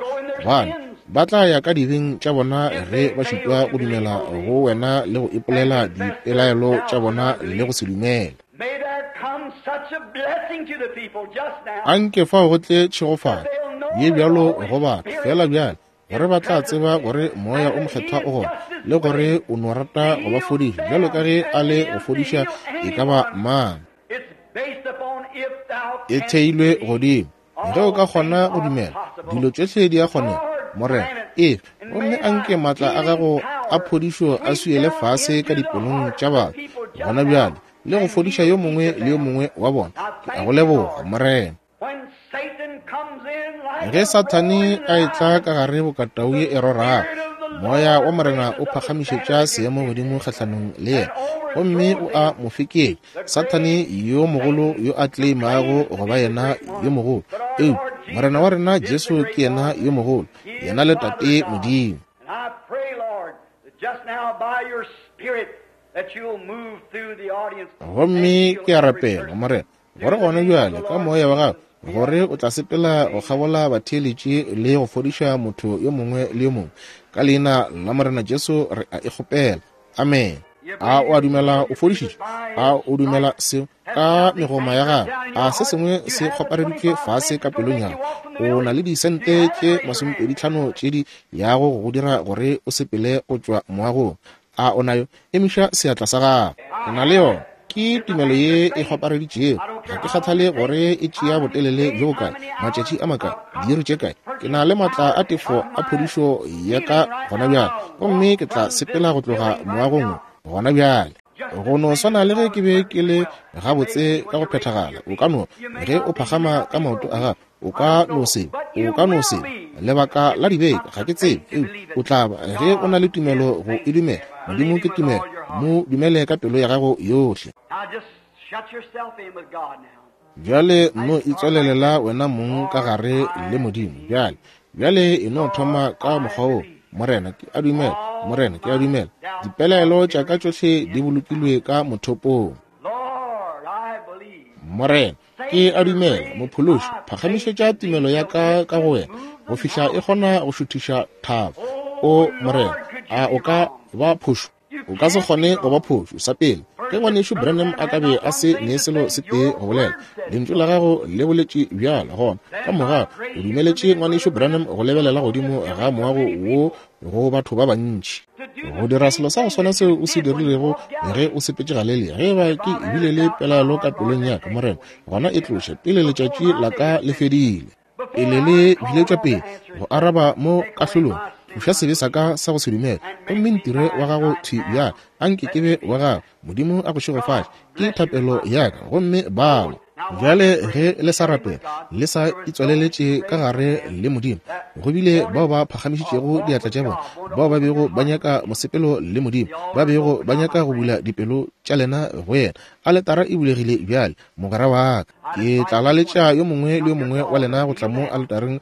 A: gobane ba tla ya ka dibeng tša bona ge ba šitwa go dumela go wena le go ipolela dipelaelo tša bona le go se dumele. Anke fao go tle tšhegofatšo ye bjalo go batho fela bjale, gore ba tla tseba gore Moya o Mokgethwa o gona, le gore o no rata go ba fodiša bjalo ka ge a le go fodiša e ka ba mang. E theilwe godimo ge o ka kgona go dumela, dilo tšohle di a kgonega. Morena, efe, gomme anke maatla a gago a phodišo a swiele fase ka dipelong tša batho gona bjale, le go fodiša yo mongwe le yo mongwe wa bona. Ke a go leboga, Morena. Ge Sathane a etla ka gare bokatau ye e rorago, Moya wa Morena o phagamišetša seemo godimo kgahlanong le yena, gomme o a mo feketša. Sathane yo mogolo yo a tleimago go ba yena yo mogolo, eupša Morena wa rena Jesu ke yena yo mogolo, yena le Tate Modimo. Gomme ke a rapela, Morena, gore gona bjale ka Moya wa gago, gore o tla sepela go kgabola batheeletši le go fodiša motho yo mongwe le yo mongwe. Ka leina la Morena Jesu re a e kgopela. Amen. A o a dumela o fodišitšwe? A o dumela seo ka megoma ya gago? A se sengwe se kgopareditšwe fase ka pelong ya gago? O na le disente tše masomepedi tlhano tše di yago go go dira gore o sepele go tšwa moagong. A o nayo? Emiša seatla sa gago. O na le yona. Ke tumelo ye e kgopareditšego. Ga ke kgathale gore e tšea botelele bjo bokae, matšatši a makae, diiri tše kae. Ke na le maatla a tefo a phodišo ya ka gona bjale, gomme ke tla sepela go tloga moagong gona bjale. Go no swana le ge ke be ke le gabotse ka go phethagala. O ka no, ge o phagama ka maoto a gago, o ka no se, o ka no se, lebaka la dibeke, ga ke tsebe, eupša o tla ba ge o na le tumelo go e dumela. Modimo ke tumelo, mo dumele ka pelo ya gago yohle. Bjale no itswalelela wena mong ka gare le Modimo. Bjale, bjale e no thoma ka mokgwa wo. Morena, ke a dumela. Morena, ke a dumela. Dipelaelo tša ka tšohle di bolokilwe ka mothopong. Morena, ke a dumela. Mophološi, phagamišetša tumelo ya ka ka go wena go fihla e kgona go šuthiša thaba. O Morena, a o ka ba phošo? O ka se kgone go ba phošo. Sa pele, ge ngwanešu Branham a ka be a se ne selo se tee go bolela, lentšu la gago le boletše bjalo, gona ka morago o dumeletše ngwanešu Branham go lebelela godimo ga moago wo go batho ba bantši, go dira selo sa go swana seo o se dirilego ge o sepetše Galelia. Ge ba ke ebile le pelaelo ka pelong ya ka, Morena, gona e tloše pele letšatši la ka le fedile, pele le biletšwa pele go araba mo kahlolong. Tloša sebe sa ka sa go se dumele, gomme ntire wa gago thwi bjale. Anke ke be wa gago. Modimo a go šegofatše. Ke thapelo ya ka. Gomme bao bjale ge le sa rapela, le sa itswaleletše ka gare le Modimo, go bile bao ba phagamišitšego diatla tša bona, bao ba bego ba nyaka mosepelo le Modimo, ba bego ba nyaka go bula dipelo tša lena go yena. Aletara e bulegile bjale, mogwera wa ka. Ke tla laletša yo mongwe le yo mongwe wa lena go tla mo aletareng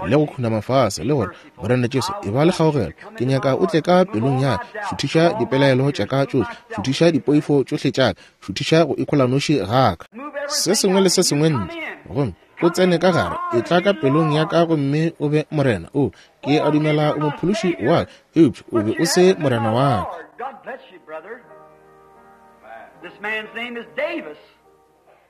A: le go khunama fase le gore, Morena Jesu, e ba le kgaogelo. Ke nyaka o tle ka pelong ya ka. Šuthiša dipelaelo tša ka tšohle, šuthiša dipoifo tšohle tša ka, šuthiša go ikholanoši ga ka, se sengwe le se sengwe ntle, gomme o tsene ka gare. E tla ka pelong ya ka gomme o be Morena. O, ke a dumela o mophološi wa ka, eupša o be o se Morena wa ka.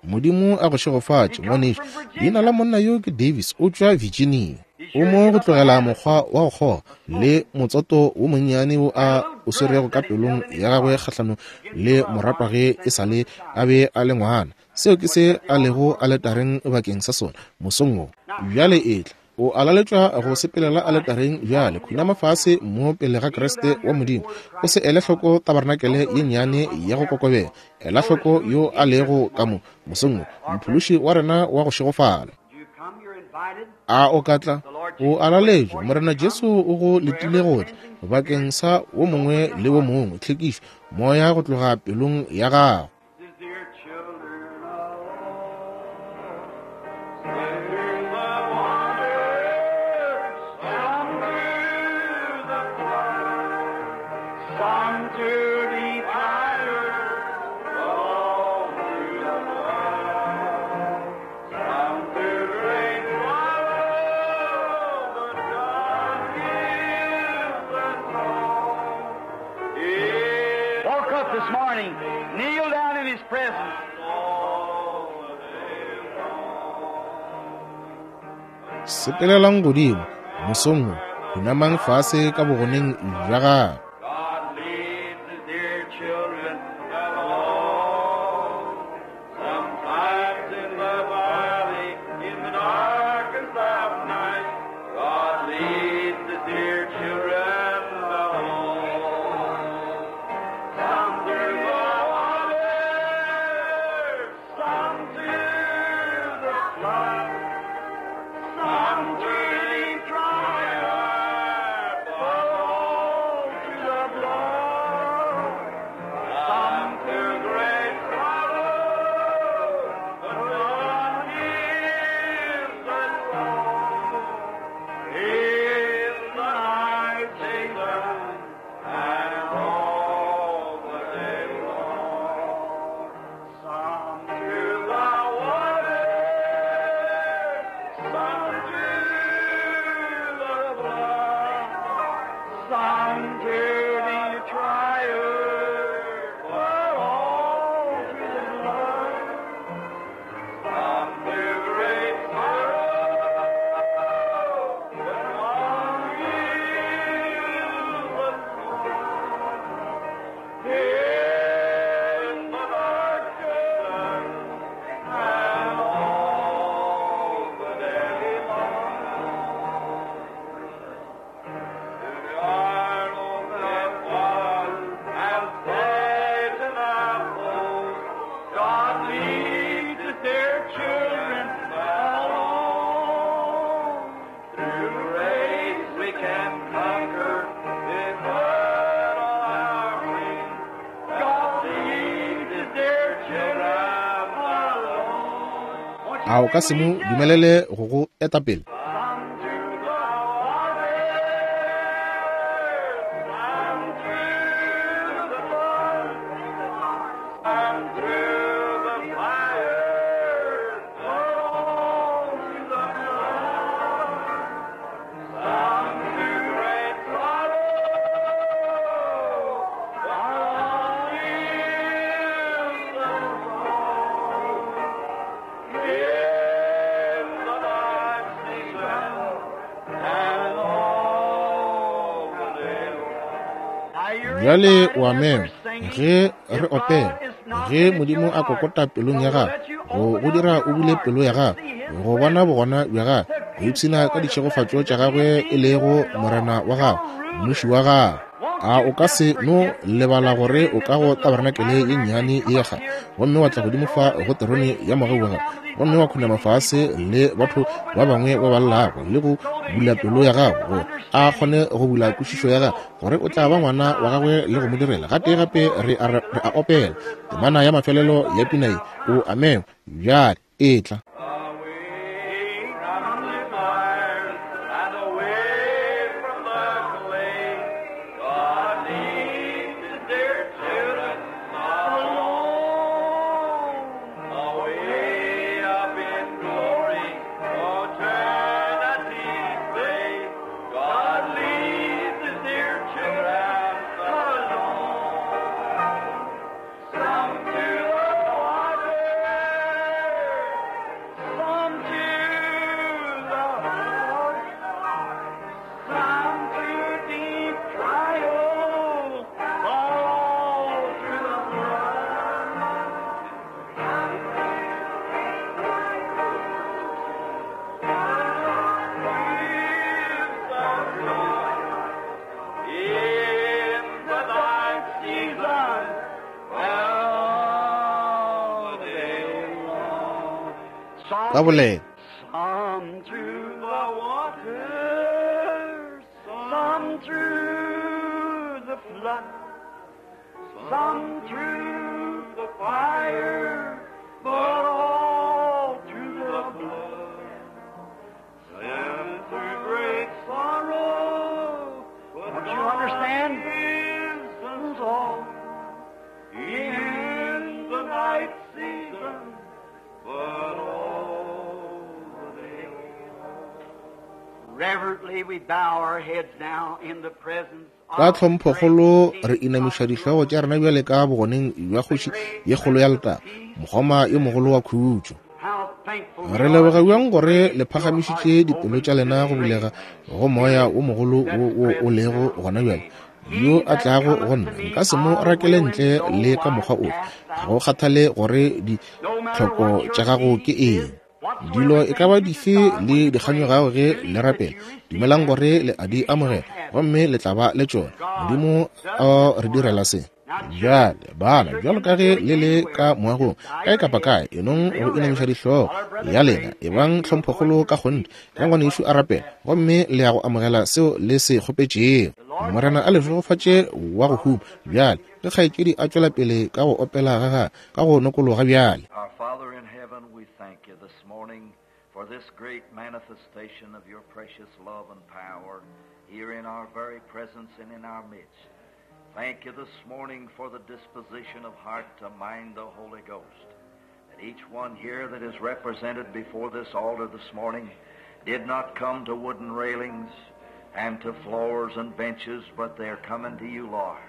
A: Modimo a go šegofatše, ngwanešu. Leina la monna yo ke Davis, o tšwa Virginia. O mo go tlogela mokgwa wa go kgoga le motsoto wo monnyane wo a o swerego ka pelong ya gagwe kgahlanong le moratwa ge e sa le a be a le ngwana. Seo ke se a lego aletareng bakeng sa sona mosong wo. Bjale etla, o a laletšwa go sepelela aletareng bjale. Khunama fase mo pele ga Kriste wa Modimo. O se ele hloko tabarnakele ye nnyane ya go kokobela. Ela hloko yo a lego ka mo mosong wo, mophološi wa rena wa go šegofala. A o ka tla? O a laletšwa. Morena Jesu o go letile go tla bakeng sa wo mongwe le wo mongwe. Tlhekišo moya go tloga pelong ya gago. Sepelelang godimo mosong wo, khunamang fase ka bogoneng bja gagwe.
B: God leads his dear children along. Sometimes in the valley, in the darkest of night, God leads his dear children along. Some through the water, some through the flood, some through the trial, but all through the blood. Some through great sorrow, but God is the Lord. In the night season and all the day long. Some through the water, some through the blood, some through the trial, but all through the blood. Some through great sorrow, but all is the Lord. In the darkness and all the day long. To Arnold and was and Satan and foes, God leads his dear children along. Through grace we can conquer if put on our wings. God leads his dear children along.
A: A o ka se mo dumelele go go eta pele?
B: Some through the water, some through the flood, some through the fire, but all through the blood. Some through great sorrow, but all is the Lord. In the night season and all the day long.
A: Bjale o a mema ge re opela, ge Modimo a kokota pelong ya gago, go go dira o bule pelo ya gago, go bona bogona bja gagwe, go ipshina ka ditšhegofatšo tša gagwe e lego Morena wa gago, mmuši wa gago. A o ka se no lebala gore o ka go tabarenakele ye nnyane ye ya kgale, gomme wa tla godimo fa go terone ya mogau wa gago, gomme wa khunama fase le batho ba bangwe ba ba llago, le go bula pelo ya gago gore a kgone go bula kwešišo ya gago, gore o tla ba ngwana wa gagwe le go mo direla. Gatee gape re a, re a opela temana ya mafelelo ya pina ye, o amengwe bjale e tla.
B: Away from the fires and away from the clay, God leads his dear children along. Away up in glory, eternity's day, God leads his dear children along. Some to the water, some to the flood, some through deep trials, but all through the blood. In the night season, all day long.
A: Ka bolela.
B: Some through the water, some through the flood, some through the fire, but all through the blood. Some through great sorrow, but
C: Don't you understand?
B: God is all in the night season, but all the day long.
C: Reverently we bow our heads now in the presence
A: Ka
C: of
A: tlhomphokgolo re inamiša dihlogo tša rena bjale ka bogoneng bja kgoši ye kgolo ya letago, mokgoma yo mogolo wa khutšo.
C: How
A: Re leboga bjang gore le phagamišitše dipelo tša lena go bulega go moya o mogolo wo wo o lego gona bjale, yo a tlago go nna nka se mo rakele ntle le ka mokgwa ofe. Ga go kgathale gore ditlhoko tša gago ke eng, dilo e ka ba dife le dikganyogago ge le rapela, dumelang gore le a di amogela gomme le tla ba le tšona. Modimo o re direla se. Bjale bana, bjalo ka ge le le ka moagong kae kapa kae, enong go inamiša dihlogo ya lena, ebang tlhomphokgolo ka kgonthe ge ngwanešu a rapela, gomme le ya go amogela seo le se kgopetšego. Morena a le šegofatše wa go huma. Bjale ge kgaetšedi a tšwela pele ka go opela ga gagwe ka go nokologa bjale.
D: Our Father in heaven, we thank you this morning for this great manifestation of your precious love and power here in our very presence and in our midst. Thank you this morning for the disposition of heart to mind the Holy Ghost. That each one here that is represented before this altar this morning did not come to wooden railings and to floors and benches, but they're coming to you, Lord.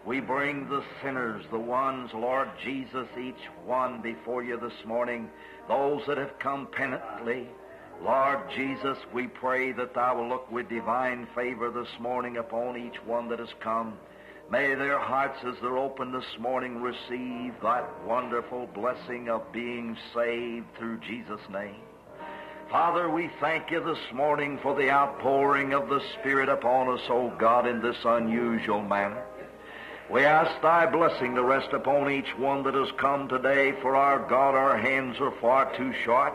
D: We bring the sinners, the ones, Lord Jesus, each one before you this morning, those that have come penitently. Lord Jesus, we pray that thou will look with divine favor this morning upon each one that has come. May their hearts, as they're open this morning, receive that wonderful blessing of being saved through Jesus' name. Father, we thank you this morning for the outpouring of the Spirit upon us, O God, in this unusual manner. We ask thy blessing to rest upon each one that has come today, for our God, our hands are far too short.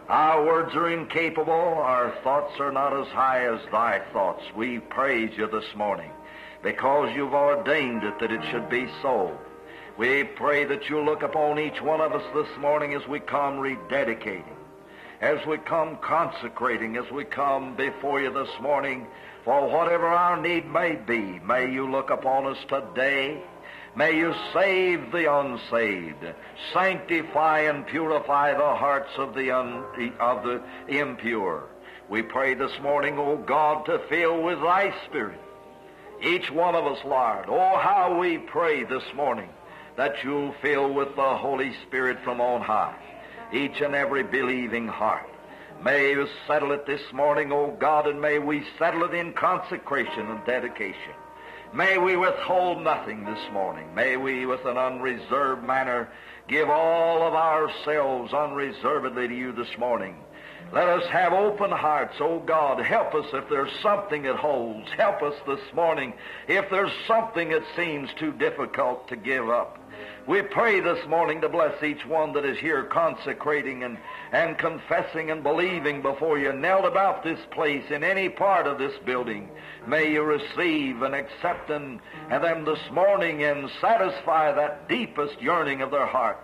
D: Our words are incapable. Our thoughts are not as high as thy thoughts. We praise you this morning because you've ordained it that it should be so. We pray that you'll look upon each one of us this morning as we come rededicating, as we come consecrating, as we come before you this morning, for whatever our need may be, may you look upon us today. May you save the unsaved, sanctify and purify the hearts of the, un, of the impure. We pray this morning, O God, to fill with thy Spirit each one of us, Lord. Oh, how we pray this morning that you'll fill with the Holy Spirit from on high each and every believing heart. May you settle it this morning, O God, and may we settle it in consecration and dedication. May we withhold nothing this morning. May we, with an unreserved manner, give all of ourselves unreservedly to you this morning. Let us have open hearts, O God. Help us if there's something that holds. Help us this morning if there's something that seems too difficult to give up. We pray this morning to bless each one that is here consecrating and, and confessing and believing before you, knelt about this place in any part of this building. May you receive and accept them, and them this morning and satisfy that deepest yearning of their heart.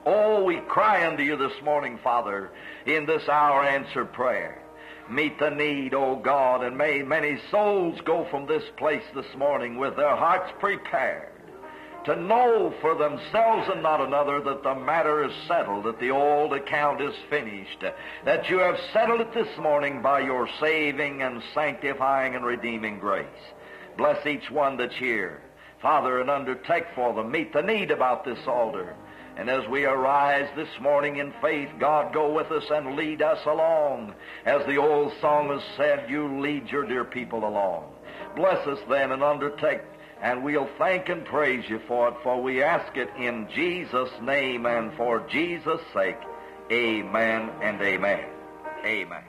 D: Oh, we cry unto you this morning, Father, in this hour answer prayer. Meet the need, O God, and may many souls go from this place this morning with their hearts prepared to know for themselves and not another that the matter is settled, that the old account is finished, that you have settled it this morning by your saving and sanctifying and redeeming grace. Bless each one that's here, Father, and undertake for them. Meet the need about this altar. And as we arise this morning in faith, God, go with us and lead us along. As the old song has said, you lead your dear people along. Bless us then and undertake, and we'll thank and praise you for it, for we ask it in Jesus' name and for Jesus' sake. Amen and amen. Amen.